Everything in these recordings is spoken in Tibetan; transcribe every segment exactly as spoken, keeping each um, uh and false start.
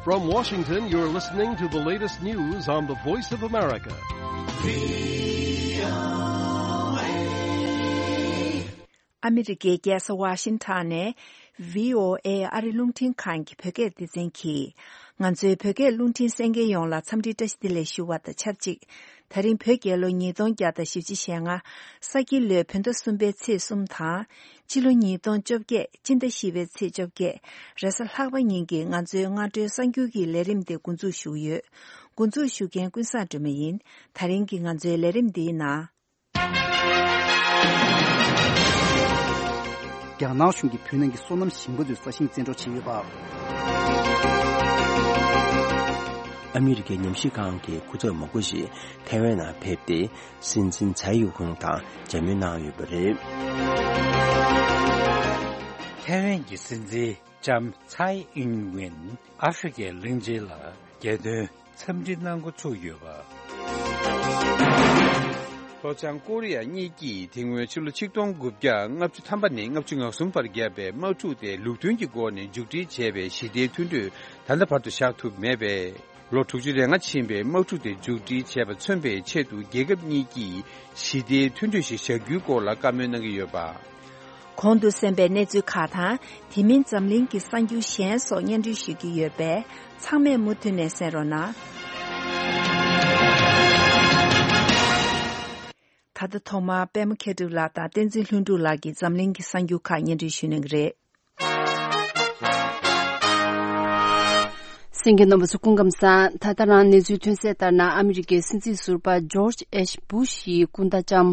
From Washington, you're listening to the latest news on the Voice of America. ཨ་མི་རི་ཀའི་རྒྱལ་ས་ཝ་ཤིང་ཊོན་ནས་བྷི་ཨོ་ཨེ་ཨ་རི་རླུང་འཕྲིན་ཁང་གི་བོད་སྐད་སྡེ་ཚན་གྱིས། ང་ཚོའི་བོད་སྐད་རླུང་འཕྲིན་གསན་མཁན་ཡོངས་ལ་འཚམས་འདྲི་བཀྲ་ཤིས་བདེ་ལེགས་ཞུ་བ་དང་ཆབས་ཅིག་ད་རིང་བོད་རྒྱལ་ལོ་ཉིས་སྟོང་བརྒྱ་དང་བཞི་བཅུ་ཞེ་ལྔ། ས་ཁྱི་ལོའི་བོད་ཟླ་གསུམ་པའི་ཚེས་གསུམ་དང་། སྤྱི་ལོ་ཉིས་སྟོང་བཅོ་བརྒྱད་སྤྱི་ཟླ་བཞི་པའི་ཚེས་བཅོ་བརྒྱད། རེས་གཟའ་ལྷག་པ་ཉིན་གྱི་ང་ཚོའི་སྔ་དྲོའི་གསར་འགྱུར་གྱི་ལས་རིམ་དེ་འགོ་འཛུགས་ཞུ་གི་ཡོད། འགོ་འཛུགས་ཞུ་མཁན་ཀུན་བཟང་སྒྲོལ་མ་ཡིན། ད་རིང་གི་ང་ཚོའི་ལས་རིམ་འདིའི་ནང་། རྒྱ་ནག་གཞུང་གིས་བོད་ནང་གི་སོ་ནམ་ཞིང་པ་ཚོའི་ས་ཞིང་བཙན་འཕྲོག་བྱས་ཡོད་པ། ཨ་མི་རི་ཀའི་ཉམས་ཞིབ་ཁང་གི་སྐུ་ཚབ་མང་པོ་ཞིག་ཐའེ་ཝན་ནང་ཕེབས་ཏེ། སྲིད་འཛིན་ཚའེ་ཡུ་ཧུང་དང་མཇལ་མོལ་གནང་ཡོད་པ་རེད། ཐའེ་ཝན་གྱི་སྲིད་འཛིན་ལྕམ་ཚའེ་ཨིན་ཝེན་ཨ་ཧྥེ་རི་ཁའི་གླིང་ཆེན་ལ་རྒྱལ་དོན་འཚམས་འདྲི་གནང་འགོ་ཚུགས་ཡོད་པ། ལྷོ་བྱང་ཀོ་རི་ཡ་གཉིས་ཀྱིས་དེ་སྔོན་ཕྱི་ལོ་ཆིག་སྟོང་དགུ་བརྒྱ་ལྔ་བཅུ་ཐམ་པ་ནས་ལྔ་བཅུ་ང་གསུམ་བར་བརྒྱབ་པའི་དམག་འཁྲུག་དེ་ལུགས་མཐུན་གྱི་སྒོ་ནས་མཇུག་སྒྲིལ་བྱས་པའི་ཞི་བདེའི་མཐུན་གྲོས་ད་ལྟ་བར་དུ་བཞག་ཐུབ་མེད་པས། ལོ་དྲུག་ཅུ་རེ་ལྔ་ཕྱིན་པའི་དམག་འཁྲུག་དེ་མཇུག་སྒྲིལ་བྱས་པ་མཚོན་པའི་ཆེད་དུ་རྒྱལ་ཁབ་གཉིས་ཀྱིས་ཞི་བདེའི་མཐུན་གྲོས་ཤིག་བཞག་རྒྱུའི་སྐོར་ལ་བཀའ་མོལ་གནང་གི་ཡོད་པ། གོང་དུ་གསན་པའི་གནས་ཚུལ་ཁག་དང་། དེ་མིན་འཛམ་གླིང་གི་གསར་འགྱུར་གཞན་སོགས་སྙན་སྒྲོན་ཞུ་རྒྱུ་ཡོད་པས། ཚང་མས་མུ་མཐུད་ནས་གསན་རོགས་གནང་། ད་ལྟ་ཐོག་མར་པད་མ་མཁས་གྲུབ་ལགས་དང་བསྟན་འཛིན་ལྷུན་གྲུབ་ལགས་ཀྱིས་འཛམ་གླིང་གི་གསར་འགྱུར་ཁག་སྙན་སྒྲོན་ཞུ་གནང་གི་རེད། གསན་མཁན་རྣམ་པ་ཚོ་སྐུ་ཁམས་བཟང་། ད་ལྟ་རང་གནས་ཚུལ་ཐོན་གསལ་ལྟར་ན། ཨ་མི་རི་ཀའི་སྲིད་འཛིན་ཟུར་པ་ཇོར་ཇི་ཨེཆ་བུ་ཤི་ཡི་སྐུ་ཟླ་ལྕམ་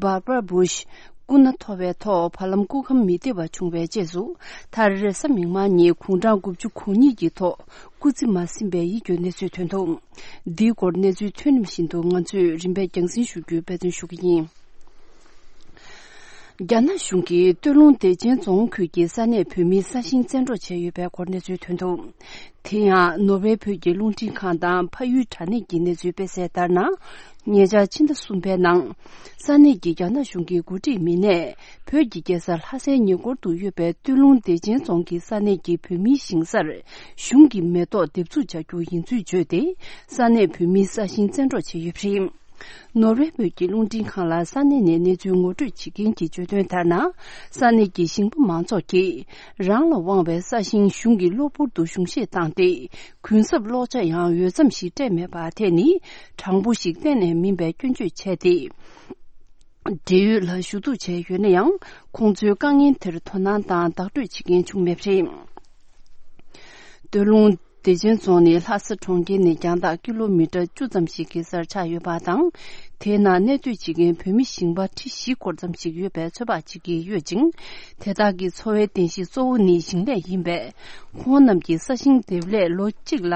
བྷར་བྷ་ར་བུ་ཤི་སྐུ་ན་མཐོ་བའི་ཐོག་བར་ལམ་སྐུ་ཁམས་མི་བདེ་བ་བྱུང་བའི་རྗེས་སུ། མཐར་རེས་གཟའ་མིག་དམར་ཉིན་དགུང་གྲངས་དགུ་བཅུ་གོ་གཉིས་ཀྱི་ཐོག་སྐུ་ཚེ་མ་ཟིན་པའི་ཡིད་སྐྱོའི་གནས་ཚུལ་ཐོན་འདུག་འདིའི་སྐོར་གནས་ཚུལ་ཐོན་རིམ་བཞིན་དུ་ང་ཚོས་རིམ་པས་རྒྱང་སྲིང་ཞུ་རྒྱུའི་འབད་བརྩོན་ཞུ་གི་ཡིན། རྒྱ་ནག་གཞུང་གིས་སྟོད་ལུང་བདེ་ཆེན་རྫོང་ཁུལ་གྱི་ས་གནས་བོད་མིའི་ས་ཞིང་བཙན་འཕྲོག་བྱས་ཡོད་པའི་སྐོར་གནས་ཚུལ་ཐོན་འདུག་དེ་ཡང་ནོར་ཝེ་བོད་ཀྱི་རླུང་འཕྲིན་ཁང་དང་ཕ་ཡུལ་དྲ་གནས་ཀྱི་གནས་ཚུལ་སྤེལ་གསལ་ལྟར་ན། ཉེ་ཆར་ཕྱི་ཟླ་གསུམ་པའི་ནང་། ས་གནས་ཀྱི་རྒྱ་ནག་གཞུང་གི་འགོ་ཁྲིད་མི་སྣས་བོད་ཀྱི་རྒྱལ་ས་ལྷ་སའི་ཉེ་འཁོར་དུ་ཡོད་པའི་སྟོད་ལུང་བདེ་ཆེན་རྫོང་གི་ས་གནས་ཀྱི་བོད་མིའི་ཞིང་སར་གཞུང་གི་མེ་ཏོག་འདེབས་འཛུགས་བྱ་རྒྱུ་ཡིན་ཚུལ་བརྗོད་དེ། ས་གནས་བོད་མིའི་ས་ཞིང་བཙན་འཕྲོག་བྱས་ཡོད་པ་རེད། ནོར་ཝེ་བོད་ཀྱི་རླུང་འཕྲིན་ཁང་ལ་ས་གནས་ནས་གནས་ཚུལ་ངོ་སྤྲོད་བྱེད་མཁན་གྱིས་བརྗོད་དོན་ལྟར་ན། ས་གནས་ཀྱི་ཞིང་པ་མང་ཚོགས་ཀྱིས་རང་ལ་དབང་བའི་ས་ཞིང་གཞུང་གིས་གློ་བུར་དུ་གཞུང་བཞེས་བཏང་སྟེ། གུན་གསབ་གློག་ཆ་ཡང་འོས་འཚམ་ཞིག་སྤྲད་མེད་པ་དེ་ནི་དྲང་པོ་ཞིག་གཏན་ནས་མིན་པའི་སྐྱོན་བརྗོད་བྱས་ཏེ། འབྲེལ་ཡོད་ལ་ཞུ་གཏུག་བྱས་ཡོད་ན་ཡང་། ཁོང་ཚོའི་དཀའ་ངལ་དེར་དོ་སྣང་དང་བདག་སྤྲོད་བྱེད་མཁན་བྱུང་མེད་པ་རེད། སྟོད་ལུང་བདེ་ཆེན་རྫོང་ནི་ལྷ་ས་གྲོང་ཁྱེར་ནས་རྒྱང་ཐག་ཀི་ལོ་མི་ཊར་བཅུ་ཙམ་ཞིག་གི་སར་ཆགས་ཡོད་པ་དང་། དེའི་ནང་གནས་སྡོད་བྱེད་མཁན་བོད་མི་ཞིང་པ་ཁྲི་བཞི་སྐོར་ཙམ་ཞིག་ཡོད་པའི་ཚོད་དཔག་བྱེད་ཀྱི་ཡོད་ཅིང་། དེ་དག་གི་འཚོ་བའི་རྟེན་གཞི་གཙོ་བོ་ནི་ཞིང་ལས་ཡིན་པས། ཁོང་རྣམས་ཀྱིས་ས་ཞིང་འདེབས་ལས་ལོ་གཅིག་ལ་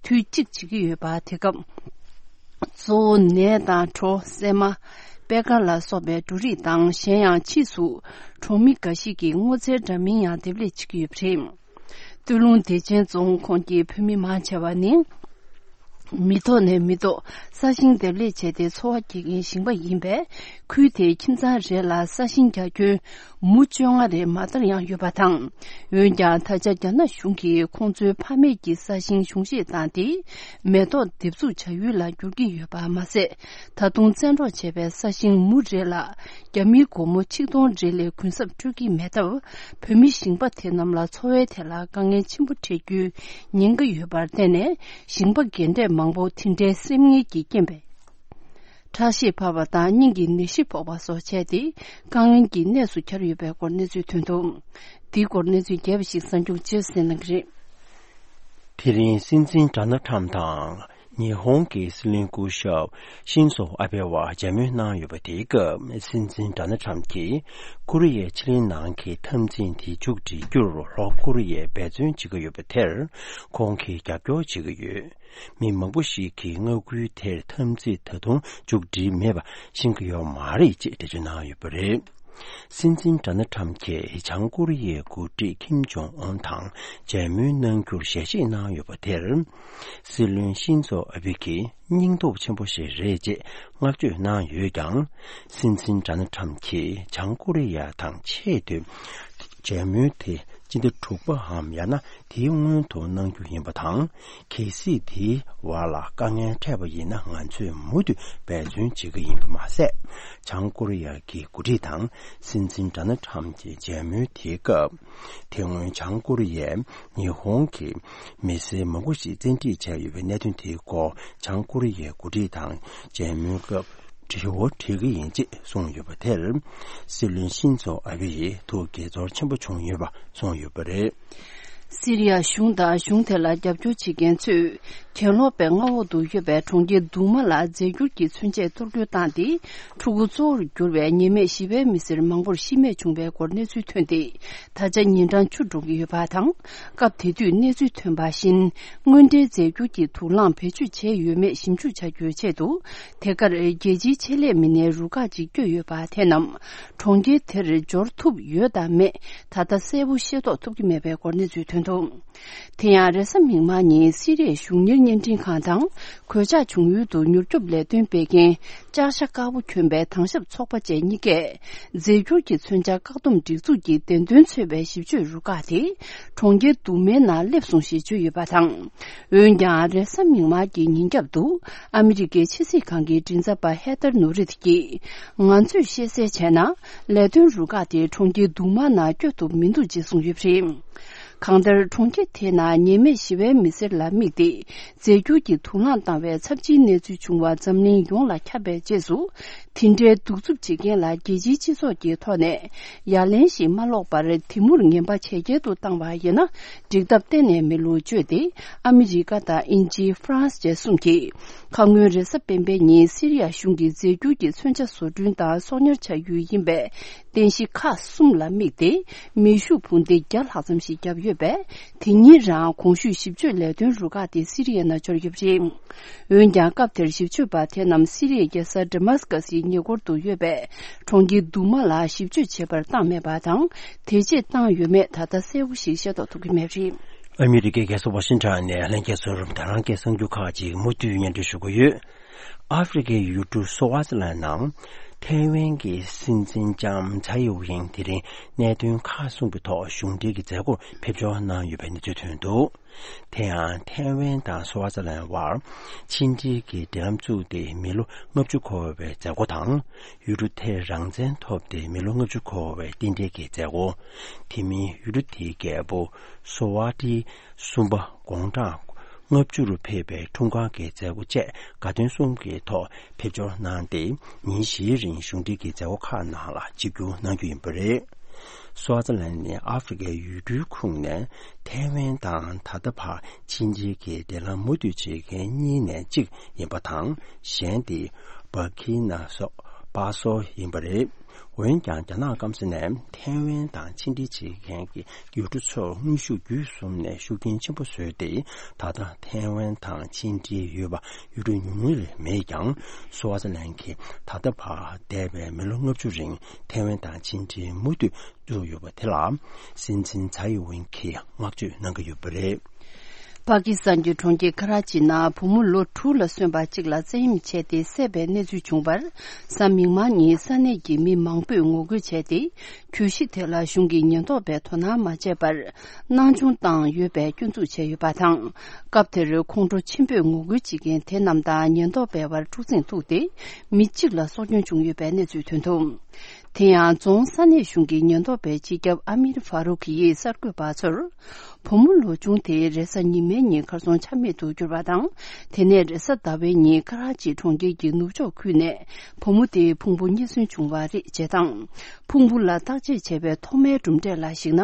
དུས་གཅིག་བྱེད་ཀྱི་ཡོད་པ། དེ་སྐབས་གཙོ་བོ་ནས་དང་གྲོ། སྲན་མ། པད་དཀར་ལ་སོགས་པའི་འབྲུ་རིགས་དང་། གཞན་ཡང་ཕྱིས་སུ་གྲོང་མི་འགའ་ཞིག་གིས་སྔོ་ཚལ་འདྲ་མིན་ཡང་འདེབས་ལས་བྱེད་ཀྱི་ཡོད་པ་རེད། སྟོད་ལུང་བདེ་ཆེན་རྫོང་ཁོངས་ཀྱི་བོད་མི་མང་ཆེ་བ་ནི། མི་ཐོག་ནས་མི་ཐོག་ས་ཞིང་འདེབས་ལས་བྱས་ཏེ་འཚོ་བ་སྐྱེལ་མཁན་ཞིང་པ་ཡིན་པས། ཁུལ་དེའི་ཁྱིམ་ཚང་རེ་ལ་ས་ཞིང་རྒྱ་ཁྱོན་མུ་བཅོ་ལྔ་རེ་མ་མཐར་ཡང་ཡོད་པ་དང་། འོན་ཀྱང་། ད་ཆ་རྒྱ་ནག་གཞུང་གིས་ཁོང་ཚོའི་ཕ་མེས་ཀྱི་ས་ཞིང་གཞུང་བཞེས་བཏང་སྟེ། མེ་ཏོག་འདེབས་འཛུགས་བྱ་ཡུལ་ལ་བསྒྱུར་གྱི་ཡོད་པ་མ་ཟད། ད་དུང་བཙན་འཕྲོག་བྱས་པའི་ས་ཞིང་མུ་རེ་ལ་རྒྱ་མིའི་སྒོར་མོ་ཆིག་སྟོང་རེ་ལས་གུན་གསབ་སྤྲོད་ཀྱི་མེད་སྟབས། བོད་མི་ཞིང་པ་དེ་རྣམས་ལ་འཚོ་བའི་ཐད་ལ་དཀའ་ངལ་ཆེན་པོ་འཕྲད་རྒྱུའི་ཉེན་ཁ་ཡོད་པར་བརྟེན་ནས། ཞིང་པ་རྒན་གྲས་མང་པོ་དེ་འདྲའི་སེམས་ངལ་གྱི་རྐྱེན་པས། ཁྲག་ཤེད་འཕར་བ་དང་སྙིང་གི་ནད་གཞི་ཕོག་པ་སོགས་བྱས་ཏེ། དཀའ་ངལ་གྱི་གནས་སུ་གྱར་ཡོད་པའི་སྐོར་གནས་ཚུལ་ཐོན་འདུག་འདིའི་སྐོར་གནས་ཚུལ་རྒྱས་པ་ཞིག་གསར་འགྱུར་རྗེས་གསན་གནང་གི་རེད། དེ་རིང་སྲིད་འཛིན་ཌོ་ནལ་ཊམ་དང་། ཉི་ཧོང་གི་སྲིད་བློན་སྐུ་ཞབས་ཤིན་ཛོ་ཨ་བྷེ་བ་མཇལ་མོལ་གནང་ཡོད་པ། དེའི་སྐབས་སྲིད་འཛིན་ཌོ་ནལ་ཊམ་གྱིས་ཀོ་རི་ཡའི་ཕྱེད་གླིང་ནང་གི་འཐབ་འཛིང་དེ་མཇུག་སྒྲིལ་རྒྱུར་ལྷོ་ཀོ་རི་ཡས་འབད་བརྩོན་བྱེད་ཀྱི་ཡོད་པ་དེར་ཁོང་གིས་རྒྱབ་སྐྱོར་བྱེད་ཀྱི་ཡོད། མི་མང་པོ་ཞིག་གིས་མངའ་ཁུལ་དེར་འཐབ་འཛིང་ད་དུང་མཇུག་སྒྲིལ་མེད་པ་ཤེས་ཀྱི་ཡོད་མ་རེད་ཅེས་འགྲེལ་བརྗོད་གནང་ཡོད་པ་རེད། སྲིད་འཛིན་ཌོ་ནལ་ཊམ་གྱིས་བྱང་ཀོ་རི་ཡའི་འགོ་ཁྲིད་ཁིམ་ཇོང་ཨུན་དང་མཇལ་མོལ་གནང་རྒྱུར་ཞལ་བཞེས་གནང་ཡོད་པ་དེར། སྲིད་བློན་ཤིན་ཛོ་ཨ་བྷེ་གིས་སྙིང་སྟོབས་ཆེན་པོ་ཞིག་རེད་ཅེས་བསྔགས་བརྗོད་གནང་ཡོད་ཀྱང་། སྲིད་འཛིན་ཌོ་ནལ་ཊམ་གྱིས་བྱང་ཀོ་རི་ཡ་དང་ཆེས་མཐོའི་ མཇལ་མོལ་དེ་སྤྱི་ཟླ་དྲུག་པའམ་ཡང་ན་དེའི་སྔོན་དུ་གནང་རྒྱུ་ཡིན་པ་དང་། གལ་སྲིད་དེའི་བར་ལ་དཀའ་ངལ་འཕྲད་པ་ཡིན་ན། ང་ཚོས་མུ་མཐུད་འབད་བརྩོན་བྱེད་ཀྱི་ཡིན་པ་མ་ཟད། བྱང་ཀོ་རི་ཡ་གི་འགོ་ཁྲིད་དང་སྲིད་འཛིན་ཌོ་ནལ་ཁྲམ་གྱི་མཇལ་མོལ་དེའི་སྐབས། དེ་སྔོན་བྱང་ཀོ་རི་ཡས་ཉི་ཧོང་གི་མི་སེར་མང་པོ་ཞིག་བཙན་ཁྲིད་བྱས་ཡོད་པའི་གནད་དོན་དེའི་སྐོར། བྱང་ཀོ་རི་ཡའི་འགོ་ཁྲིད་དང་མཇལ་མོལ་སྐབས་དྲི་བ་དྲི་གི་ཡིན་ཅེས་གསུངས་ཡོད་པ་དེར། སྲིད་བློན་ཤིན་ཛོ་ཨ་བྷེ་ཡིས་ཐུགས་དགྱེས་ཚོར་ཆེན་པོ་བྱུང་ཡོད་པ་གསུངས་ཡོད་པ་རེད། སི་རི་ཡ་གཞུང་དང་གཞུང་དེ་ལ་རྒྱབ་སྐྱོར་བྱེད་མཁན་ཚོས། གྱེན་ལོག་པའི་མངའ་འོག་ཏུ་ཡོད་པའི་གྲོང་ཁྱེར་དུ་མ་ལ་རྫས་འགྱུར་གྱི་མཚོན་ཆས་གཏོར་རྒོལ་བཏང་སྟེ། ཕྲུ་གུ་གཙོ་བོར་གྱུར་བའི་ཉེས་མེད་བཞི་པའི་མི་སེར་མང་པོར་ཤི་རྨས་བྱུང་བའི་སྐོར་གནས་ཚུལ་ཐོན་ཏེ། ད་ཆ་ཉིན་གྲངས་བཅུ་འགྲོ་གི་ཡོད་པ་དང་། སྐབས་དེ་དུས་གནས་ཚུལ་ཐོན་པ་བཞིན། དངོས་འབྲེལ་རྫས་འགྱུར་གྱི་དུག་རླངས་བེད་སྤྱོད་བྱས་ཡོད་མེད་ཞིབ་འཇུག་བྱ་རྒྱུའི་ཆེད་དུ། དེ་གར་རྒྱལ་སྤྱིའི་ཆེད་ལས་མི་སྣའི་རུ་ཁག་ཅིག་བསྐྱོད་ཡོད་པ་དེ་རྣམས། གྲོང་ཁྱེར་དེར་འབྱོར་ཐུབ་ཡོད་དམ་མེད། ད་ལྟ་གསལ་པོ་ཤེས་རྟོགས་ཐུབ་ཀྱི་མེད་པའི་སྐོར་གནས་ཚུལ་ཐོན་འདུག་དེ་ཡང་རེས་གཟའ་མིག་དམར་ཉིན་སི་རི་ཡའི་གཞུང་གཉེར་བརྙན་འཕྲིན་ཁང་དང་། གོད་ཆག་བྱུང་ཡུལ་དུ་མྱུར་སྐྱོབ་ལས་དོན་སྤེལ་མཁན་ལྕགས་ཤ་དཀར་པོ་གྱོན་པའི་དྭང་ཞབས་ཚོགས་པ་བཅས་གཉིས་ཀས། རྫས་འགྱུར་གྱི་མཚོན་ཆ་བཀག་སྡོམ་སྒྲིག་འཛུགས་ཀྱི་བདེན་དོན་འཚོལ་བའི་ཞིབ་དཔྱོད་རུ་ཁག་དེ། གྲོང་ཁྱེར་དུ་མའི་ནང་སླེབས་སོང་ཞེས་བརྗོད་ཡོད་པ་དང་། འོན་ཀྱང་། རེས་གཟའ་མིག་དམར་གྱི་ཉིན་རྒྱབ་ཏུ། ཨ་མི་རི་ཀའི་ཕྱི་སྲིད་ཁང་གི་མགྲིན་ཚབ་པ་ཧེ་ཐར་ནུ་རིད་ཀྱིས། ང་ཚོས་ཤེས་གསལ་བྱས་ན། ལས་དོན་རུ་ཁག་དེ་གྲོང་ཁྱེར་དུ་མ་ནང་བསྐྱོད་ཐུབ་མི་འདུག་ཅེས་གསུངས་ཡོད་པ་རེད། གང་ལྟར། གྲོང་ཁྱེར་དེའི་ནང་ཉེས་མེད་ཞི་བའི་མི་སེར་ལ་དམིགས་ཏེ། རྫས་འགྱུར་གྱི་དུག་རླངས་བཏང་བའི་ཚབས་ཆེའི་གནས་ཚུལ་བྱུང་བ་འཛམ་གླིང་ཡོངས་ལ་ཁྱབ་པའི་རྗེས་སུ། དེ་འདྲའི་གདུག་རྩུབ་བྱེད་མཁན་ལ་རྒྱལ་སྤྱིའི་སྤྱི་ཚོགས་ཀྱི་ཐོག་ནས་ཡ་ལན་ཞིག་མ་སློག་པར། དེ་མུར་ངན་པ་ཇེ་རྒྱས་དུ་བཏང་བ་ཡིན་ན། འགྲིག་ཐབས་གཏན་ནས་མེད་ལུགས་བརྗོད་དེ། ཨ་མི་རི་ཀ་དང་དབྱིན་ཇི། ཧྥ་རན་སི་བཅས་གསུམ་གྱིས། ཁ་སྔོན་རེས་གཟའ་སྤེན་པའི་ཉིན་སི་རི་ཡ་གཞུང་གིས་རྫས་འགྱུར་གྱི་མཚོན་ཆ་བཟོ་སྐྲུན་དང་གསོག་ཉར་བྱ་ཡུལ་ཡིན་པའི་རྟེན་གཞི་ཁག་གསུམ་ལ་དམིགས་ཏེ། མེ་ཤུགས་འཕུར་མདེལ་བརྒྱ་ལྷག་ཙམ་ཞིག་བརྒྱབ་ཡོད་པས། དེ་ཉིན་རང་གོང་ཞུས་ཞིབ་དཔྱོད་ལས་དོན་རུ་ཁག་དེ་སི་རི་ཡའི་ནང་འབྱོར་ཡོད་པ་རེད། འོན་ཀྱང་། སྐབས་དེར་ཞིབ་དཔྱོད་པ་དེ་རྣམས་སི་རི་ཡའི་རྒྱལ་ས་ཌི་མཱ་སི་ཀ་སིའི་ཉེ་འཁོར་དུ་ཡོད་པའི་གྲོང་ཁྱེར་དུ་མ་ལ་ཞིབ་དཔྱོད་བྱེད་པར་བཏང་མེད་པ་དང་། དེ་རྗེས་བཏང་ཡོད་མེད་ད་ལྟ་གསལ་པོ་ཞིག་ཤེས་རྟོགས་ཐུབ་ཀྱི་མེད་པ་རེད། ཨ་མི་རི་ཀའི་རྒྱལ་ས་ཝ་ཤིང་ཊོན་ནས་ལྷན་རྒྱས་ཚོར་དེ་རིང་གི་གསར་འགྱུར་ཁག་ཅིག་མུ་མཐུད་སྙན་སྒྲོན་ཞུ་གི་ཡོད། ཨ་ཧྥེ་རི་ཁའི་ཡུལ་གྲུ་སོ་ཝ་ཛི་ལན་ནང་ཐའེ་ཝན་གྱི་སྲིད་འཛིན་ལྕམ་ཚའེ་ཝེན་དེ་རིང་གནད་དོན་ཁག་གསུམ་གྱི་ཐོག་གཞུང་འབྲེལ་གྱི་མཛད་སྒོར་ཕེབས་འབྱོར་གནང་ཡོད་པའི་གནས་ཚུལ་ཐོན་འདུག་དེ་ཡང་ཐའེ་ཝན་དང་སོ་ཝ་ཛི་ལན་དབར་ཕྱི་འབྲེལ་གྱི་འབྲེལ་ལམ་བཙུགས་ཏེ་མི་ལོ་ལྔ་བཅུ་འཁོར་བའི་མཛད་སྒོ་དང་། ཡུལ་གྲུ་དེར་རང་བཙན་ཐོབ་སྟེ་མི་ལོ་ལྔ་བཅུ་འཁོར་བའི་རྟེན་འབྲེལ་གྱི་མཛད་སྒོ། དེ་མིན་ཡུལ་གྲུ་དེའི་རྒྱལ་པོ་སོ་ཝ་ཏི་གསུམ་པ་དགུང་གྲངས་ལྔ་བཅུ་རུ་ཕེབས་པའི་འཁྲུངས་སྐར་གྱི་མཛད་སྒོ་བཅས་དགའ་སྟོན་གསུམ་གྱི་ཐོག་ཕེབས་འབྱོར་གནང་སྟེ། ཉིན་བཞིའི་རིང་གཞུང་འབྲེལ་གྱི་མཛད་སྒོ་ཁག་ནང་ལ་ཆིབས་བསྒྱུར་གནང་རྒྱུ་ཡིན་པ་རེད། སོ་ཝ་ཛི་ལན་ནི་ཨ་ཧྥེ་རི་ཁའི་ཡུལ་གྲུའི་ཁོངས་ནས་ཐའེ་ཝན་དང་ད་ལྟ་བར་ཕྱི་འབྲེལ་གྱི་འབྲེལ་ལམ་མུ་མཐུད་བྱེད་མཁན་གཉིས་ནས་གཅིག་ཡིན་པ་དང་། གཞན་དེ་བར་ཁི་ན་སོ་པ་སོ་ཡིན་པ་རེད། འོན་ཀྱང་། རྒྱ་ནག་སྐམ་ས་ནས་ཐའེ་ཝན་དང་ཕྱི་འབྲེལ་བྱེད་མཁན་གྱི་ཡུལ་གྲུ་ཚོར་དངོས་ཤུགས་བརྒྱུད་གསུམ་ནས་ཤུགས་རྐྱེན་ཆེན་པོ་བཟོས་ཏེ། ད་ལྟ་ཐའེ་ཝན་དང་ཕྱི་འབྲེལ་ཡོད་པ་ཡུལ་གྲུ་ཉུང་ཉུང་ལས་མེད་ཀྱང་། སོ་ཝ་ཛི་ལན་གྱིས་ད་ལྟ་བར་འདས་པའི་མི་ལོ་ལྔ་བཅུ་རིང་ཐའེ་ཝན་དང་ཕྱི་འབྲེལ་མུ་མཐུད་བཙུགས་ཡོད་པ་དེ་ལ་སྲིད་འཛིན་ཚའེ་ཝེན་གྱིས་བསྔགས་བརྗོད་གནང་གི་ཡོད་པ་རེད། པ་ཀི་སི་ཐན་གྱི་གྲོང་ཁྱེར་ཁ་ར་ཅི་ནང་བུ་མོ་ལོ་དྲུག་ལ་སོན་པ་གཅིག་ལ་བཙན་གཡེམ་བྱས་ཏེ་བསད་པའི་གནས་ཚུལ་བྱུང་བར། གཟའ་མིག་དམར་ཉིན་ས་གནས་ཀྱི་མི་མང་པོས་ངོ་རྒོལ་བྱས་ཏེ། གྱོད་གཞི་དེ་ལ་གཞུང་གི་ཉེན་རྟོག་པས་དོ་སྣང་མ་བྱས་པར། སྣང་ཆུང་བཏང་ཡོད་པའི་སྐྱོན་འཛུགས་བྱས་ཡོད་པ་དང་། སྐབས་དེར་ཁོང་ཁྲོ་ཆེན་པོས་ངོ་རྒོལ་བྱེད་མཁན་དེ་རྣམས་དང་ཉེན་རྟོག་པའི་བར་འཁྲུག་འཛིང་ཐུག་སྟེ། མི་གཅིག་ལ་སྲོག་སྐྱོན་བྱུང་ཡོད་པའི་གནས་ཚུལ་ཐོན་འདུག་དེ་ཡང་རྫོང་ས་གནས་གཞུང་གི་ཉེན་རྟོག་པའི་སྤྱི་ཁྱབ་ཨ་མིར་ཧྥ་རུག་ཡིས་གསར་འགོད་པ་ཚོར། བུ་མོ་ལོ་ཆུང་དེ་རེས་གཟའ་ཉི་མའི་ཉིན་ཁ་སང་ཆ་མེད་དུ་གྱུར་བ་དང་། དེ་ནས་རེས་གཟའ་ཟླ་བའི་ཉིན་ཁ་ར་ཅི་གྲོང་ཁྱེར་གྱི་ནུབ་ཕྱོགས་ཁུལ་ནས་བུ་མོ་དེའི་ཕུང་པོ་རྙེད་སོན་བྱུང་བ་རེད་ཅེས་དང་། ཕུང་པོ་ལ་བརྟག་དཔྱད་བྱས་པའི་ཐོག་མའི་གྲུབ་འབྲས་ལ་གཞིགས་ན།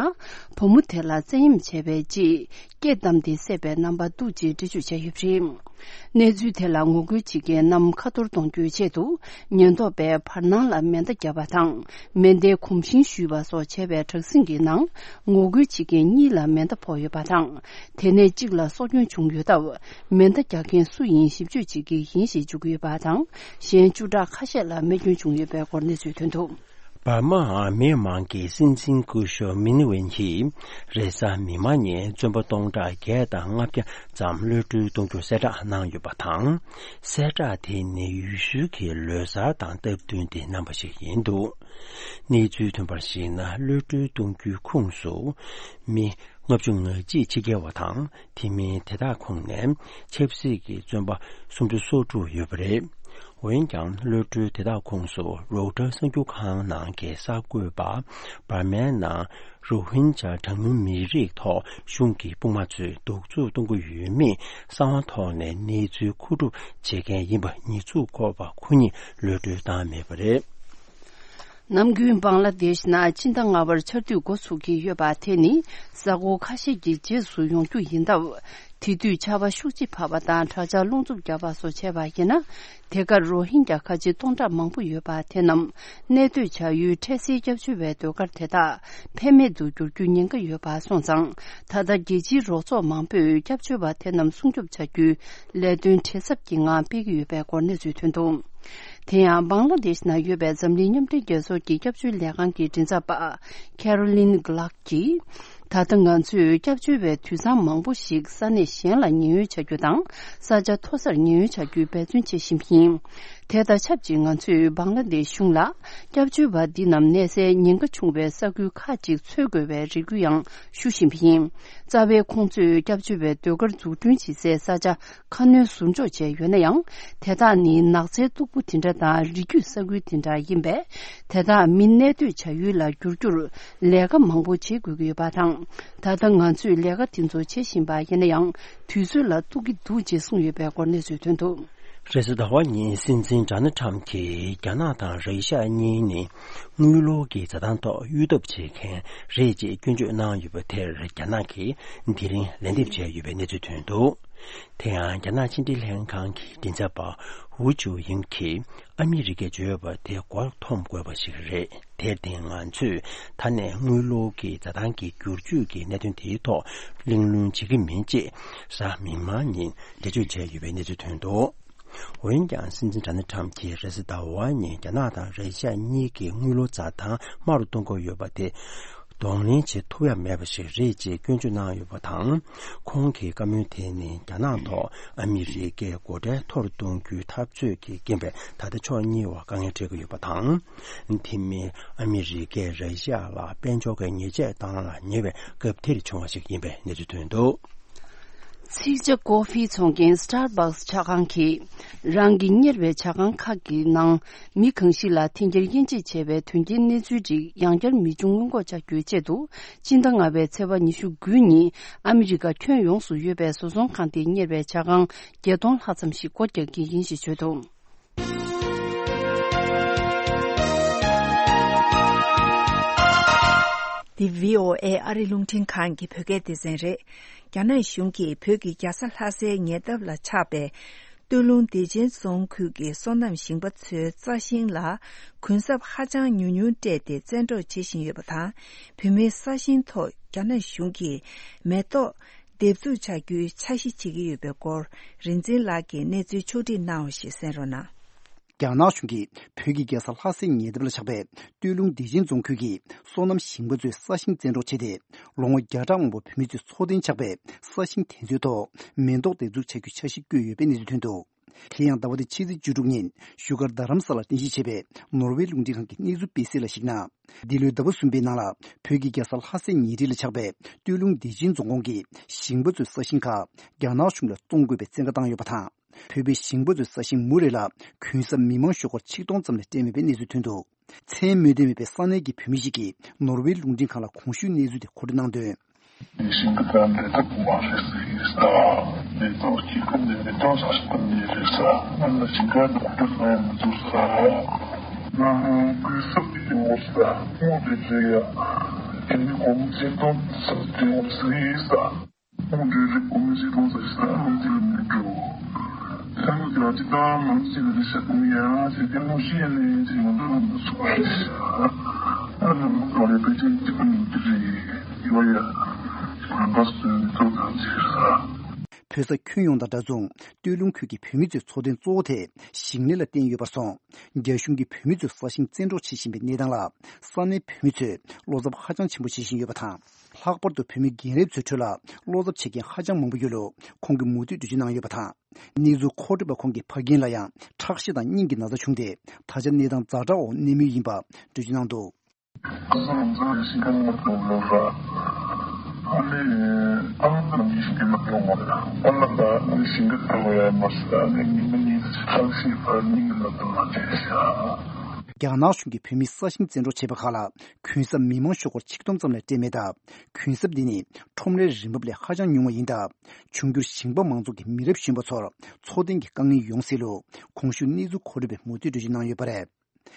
བུ་མོ་དེ་ལ་བཙན་གཡེམ་བྱས་པའི་རྗེས། སྐེ་བསྡམས་ཏེ་བསད་པའི་རྣམ་པ་འདུག་ཅེས་འགྲེལ་བརྗོད་བྱས་ཡོད་པ་རེད། གནས་ཚུལ་དེ་ལ་ངོ་རྒོལ་བྱེད་མཁན་རྣམས་ཁ་ཐོར་གཏོང་རྒྱུའི་ཆེད་དུ། ཉེན་རྟོག་པས་བར་སྣང་ལ་མེ་མདའ་བརྒྱབ་པ་དང་། མེ་མདའི་གོམ་ཤིང་གཞུས་པ་སོགས་བྱས་པའི་དྲག་ཟིང་གི་ནང་། ངོ་རྒོལ་བྱེད་མཁན་གཉིས་ལ་མེ་མདའ་ཕོག་ཡོད་པ་དང་། དེ་ནས་གཅིག་ལ་སྲོག་སྐྱོན་བྱུང་ཡོད་སྟབས། མེ་མདའ་རྒྱག་མཁན་སུ་ཡིན་ཞིབ་དཔྱོད་བྱེད་ཀྱི་ཡིན་ཞེས་བརྗོད་ཀྱི་ཡོད་པ་དང་། གཞན་བཅུ་ཕྲག་ཁ་ཤས་ལ་རྨས་སྐྱོན་བྱུང་ཡོད་པའི་སྐོར་གནས་ཚུལ་ཐོན་འདུག་འབར་མའི་མི་དམངས་ཀྱི་སྲིད་འཛིན་སྐུ་ཞབས་མི་ནི་ཝེན་གྱིས་རེས་གཟའ་མིག་དམར་ཉིན་བཙོན་པ་སྟོང་ཕྲག་བརྒྱད་དང་ལྔ་བརྒྱ་ཙམ་གློད་གྲོལ་གཏོང་རྒྱུ་གསལ་བསྒྲགས་གནང་ཡོད་པ་དང་། གསལ་བསྒྲགས་དེ་ནི་ཡུལ་ཤུལ་གྱི་ལོ་གསར་དང་སྟབས་བསྟུན་ཏེ་གནང་བ་ཞིག་ཡིན་འདུག་གནས་ཚུལ་ཐོན་པར་གཞིགས་ན། གློད་གྲོལ་གཏོང་རྒྱུའི་ཁོངས་སུ་མི་ལྔ་བཅུ་ང་གཅིག་ཕྱི་རྒྱལ་བ་དང་། དེ་མིན་དེ་དག་ཁོངས་ནས་ཆབ་སྲིད་ཀྱི་བཙོན་པ་སུམ་ཅུ་སོ་དྲུག་ཡོད་པ་རེད། འོན་ཀྱང་གློད་གྲོལ་དེ་དག་ཁོངས་སུ་རོའུ་ཊར་གསར་འགྱུར་ཁང་ནང་གི་གསར་འགོད་པ། འབར་མའི་ནང་རོ་ཧིན་ཇཱ་གྲངས་ཉུང་མི་རིགས་ཐོག་གཞུང་གི་དཔུང་དམག་ཚོས་གདུག་རྩུབ་གཏོང་གི་ཡོད་མེད་གསང་བ་ཐོག་ནས་གནས་ཚུལ་མཁོ་སྒྲུབ་བྱེད་མཁན་ཡིན་པ་ཉེས་འཛུགས་འཁོར་བ་ཁོ་ཉིད་གློད་གྲོལ་བཏང་མེད་པ་རེད། ནམ་རྒྱུན་བང་ལ་དེཤ་ནང་སྤྱི་ཟླ་ལྔ་པར་ཆར་དུས་འགོ་ཚུགས་ཀྱི་ཡོད་པ་དེ་ནི་གཟའ་འཁོར་ཁ་ཤས་ཀྱི་རྗེས་སུ་ཡོང་རྒྱུ་ཡིན་སྟབས། དེ་དུས་ཆར་པ་ཤུགས་ཆེ་བབས་པ་དང་། དྲག་ཆར་རླུང་འཚུབ་བརྒྱབ་པ་སོགས་བྱས་པ་ཡིན་ན། དེ་གར་རོ་ཧིན་གྱ་ཁ་ཆེ་སྟོང་ཕྲག་མང་པོ་ཡོད་པ་དེ་རྣམས་གནས་སྡོད་བྱ་ཡུལ་འཕྲལ་སེལ་སྐྱབས་བཅོལ་བའི་ཟློས་གར་དེ་དག་ཕན་མེད་དུ་འགྱུར་རྒྱུའི་ཉེན་ཁ་ཡོད་པ་སོང་ཙང་། ད་ལྟ་རྒྱལ་སྤྱིའི་རོགས་ཚོགས་མང་པོས་སྐྱབས་བཅོལ་བ་དེ་རྣམས་སྲུང་སྐྱོབ་བྱ་རྒྱུའི་ལས་དོན་བྲེལ་འཚུབ་ཀྱི་ངང་སྤེལ་གྱི་ཡོད་པའི་སྐོར་གནས་ཚུལ་ཐོན་འདུག་དེ་ཡང་བང་ལ་དེཤ་ནང་ཡོད་པའི་འཛམ་གླིང་མཉམ་འབྲེལ་རྒྱལ་ཚོགས་ཀྱི་སྐྱབས་བཅོལ་ལས་ཁང་གི་མགྲིན་ཚབ་པ་ཁེ་རོ་ལིན་གྷི་ལག་གིས། ད་ལྟ་ང་ཚོས་སྐྱབས་བཅོལ་བའི་དུད་ཚང་མང་པོ་ཞིག་ས་གནས་གཞན་ལ་ཉེན་གཡོལ་བྱ་རྒྱུ་དང་། ས་ཆ་མཐོ་སར་ཉེན་གཡོལ་བྱ་རྒྱུའི་འབད་བརྩོན་བྱེད་བཞིན་པ་ཡིན། དེ་དང་ཆབས་ཅིག་ང་ཚོས་བང་ལ་དེཤ་གཞུང་ལ་སྐྱབས་བཅོལ་བ་འདི་རྣམས་གནས་སའི་ཉེན་ཁ་ཆུང་བའི་ས་ཁུལ་ཁག་ཅིག་འཚོལ་དགོས་པའི་རེ་སྐུལ་ཡང་ཞུ་བཞིན་པ་ཡིན། རྩ་བའི་ཁོང་ཚོས་སྐྱབས་བཅོལ་བའི་ཟློས་གར་འཛུགས་སྐྲུན་བྱེད་སའི་ས་ཆ་ཁ་སྣོན་ཟུར་འཇོག་བྱས་ཡོད་ན་ཡང་། དེ་དག་ནི་ནགས་ཚལ་སྟུག་པོ་དེ་འདྲ་དང་། རི་རྒྱུད་ས་ཁུལ་དེ་འདྲ་ཡིན་པས། དེ་དག་མི་གནས་སྡོད་བྱ་ཡུལ་ལ་བསྒྱུར་རྒྱུར་ལས་ཀ་མང་པོ་བྱེད་དགོས་ཀྱི་ཡོད་པ་དང་། ད་ལྟ་ང་ཚོས་ལས་ཀ་དེ་ཚོ་བྱེད་བཞིན་པ་ཡིན་ན་ཡང་། དུས་ཚོད་ལ་གཏུག་གི་འདུག་ཅེས་གསུངས་ཡོད་པའི་སྐོར་གནས་ཚུལ་ཐོན་འདུག་རེས་གཟའ་ཟླ་བ་ཉིན་སྲིད་འཛིན་ཌོ་ནལ་ཊམ་གྱིས་རྒྱ་ནག་དང་ར་ཤ་གཉིས་ནི་དངུལ་ལོར་གྱི་འཛའ་ཐང་ཐོག་གཡོ་ཐབས་བྱེད་མཁན་རེད་ཅེས་སྐྱོན་བརྗོད་གནང་ཡོད་པ་དེར། རྒྱ་ནག་གིས་དེ་རིང་ལན་འདེབས་བྱས་ཡོད་པའི་གནས་ཚུལ་ཐོན་འདུག་དེ་ཡང་རྒྱ་ནག་ཕྱི་འབྲེལ་ལྷན་ཁང་གི་མགྲིན་ཚབ་པ་ཧུའུ་ཅུའུ་ཡིང་གིས། ཨ་མི་རི་ཀས་བརྗོད་པ་དེ་མགོ་འཐོམ་དགོས་པ་ཞིག་རེད། དེར་བརྟེན་ང་ཚོས་ད་ནས་དངུལ་ལོར་གྱི་འཛའ་ཐང་གི་བསྒྱུར་བཅོས་ཀྱི་གནད་དོན་དེའི་ཐོག་གླེང་སློང་བྱེད་ཀྱི་མིན་ཅེས་གཟའ་མིག་དམར་ཉིན་འགྲེལ་བརྗོད་བྱས་ཡོད་པའི་གནས་ཚུལ་ཐོན་འདུག་འོན་ཀྱང་སྲིད་འཛིན་ཌོ་ནལ་ཊམ་གྱིས་རེས་གཟའ་ཟླ་བ་ཉིན་རྒྱ་ནག་དང་ར་ཤ་གཉིས་ཀྱི་དངུལ་ལོར་འཛའ་ཐང་དམའ་རུ་གཏོང་དགོས་ཡོད་པ་དེ། གདོང་ལེན་བྱེད་ཐུབ་ཡ་མེད་པ་ཞིག་རེད་ཅེས་སྐྱོན་བརྗོད་གནང་ཡོད་པ་དང་། ཁོང་གི་བཀའ་མོལ་དེ་ནི་རྒྱ་ནག་ཐོག་ཨ་མི་རི་ཀས་སྒོ་ཁྲལ་མཐོ་རུ་གཏོང་རྒྱུའི་འཐབ་རྩོད་ཀྱི་རྐྱེན་པས། ད་ལྟ་ཕྱོགས་གཉིས་བར་དཀའ་ངལ་འཕྲད་ཀྱི་ཡོད་པ་དང་། དེ་མིན་ཨ་མི་རི་ཀས་ར་ཤ་ལ་དཔལ་འབྱོར་གྱི་ཉེས་ཆད་བཏང་ལ་ཉེ་བའི་སྐབས་དེར་བྱུང་བ་ཞིག་ཡིན་པའི་གནས་ཚུལ་ཐོན་འདུག་ཚིག་ཇ་ཀོ་ཧྥི་འཚོང་མཁན་Starbucks་ཇ་ཁང་གིས། རང་གི་གཉེར་བའི་ཇ་ཁང་ཁག་གི་ནང་མི་གང་ཞིག་ལ་འཐེན་འཁྱེར་དབྱེ་འབྱེད་བྱས་པའི་དོན་རྐྱེན་གནས་ཚུལ་རིགས་ཡང་བསྐྱར་མི་འབྱུང་སྔོན་འགོག་བྱ་རྒྱུའི་ཆེད་དུ། སྤྱི་ཟླ་ལྔ་པའི་ཚེས་པ་ཉི་ཤུ་དགུ་ཉིན་ཨ་མི་རི་ཀ་ཁྱོན་ཡོངས་སུ་ཡོད་པའི་བཟོ་ཚོང་ཁང་དེ་གཉེར་བའི་ཇ་ཁང་བརྒྱད་སྟོང་ལྷག་ཙམ་ཞིག་སྒོ་རྒྱག་གི་ཡིན་ཞེས་བརྗོད་འདུག་འདི་བྷི་ཨོ་ཨེ་ཨ་རི་རླུང་འཕྲིན་ཁང་གི་བོད་སྐད་སྡེ་ཚན་རེད། རྒྱ་ནག་གཞུང་གིས་བོད་ཀྱི་རྒྱལ་ས་ལྷ་སའི་ཉེ་འདབས་ལ་ཆགས་པའི། སྟོད་ལུང་བདེ་ཆེན་རྫོང་ཁུལ་གྱི་སོ་ནམ་ཞིང་པ་ཚོའི་རྩྭ་ཤིང་ལ་གུན་གསབ་ཧ་ཅང་ཉུང་ཉུང་སྤྲད་དེ་བཙན་འཕྲོག་བྱེད་བཞིན་ཡོད་པ་དང་། བོད་མིའི་ས་ཞིང་ཐོག་རྒྱ་ནག་གཞུང་གིས་མེ་ཏོག་འདེབས་འཛུགས་བྱ་རྒྱུའི་འཆར་གཞི་བྱེད་ཀྱི་ཡོད་པའི་སྐོར། རིག་འཛིན་ལགས་ཀྱིས་གནས་ཚུལ་ཕྱོགས་སྒྲིག་གནང་བ་ཞིག་གསན་རོགས་གནང་། རྒྱ་ནག་གཞུང་གིས་བོད་ཀྱི་རྒྱལ་ས་ལྷ་སའི་ཉེ་འདབས་ལ་ཆགས་པའི་སྟོད་ལུང་བདེ་ཆེན་རྫོང་ཁུལ་གྱི་སོ་ནམ་ཞིང་པ་ཚོའི་ས་ཞིང་བཙན་འཕྲོག་བྱས་ཏེ། ལོ་ངོ་བརྒྱ་ཕྲག་མང་པོ་བོད་མི་ཚོས་འཚོ་རྟེན་ཆགས་པའི་ས་ཞིང་དེ་ཚོའི་ཐོག་མེ་ཏོག་འདེབས་འཛུགས་བྱ་རྒྱུའི་འཆར་གཞི་བཀོད་ཡོད་པའི་གནས་ཚུལ་ཐོན་འདུག་དེ་ཡང་ཟླ་བ་འདིའི་ཕྱི་ཚེས་བཅུ་དྲུག་ཉིན་བཞུགས་སྒར་རྡ་རམ་ས་ལར་རྟེན་གཞི་བྱས་པའི་ནོར་ཝེ་རླུང་འཕྲིན་ཁང་གི་གནས་ཚུལ་སྤེལ་གསལ་ལ་གཞིགས་ན། འདི་ལོའི་ཟླ་བ་གསུམ་པའི་ནང་ལ་བོད་ཀྱི་རྒྱལ་ས་ལྷ་སའི་ཉེ་འཁྲིས་ལ་ཆགས་པའི་སྟོད་ལུང་བདེ་ཆེན་རྫོང་ཁོངས་ཀྱི་ཞིང་པ་ཚོའི་ས་ཞིང་ཁག་རྒྱ་ནག་གཞུང་ལ་བཙོང་དགོས་པའི་བཙན་བཀའ་བཏང་ཡོད་པ་དང་། བོད་པའི་ཞིང་པ་ཚོའི་ས་ཞིང་མུ་རེ་ལ་གུན་གསབ་མི་མང་ཤོག་སྒོར་ཆིག་སྟོང་ཙམ་ལས་སྤྲད་མེད་པའི་གནས་ཚུལ་ཐོན་འདུག་མཚན་སྨོས་འདུན་མེད་པའི་ས་གནས་ཀྱི་བོད་མི་ཞིག་གིས་ནོར་ཝེ་རླུང་འཕྲིན་ཁང་ལ་གོང་ཞུས་གནས་ཚུལ་དེ་མཁོ་སྤྲོད་གནང་དོན། ཞིང་ཁ་དང་འབྲེལ་ཐག་མ་རེད་ཟེར་ས། མེ་ཏོག་སྐྱེ་ཁུལ་ནས་མེ་ཏོག་ས་ཞིག་ནས་རེད་ས། ང་ལ་ཞིང་ཁ་འདི་ཁུ་ཁྲག་ཡང་མི་འཛུགས་ས། ང་ལ་གུས་སབ་ཀྱི་མོ་ས་མོ་རེད་རེད་ཡ། དེ་ནི་གོང་ཚེ་དོན་ས་དེ་མོ་ཟེར་ས། ཁོང་གིས་རིགས་ཁོང་གིས་ཁོང་ཚོ་ས་ལུང་ཚིག་ལ་མི་འགྲོ། ས་ལུང་ཚིག་ལ་ཅི་ལྟར་ལུང་ཚིག་ལ་ཤ་ཁུང་ཡང་ཞེས་ཏེ་ལུང་ཤེས་ནས་ཅི་ཡོང་འདོད་མི་འདུག་ཟེར་བ་རེད། ཨ་ནི་ལུང་གང་ལས་པེ་ཅིན་གཅིག་པུ་ཡིན་གྱི་རེད། ཡོད་ཡ། རང་དགའ་སུ་ཚོ་གང་ཅི་རེད། བོད་ས་ཁྱོན་ཡོངས་དང་འདྲ་མཚུངས་སྟོད་ལུང་ཁུལ་གྱི་བོད་མི་ཚོའི་འཚོ་རྟེན་གཙོ་བོ་དེ་ཞིང་ལས་ལ་བརྟེན་ཡོད་པར་སོང་། རྒྱ་གཞུང་གིས་བོད་མི་ཚོའི་ས་ཞིང་བཙན་འཕྲོག་བྱེད་བཞིན་པའི་གནས་སྟངས་ལ་ས་གནས་བོད་མི་ཚོས་བློ་འཚབ་ཧ་ཅང་ཆེན་པོ་བྱེད་བཞིན་ཡོད་པ་དང་། ལྷག་པར་དུ་བོད་མི་རྒན་རབས་ཚོའི་ཁྲོད་ལ་བློ་འཚབ་བྱེད་མཁན་ཧ་ཅང་མང་པོ་ཡོད་ལུགས་ཁོང་གིས་མུ་མཐུད་འགྲེལ་བརྗོད་གནང་ཡོད་པ་དང་། གནས་ཚུལ་མཁོ་སྤྲོད་པ་ཁོང་གིས་ཕ་རྒན་ལ་ཡང་ཁྲག་ཤེད་དང་སྙིང་གི་ན་ཚ་བྱུང་སྟེ། ད་ཆ་གནས་སྟངས་ཛ་དྲག་འོག་གནས་མུས་ཡིན་པ་འགྲེལ་བརྗོད་གནང་འདུག། རྒྱ་ནག་གཞུང་གིས་བོད་མིའི་ས་ཞིང་བཙན་འཕྲོག་བྱས་པ་ཁག་ལ་གུན་གསབ་མི་མང་ཤོག་སྒོར་ཆིག་སྟོང་ཙམ་ལས་སྤྲད་མེད་སྟབས། གུན་གསབ་འདི་ནི་ཁྲོམ་རའི་རིན་འབབ་ལས་ཧ་ཅང་ཉུང་བ་ཡིན་སྟབས། འབྱུང་འགྱུར་ཞིང་པ་མང་ཚོགས་ཀྱི་མི་རབས་གཞོན་པ་ཚོར་འཚོ་རྟེན་གྱི་དཀའ་ངལ་ཡོང་སྲིད་ལུགས་གོང་ཞུས་གནས་ཚུལ་མཁོ་སྤྲོད་པས་མུ་མཐུད་འགྲེལ་བརྗོད་གནང་ཡོད་པ་རེད།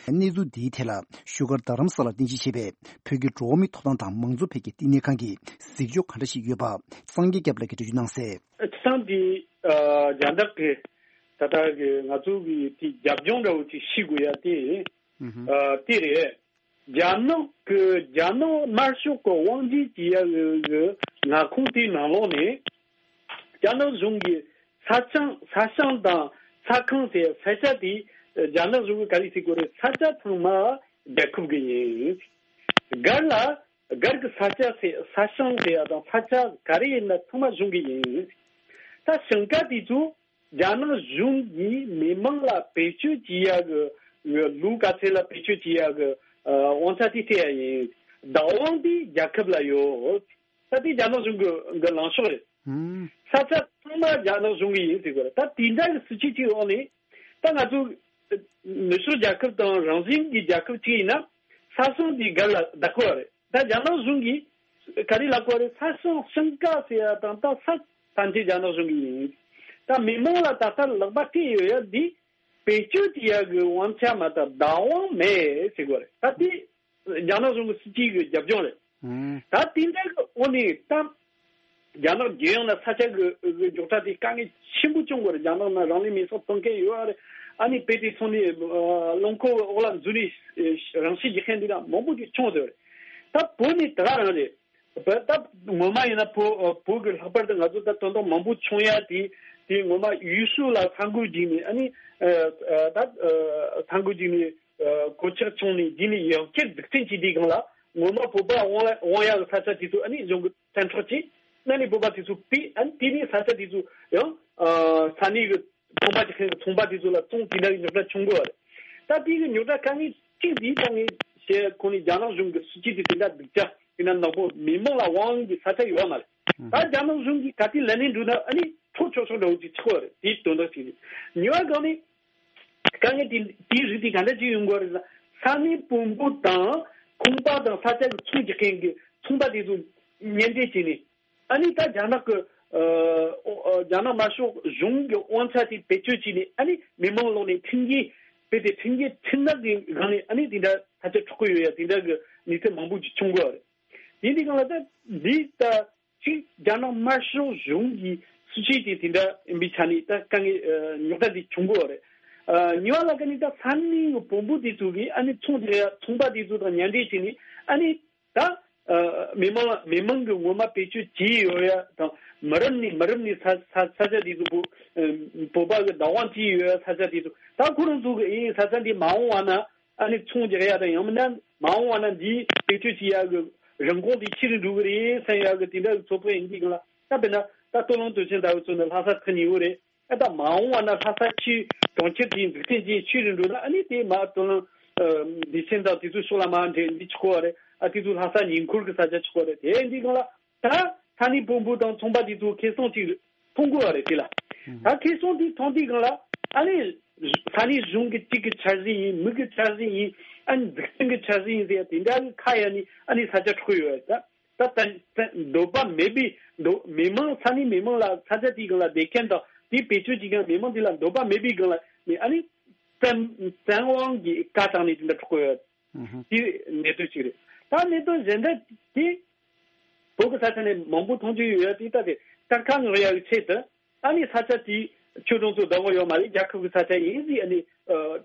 གནས་ཚུལ་འདིའི་ཐད་ལ་བཞུགས་སྒར་རྡ་རམ་ས་ལར་རྟེན་གཞི་བྱས་པའི་བོད་ཀྱི་འགྲོ་བ་མིའི་ཐོབ་ཐང་དང་མང་གཙོ་འཕེལ་རྒྱས་བསྟི་གནས་ཁང་གི་གཟིགས་ཕྱོགས་ག་འདྲ་ཞིག་ཡོད་པ་སངས་རྒྱས་སྐྱབས་ལགས་ཀྱིས་འགྲེལ་བརྗོད་གནང་གསལ། སྤྱིར་བཏང་དེ་ཨ་རྒྱ་ནག་གི་ད་ལྟ་གི་ང་ཚོ་གི་དེ་རྒྱབ་ལྗོངས་འདྲ་བོ་ཅིག་ཤེས་དགོས་ཡ་དེ་ཨ་དེ་རེད། རྒྱ་ནག་གི་རྒྱ་ནག་དམར་ཤོག་གི་དབང་སྒྱུར་བྱེད་ཡ་གི་གི་མངའ་ཁོངས་དེའི་ནང་ལོགས་ནས། རྒྱ་ནག་གཞུང་གིས་ས་ཆ་ས་ཞིང་དང་ས་ཁང་དེ་ས་ཆ་དེ་རྒྱ་ནག་གཞུང་གིས་ག་རེ་ཟེར་དགོས་རེད། ས་ཆ་ཚང་མ་རྒྱལ་ཁབ་ཀྱི་ཡིན། སྒར་ལ་སྒར་གྱི་ས་ཆ་ཟེར་ས་ཞིང་ཟེར་ཡ་དང་ས་ཆ་ག་རེ་ཡིན་ན་ཚང་མ་གཞུང་གི་ཡིན། ད་ཞིང་ཁ་དེ་ཚོ་རྒྱ་ནག་གཞུང་གིས་མི་མང་ལ་བེད་སྤྱོད་བྱེད་ཡ་གི་ལུགས་ག་ཚད་ལ་བེད་སྤྱོད་བྱེད་ཡ་གི་དབང་ཆ་དེ་སྤྲད་ཡ་ཡིན། བདག་དབང་དེ་རྒྱལ་ཁབ་ལ་ཡོད། ད་དེ་རྒྱ་ནག་གཞུང་གི་གི་ལངས་ཕྱོགས་རེད། ཧུམ། ས་ཆ་ཚང་མ་རྒྱ་ནག་གཞུང་གི་ཡིན་ཟེར་དགོས་རེད། ད་དེ་འདྲ་གི་སྲིད་ཇུས་ཅིག་འོག་ནས་ད་ང་ཚོ་ནུབ་ཕྱོགས་རྒྱལ་ཁབ་དང་རང་བཞིན་གྱི་རྒྱལ་ཁབ་ཅིག་ཡིན་ན་ས་ཞིང་དེ་སྒར་ལ་བདག་གི་ཡོད་རེད། ད་རྒྱ་ནག་གཞུང་གིས་ག་རེ་ལབ་གི་ཡོད་རེད། ས་ཞིང་ཞིང་ཁ་ཟེར་ཡ་དང་ད་ས་ཐམས་ཅད་རྒྱ་ནག་གཞུང་གི་ཡིན། ད་མི་མང་ལ་ད་ལྟ་ལག་པ་སྤྲད་ཡོད་ཡ་འདི་བེད་སྤྱོད་བྱེད་ཡ་གི་དབང་ཆ་མ་གཏོགས་བདག་དབང་མེད་ཟེར་གི་ཡོད་རེད། ད་དེ་རྒྱ་ནག་གཞུང་གི་སྲིད་ཇུས་ཀྱི་རྒྱབ་ལྗོངས་རེད། ཨང་། ད་དེ་འདྲ་གི་འོག་ནས་ད་རྒྱ་ནག་རྒྱལ་ཡོངས་ལ་ས་ཆ་གི་གི་རྙོག་དྲ་དེ་དཀའ་ངལ་ཆེན་པོ་བྱུང་གི་རེད། རྒྱ་ནག་ནང་རང་ལུས་མེ་སྲེག་གཏོང་མཁན་ཡོད་རེད། ཨ་ནི་དཔེ་དེ་སོང་ནས་ཨ་རླངས་འཁོར་འོག་ལ་འཛུལ་ནས་རང་ཤི་རྒྱག་མཁན་འདི་འདྲ་མང་པོ་ཅིག་བྱུང་ཟེར་རེད། ད་བོད་ནི་དེ་ག་རང་རེད། བོད་ད་ངོ་མ་ཡིན་ན་བོད་བོད་ཀྱི་ལྷག་པར་དུ་ང་ཚོ་ད་དོན་དག་མང་པོ་བྱུང་ཡ་དེ་དེ་ངོ་མ་ཡུལ་ཤུལ་ལ་ས་འགུལ་བརྒྱུགས་ནས་ཨ་ནི་ཨ་ད་ཨ་ས་འགུལ་བརྒྱུགས་ནས། གོད་ཆག་བྱུང་ནས་འདི་ནས་ཡང་བསྐྱར་འཛུགས་སྐྲུན་བྱེད་དུས་སྒང་ལ་ངོ་མ་བོད་པ་དབང་ལ་དབང་ཡག་གི་ས་ཆ་དེ་ཚོ་ཨ་ནི་གཞུང་གི་བཙན་འཕྲོག་བྱས། ཨ་ནི་བོད་པ་དེ་ཚོ་ཕུད། ཨ་ནི་དེ་ནས་ས་ཆ་དེ་ཚོ་ཡང་ས་གནས་ཀྱི་ཚོང་པ་ཅིག་ཁེངས་ཚོང་པ་དེ་ཚོ་ལ་བཙོང་། དེ་འདྲ་གི་རྙོག་དྲ་བྱུང་གི་རེད། ད་དེ་གི་རྙོག་དྲ་དཀའ་ངལ་གཅིག་འདི་ད་ངས་བཤད་ཁོ་ནས་རྒྱ་ནག་གཞུང་གི་སྲིད་ཇུས་དེ་དེ་འདྲ་སྡུག་ཅག་དེ་འདྲ་ནག་པོ་མི་མང་ལ་དབང་གི་ས་ཆ་ཡོད་མ་རེད། ད་རྒྱ་ནག་གཞུང་གིས་ག་དུས་ལས་ནས་འགྲོ་ན་ཨ་ནི་འཕྲོག་ཆོག་ཆོག་འདྲ་བོ་ཅིག་ཆགས་པ་རེད། དེའི་དོན་དག་ཅིག་རེད། ཉེ་བ་སྒང་ནས། དཀའ་ངལ་དེ་དེའི་རིགས་དེ་ག་འདྲ་ཅིག་ཡོང་གི་རེད་ཟེར་ན། ས་གནས་བོན་པོ་དང་ཁང་པ་དང་ས་ཆ་གི་ཚོང་རྒྱག་མཁན་གྱི་ཚོང་པ་དེ་ཚོ་གཉེན་འབྲེལ་བྱས་ནས། ཨ་ནི་ད་རྒྱ་ནག་གི་ཨ་ཨོ་ཨ་རྒྱ་ནག་དམར་ཤོག་གཞུང་གི་དབང་ཆ་དེ་བེད་སྤྱོད་བྱས་ནས། ཨ་ནི་མི་མང་ལོག་ནས་ཁྲིམས་འགལ་དཔེ་དེ་ཁྲིམས་འགལ་ཁྲིམས་ནག་གི་སྒང་ནས་ཨ་ནི་དེ་འདྲ་ས་ཆ་འཕྲོག་གི་ཡོད་ཡ་དེ་འདྲ་གི་གནས་ཚུལ་མང་པོ་ཅིག་བྱུང་གི་ཡོད་རེད། དེ་འདི་སྒང་ལ་ད་འདི་ད། གཅིག་རྒྱ་ནག་དམར་ཤོག་གཞུང་གི་སྲིད་ཇུས་དེ་དེ་འདྲ་ཡིན་པའི་ཆ་ནས་ད་དཀའ་ངལ་ཨ་རྙོག་དྲ་འདི་བྱུང་གི་ཡོད་རེད། ཨ་གཉིས་པ་ལ་ཀ་ནི་ད་ས་གནས་ཀྱི་བོན་པོ་དེ་ཚོ་གིས་ཨ་ནི་ཚོང་རྒྱག་ཡ་ཚོང་པ་དེ་ཚོ་དང་མཉམ་འབྲེལ་བྱས་ནས་ཨ་ནི་ད་ཨ་མི་མང་མི་མང་གི་ངོ་མ་བེད་སྤྱོད་བྱས་ཡོད་ཡ་དང་། མི་རབས་ནས་མི་རབས་ནས་ས་ས་ས་ཆ་དེ་ཚོ་བོ་ཨ་བོད་པ་གི་བདག་དབང་བྱས་ཡོད་ཡ་ས་ཆ་དེ་ཚོ་ད་ཁོ་རང་ཚོ་གི་ཨེ་ས་ཆ་འདི་མ་འོངས་པ་ན། ཨ་ནི་ཚོང་རྒྱག་ཡ་དང་། ཡང་མིན་ན་མ་འོངས་པ་ན་འདིའི་བེད་སྤྱོད་བྱེད་ཡ་གི་རིན་གོང་དེ་ཆེ་རུ་འགྲོ་གི་རེད་བསམ་ཡ་གི་དེ་འདྲ་གི་ཚོད་དཔག་ཡིན་དུས་སྒང་ལ། ད་དཔེར་ན་ད་སྟོད་ལུང་སྟོད་ཆེན་ལྟ་བུ་ཚོ་ནི་ལྷ་ས་ཐག་ཉེ་བོ་རེད། ཨ་ད་མ་འོངས་པ་ན་ལྷ་ས་ཆེས་གྲོང་ཁྱེར་དེའི་འཛུགས་སྐྲུན་ཅིག་ཆེ་རུ་འགྲོ་ན། ཨ་ནི་དེ་མ་སྟོད་ལུང་བདེ་ཆེན་དང་དེ་ཚོའི་ཕྱོགས་ལ་མར་འདྲེ་འདི་ཆགས་པ་རེད། ཨ་དེ་ཚོ་ལྷ་ས་ཉེ་འཁོར་གི་ས་ཆ་ཆགས་པ་རེད། དེ་ཡིན་དུས་སྒང་ལ། ད་ས་གནས་བོན་པོ་དང་ཚོང་པ་དེ་ཚོ་ཁེ་བཟང་ཅིག་མཐོང་དགོས་པ་རེད་དེ་ལ། ད་ཁེ་བཟང་དེ་མཐོང་དུས་སྒང་ལ་ཨ་ནི་ས་གནས་གཞུང་གི་གཅིག་གི་འཆར་གཞི་ཡིན། མི་གི་འཆར་གཞི་ཡིན། ཨ་ནི་འཛུགས་སྐྲུན་གི་འཆར་གཞི་ཡིན་ཟེར་ཡ་དེ་འདྲ་གི་ཁ་གཡར་ནས་ཨ་ནི་ས་ཆ་འཕྲོག་གི་ཡོད་རེད། ད་ད་ད་འདོད་པ་མེད་པའི་འདོད་མི་མང་ས་གནས་མི་མང་ལ་ས་ཆ་དེའི་སྒང་ལ་བསྡད་མཁན་དང་དེའི་བེད་སྤྱོད་བྱེད་མཁན་མི་མང་དེ་ལ་འདོད་པ་མེད་པའི་སྒང་ལ་ནི་ཨ་ནི་བཙན་བཙན་དབང་གིས་བཀའ་བཏང་ནས་དེ་འདྲ་འཕྲོག་གི་ཡོད་རེད། ཨུ་ཧུ། དེ་གནད་དོན་གཅིག་རེད། ད་གནད་དོན་གཞན་དག་དེ་བོད་ཀྱི་ས་ཆ་ནས་མང་པོ་མཐོང་རྒྱུ་ཡོད་ཡ་དེ། ད་དེ་གཏེར་ཁ་སྔོག་ཡ་གི་ཆེད་དུ་ཨ་ནི་ས་ཆ་དེ་ཁྱོད་རང་ཚོ་བདག་པོ་ཡོད་མ་རེད། རྒྱལ་ཁབ་ཀྱི་ས་ཆ་ཡིན་ཟེར། ཨ་ནི་ཨ་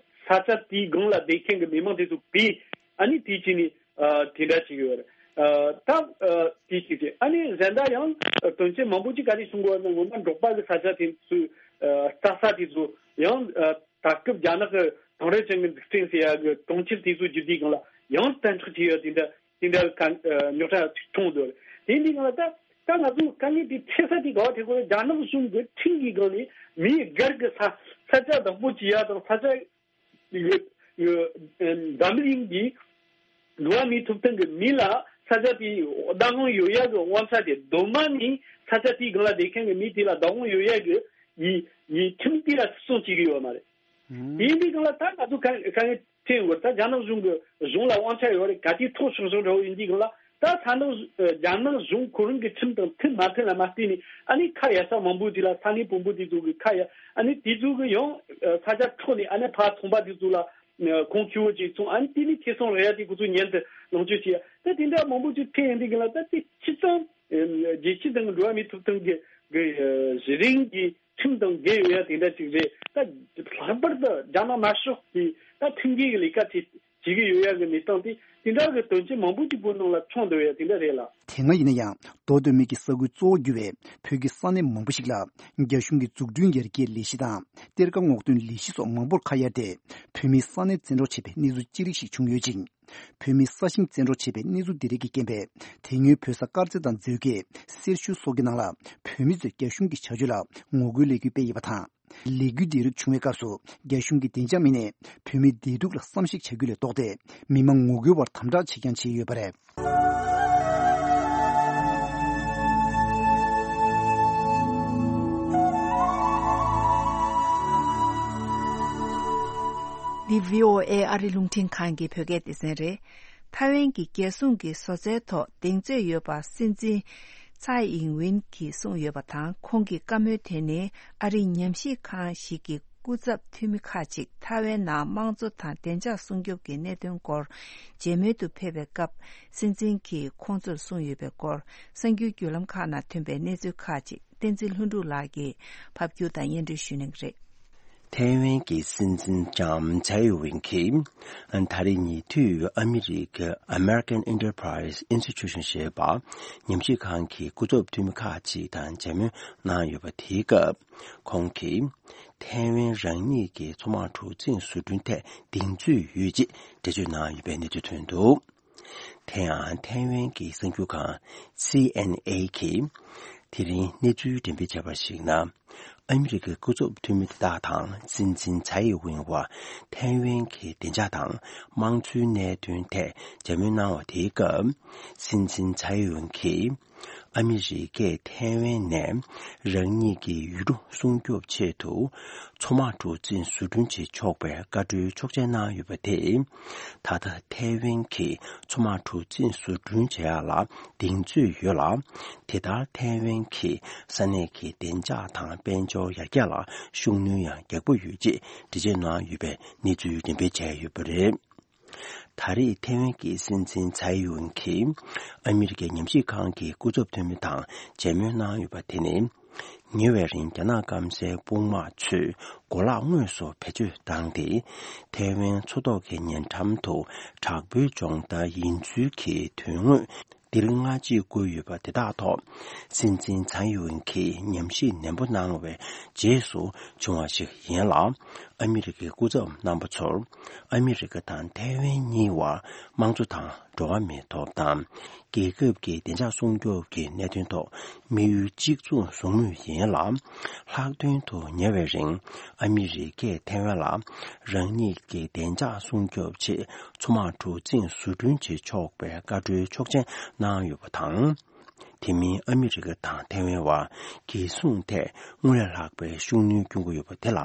ས་ཆ་དེའི་སྒང་ལ་བསྡད་མཁན་གྱི་མི་མང་དེ་ཚོ་བོས། ཨ་ནི་དེ་བྱས་ནས་ཨ་དེ་འདྲ་བྱེད་ཀྱི་ཡོད་རེད། ཨ་ད་ཨ་དེ་ཞིག་རེད། ཨ་ནི་གཞན་དག་ཡང་ཨ་དོན་ཆེན་མང་པོ་ཅིག་ག་རེ་གསུང་གི་ཡོད་ན། སྔོན་མ་འབྲོག་པ་གི་ས་ཆ་དེ་ཚོའི་ཨ་རྩྭ་ས་དེ་ཚོ་ཡང་ཨ་ད་སྐབས་རྒྱ་ནག་གི་དེང་རབས་ཅན་གྱི་འཛུགས་སྐྲུན་ཟེར་ཡ་གི་གྲོང་ཁྱེར་དེ་ཚོ་བསྒྱུར་དུས་སྒང་ལ་ཡང་བཙན་འཕྲོག་བྱས་ཡོད། དེ་འདྲ་དེ་འདྲ་གི་ཨ་རྙོག་དྲ་ཅིག་བྱུང་འདུག། དེ་འདི་སྒང་ལ་ད་ད་ང་ཚོ་དཀའ་ངལ་དེ་འཕྲད་ས་དེ་ག་བ་འཕྲད་གོ་རེད། རྒྱ་ནག་གཞུང་གི་ཁྲིམས་ཀྱི་སྒང་ནས་མིའི་སྒེར་གྱི་ས་ས་ཆ་བདག་པོ་བྱེད་ཡ་དང་ས་ཆ་ཡོད་ཡོད། འཛམ་གླིང་གི་འགྲོ་བ་མིའི་ཐོབ་ཐང་གི་མི་ལ་ས་ཆ་དེའི་བདག་དབང་ཡོད་ཡ་གི་དབང་ཆ་དེ་གདོད་མ་ནས་ས་ཆ་དེའི་སྒང་ལ་བསྡད་མཁན་གྱི་མི་དེ་ལ་བདག་དབང་ཡོད་ཡ་གི་ཡི་ཡི་ཁྲིམས་དེ་ལ་བརྩི་སྲུང་བྱེད་ཀྱི་ཡོད་མ་རེད། དེ་ཡིན་དུས་སྒང་ལ་ད་ང་ཚོ་ག་ག་ནས་ཐེན་ཡོད། ད་རྒྱ་ནག་གཞུང་གི་གཞུང་ལ་དབང་ཆ་ཡོད་རེད། ག་དུས་ཐོག་སོང་སོང་འདྲ་བོ་ཡིན་དུས་སྒང་ལ་ད་ས་ནག་རྒྱ་ནག་གཞུང་ཁོ་རང་གི་ཁྲིམས་དང་མཐུན་མ་མཐུན་ལ་མ་བལྟས་ནས། ཨ་ནི་ཁ་ཡ་ས་མང་པོ་དེ་ལ་ས་གནས་བོན་པོ་དེ་ཚོ་གི་ཁ་ཡ། ཨ་ནི་དེ་ཚོ་གི་ཡང་ས་ཆ་འཕྲོག་ནས་ཨ་ནི་ཕར་ཚོང་པ་དེ་ཚོ་ལ་ཁོང་ཆུ་བོ་ཅིག་ཚོང་། ཨ་ནི་དེ་ནས་ཁེ་བཟང་རག་ཡ་དེ་ཁོ་ཚོ་ཉན་དུ་ལོངས་སྤྱོད་བྱེད་ཡ། ད་དེ་འདྲ་མང་པོ་ཅིག་ཐེན་ཡིན་དུས་སྒང་ལ་ད་དེ་ཅི་ཙམ་རྒྱལ་སྤྱི་དང་འགྲོ་བ་མིའི་ཐོབ་ཐང་གི་གི་གཞི་རིམ་གྱི་ཁྲིམས་དང་འགལ་ཡོད་ཡ་དེ་འདྲ་ཅིག་རེད། ད་ལྷག་པར་དུ་རྒྱ་ནག་དམར་ཤོག་གིས་ད་ཁྲིམས་འགལ་གྱི་ལས་ཀ་བྱེད་བྱེད་ཀྱི་ཡོད་ཡ་གི་གནས་སྟངས་དེ་དེ་འདྲ་གི་དོན་ཆེན་མང་པོ་ཅིག་བོད་ནང་ལ་བྱུང་འདུག་ཡ་དེ་འདྲ་རེད་ལ། དེ་སྔ་ཡིན་ན་ཡང་མདོ་སྟོད་སྨད་ཀྱི་ས་ཁུལ་གཙོ་བོ་གྱུར་བའི་བོད་ཀྱི་ས་གནས་མང་པོ་ཞིག་ལ་རྒྱ་གཞུང་གི་འཛུགས་སྐྲུན་ཡར་རྒྱས་ལས་གཞི་དང་གཏེར་ཁ་སྔོག་འདོན་ལས་གཞི་སོགས་མང་པོར་ཁ་གཡར་ཏེ་བོད་མིའི་ས་གནས་བཙན་འཕྲོག་བྱས་པའི་གནས་ཚུལ་ཅི་རིགས་ཤིག་བྱུང་ཡོད་ཅིང་། བོད་མིའི་ས་ཞིང་བཙན་འཕྲོག་བྱས་པའི་གནས་ཚུལ་འདི་རིགས་ཀྱི་རྐྱེན་པས། དེ་སྔོན་བོད་ས་དཀར་མཛེས་དང་མཛོད་དགེ། སེར་ཤུལ་སོགས་ཀྱི་ནང་ལ་བོད་མི་ཚོས་རྒྱ་གཞུང་གི་བྱ་སྤྱོད་ལ་ངོ་རྒོལ་ལས་འགུལ་སྤེལ་ཡོད་པ་དང་། ལས་འགུལ་འདི་རིགས་བྱུང་བའི་སྐབས་སུ་རྒྱ་གཞུང་གི་བདེ་འཇགས་མི་སྣས་བོད་མིའི་བདེ་སྡུག་ལ་བསམ་གཞིག་བྱ་རྒྱུ་ལས་ལྡོག་སྟེ། མི་མང་ངོ་རྒོལ་བར་དམ་དྲག་བྱེད་རྐྱང་བྱས་ཡོད་པ་རེད། འདི་བྷི་ཨོ་ཨེ་ཨ་རི་རླུང་འཕྲིན་ཁང་གི་བོད་སྐད་སྡེ་ཚན་རེད། ཐའེ་ཝན་གྱི་རྒྱལ་སྲུང་གི་བཟོ་རྩལ་ཐོག་གདེང་ཚོད་ཡོད་པ་སྲིད་འཛིན་ཚའེ་ཨིང་ཝིན་གྱིས་གསུངས་ཡོད་པ་དང་། ཁོང་གི་བཀའ་མོལ་དེ་ནི་ཨ་རིའི་ཉམས་ཞིབ་ཁང་ཞིག་གི་སྐུ་ཚབ་འཐུས་མི་ཁག་ཅིག་ཐའེ་ཝན་ནང་དམངས་གཙོ་དང་བདེ་འཇགས་སྲུང་སྐྱོབ་ཀྱི་གནད་དོན་སྐོར་མཇལ་མོལ་དུ་ཕེབས་པའི་སྐབས་སྲིད་འཛིན་གྱིས་ཁོང་ཚོར་གསུངས་ཡོད་པའི་སྐོར། གསར་འགྱུར་བརྒྱུད་ལམ་ཁག་ནང་ཐོན་པའི་གནས་ཚུལ་ཁག་ཅིག་བསྟན་འཛིན་ལྷུན་གྲུབ་ལགས་ཀྱིས་ཕབ་སྒྱུར་དང་སྙན་སྒྲོན་ཞུ་གནང་གི་རེད། ཐའེ་ཝན་གྱི་སྲིད་འཛིན་ལྕམ་ཚའེ་ཝིན་གྱིས་ད་རེས་ཉེ་དུས་ཨ་མི་རི་ཀའི་American Enterprise Institution ཞེས་པ་ཉམས་ཞིབ་ཁང་གི་སྐུ་ཚབ་འཐུས་མི་ཁག་ཅིག་དང་མཇལ་མོལ་གནང་ཡོད་པ་དེའི་སྐབས། ཁོང་གིས་ཐའེ་ཝན་རང་ཉིད་ཀྱི་མཚོ་དམག་གྲུ་གཟིངས་བཟོ་སྐྲུན་ཐད་གདེང་ཚོད་ཡོད་ཅེས་འགྲེལ་བརྗོད་གནང་ཡོད་པའི་གནས་ཚུལ་ཐོན་འདུག། དེ་ཡང་ཐའེ་ཝན་གྱི་གསར་འགྱུར་ཁང་སི་ཨེན་ཨེ་གིས་དེ་རིང་གནས་ཚུལ་འགྲེམས་སྤེལ་བྱས་པར་གཞིགས་ན། ཨ་མི་རི་ཀའི་སྐུ་ཚབ་འཐུས་མི་དེ་དག་དང་སྲིད་འཛིན་ཚའེ་ཝིན་བར་ཐའེ་ཝན་གྱི་བདེ་འཇགས་དང་དམངས་གཙོའི་གནད་དོན་ཐད་མཇལ་མོལ་གནང་བ་དེའི་སྐབས། སྲིད་འཛིན་ཚའེ་ཝིན་གྱིས་ཨ་མི་རི་ཀས་ཐའེ་ཝན་ནས་རང་ཉིད་ཀྱི་ཡུལ་གྲུ་སྲུང་སྐྱོབ་ཆེད་དུ་མཚོ་དམག་གྲུ་གཟིངས་བཟོ་སྐྲུན་བྱེད་ཆོག་པའི་བཀའ་འཁྲོལ་ཆོག་མཆན་གནང་ཡོད་པ་དེས། ད་ལྟ་ཐའེ་ཝན་གྱིས་མཚོ་དམག་གྲུ་གཟིངས་བཟོ་སྐྲུན་བྱེད་ཡག་ལ་གདེང་ཚོད་ཡོད་ལ། དེ་ལྟར་ཐའེ་ཝན་གྱིས་ས་གནས་ཀྱི་བདེ་འཇགས་དང་དཔལ་འབྱོར་ཡར་རྒྱས་ལ་ཤུགས་སྣོན་ཡང་རྒྱག་པ་ཡོད་ཅེས་འགྲེལ་བརྗོད་གནང་ཡོད་པའི་གནས་ཚུལ་འགྲེམས་སྤེལ་བྱས་ཡོད་པ་རེད། ད་རེས་ཐའེ་ཝན་གྱི་སྲིད་འཛིན་ཚའེ་ཝིན་གྱིས་ཨ་མི་རི་ཀའི་ཉམས་ཞིབ་ཁང་གི་སྐུ་ཚབ་འཐུས་མི་དང་མཇལ་མོལ་གནང་ཡོད་པ་དེ་ནི། ཉེ་བའི་རིང་རྒྱ་ནག་སྐམ་སའི་དཔུང་དམག་ཚོས་གོ་ལག་དངོས་སུ་བེད་སྤྱོད་བཏང་སྟེ། ཐའེ་ཝན་མཚོ་ཐོག་གི་ཉེ་འགྲམ་དུ་དྲག་པོའི་སྦྱོང་བརྡར་ཡིན་ཚུལ་གྱི་དོན་དངོས་འདིར་སྔ་ཕྱི་བཀོད་ཡོད་པ་དེ་དག་ཐོག་སྲིད་འཛིན་ཚའེ་ཝིན་གྱིས་ཉམས་ཞིབ་ནན་པོ་གནང་བའི་རྗེས་སུ་བྱུང་བ་ཞིག་ཡིན་ལ། ཨ་མི་རི་ཀའི་སྐུ་ཚབ་རྣམ་པ་ཚོར་ཨ་མི་རི་ཀ་དང་ཐའེ་ཝན་གཉིས་བར་དམངས་གཙོ་དང་འགྲོ་བ་མིའི་ཐོབ་ཐང་། རྒྱལ་ཁབ་ཀྱི་བདེ་འཇགས་སྲུང་སྐྱོབ་ཀྱི་གནད་དོན་ཐོག་དམིགས་ཡུལ་གཅིག་མཚུངས་བཟུང་མུས་ཡིན་ལ། ལྷག་དོན་དུ་ཉེ་བའི་རིང་ཨ་མི་རི་ཀས་ཐའེ་ཝན་ལ་རང་ཉིད་ཀྱི་བདེ་འཇགས་སྲུང་སྐྱོབ་ཆེད་མཚོ་དམག་གྲུ་གཟིངས་བཟོ་སྐྲུན་བྱེད་ཆོག་པའི་བཀའ་འཁྲོལ་ཆོག་མཆན་གནང་ཡོད་པ་དང་། དེ་མིན་ཨ་མི་རི་ཀ་དང་ཐའེ་ཝན་བར་རྒྱལ་སྲུང་ཐད་སྔར་ལས་ལྷག་པའི་ཤུགས་སྣོན་སྐྱོན་གྱི་ཡོད་པ་དེ་ལ་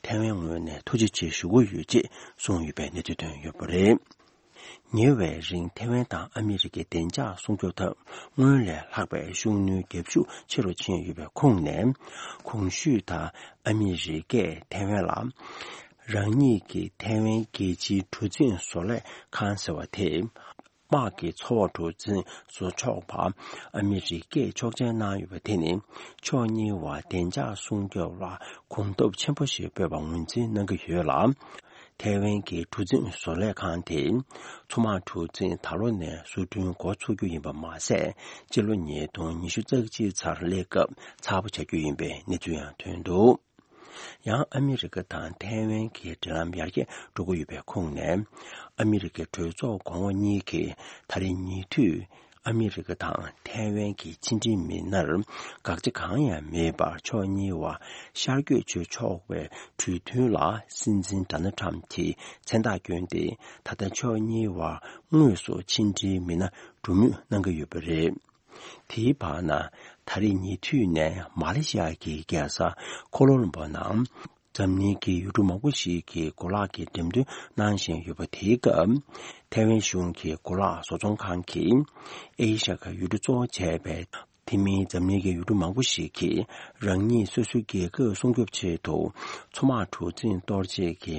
ཐའེ་ཝན་ངོས་ནས་ཐུགས་རྗེ་ཆེ་ཞུ་གི་ཡོད་ཅེས་གསུངས་ཡོད་པའི་གནས་ཚུལ་ཐོན་ཡོད་པ་རེད། ཉེ་བའི་རིང་ཐའེ་ཝན་དང་ཨ་མི་རི་ཀའི་བདེ་འཇགས་སྲུང་སྐྱོབ་ཐབས་སྔོན་ལས་ལྷག་པའི་ཤུགས་སྣོན་རྒྱབ་ཤུགས་ཆེ་རུ་ཕྱིན་ཡོད་པའི་ཁོངས་ནས། གོང་ཞུས་ལྟར་ཨ་མི་རི་ཀས་ཐའེ་ཝན་ལ་རང་ཉིད་ཀྱི་ཐའེ་ཝན་རྒྱལ་སྤྱིའི་གྲུ་གཟིངས་བཟོ་ལས་ཁང་ཟེར་བ་དེ། དམག་གི་མཚོ་འོག་གྲུ་གཟིངས་བཟོ་ཆོག་པ་ཨ་མི་རི་ཀས་ཆོག་མཆན་གནང་ཡོད་པ་དེ་ནི་ཕྱོགས་གཉིས་བར་བདེ་འཇགས་སྲུང་སྐྱོབ་ལ་གོམ་སྟབས་ཆེན་པོ་ཞིག་སྤོས་པ་ངོས་འཛིན་གནང་གི་ཡོད་ལ། ཐའེ་ཝན་གྱི་གྲུ་གཟིངས་བཟོ་ལས་ཁང་དེ་མཚོ་དམག་གྲུ་གཟིངས་ད་ལོ་ནས་བཟོ་སྐྲུན་འགོ་ཚུགས་རྒྱུ་ཡིན་པ་མ་ཟད། སྤྱི་ལོ་ཉིས་སྟོང་ཉི་ཤུ་རྩ་གཅིག་ཚར་སླེབས་སྐབས་ཚགས་པ་ཆགས་རྒྱུ་ཡིན་པའི་གནས་ཚུལ་ཡང་ཐོན་འདུག། ཡང་ཨ་མི་རི་ཀ་དང་ཐའེ་ཝན་གྱི་འབྲེལ་ལམ་ཡར་རྒྱས་འགྲོ་གི་ཡོད་པའི་ཁོངས་ནས། ཨ་མི་རི་ཀའི་གྲོས་ཚོགས་གོང་འོག་གཉིས་ཀྱིས་ད་རེས་ཉེ་དུས་ཨ་མི་རི་ཀ་དང་ཐའེ་ཝན་གྱི་ཕྱི་འབྲེལ་མི་སྣར་དགག་བྱ་གང་ཡང་མེད་པར་ཕྱོགས་གཉིས་བར་ཤར་བསྐྱོད་བྱེད་ཆོག་པའི་གྲོས་མཐུན་ལ་སྲིད་འཛིན་ཌོ་ནལ་ཊམ་གྱིས་མཚན་རྟགས་བསྐྱོན་ཏེ། ད་ལྟ་ཕྱོགས་གཉིས་བར་དངོས་སུ་ཕྱི་འབྲེལ་མི་སྣ་འགྲོ་མུས་གནང་གི་ཡོད་པ་རེད། དེའི་བར་ན། ད་རེས་ཉེ་དུས་ནས་མ་ལེ་ཤི་ཡ་གི་རྒྱལ་ས་ཀོ་ལོ་རམ་པོ་ནང་འཛམ་གླིང་གི་ཡུལ་གྲུ་མང་པོ་ཞིག་གི་གོ་ལག་གི་འགྲེམས་སྟོན་གནང་བཞིན་ཡོད་པ་དེའི་སྐབས། ཐའེ་ཝན་གཞུང་གི་གོ་ལག་བཟོ་ཚོང་ཁང་གིས་ཨེ་ཤ་ཡ་ཁ་ཡུལ་གྲུ་གཙོ་བོ་བྱས་པའི་དེ་མིན་འཛམ་གླིང་གི་ཡུལ་གྲུ་མང་པོ་ཞིག་གིས་རང་ཉིད་སོ་སོའི་རྒྱལ་ཁབ་སྲུང་སྐྱོབ་ཆེད་དུ་མཚོ་དམག་གྲུ་གཟིངས་གཏོར་བྱེད་ཀྱི་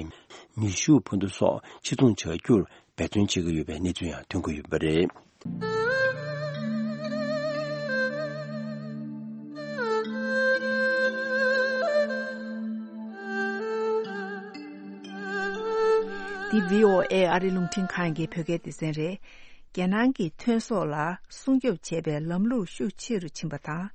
ནུས་ཤུགས་འཕུར་མདའ་སོགས་ཕྱིར་ཚོང་བྱ་རྒྱུར། འབད་བརྩོན་བྱེད་ཀྱི་ཡོད་པའི་གནས་ཚུལ་ཡང་ཐོན་གྱི་ཡོད་པ་རེད། འདི་བྷི་ཨོ་ཨེ་ཨ་རི་རླུང་འཕྲིན་ཁང་གི་བོད་སྐད་སྡེ་ཚན་རེད། རྒྱལ་ནང་གི་ཐོན་ཟོག་ལ་སྲུང་སྐྱོབ་བྱེད་པའི་ལམ་ལུགས་ཤུགས་ཆེ་རུ་ཕྱིན་པ་དང་།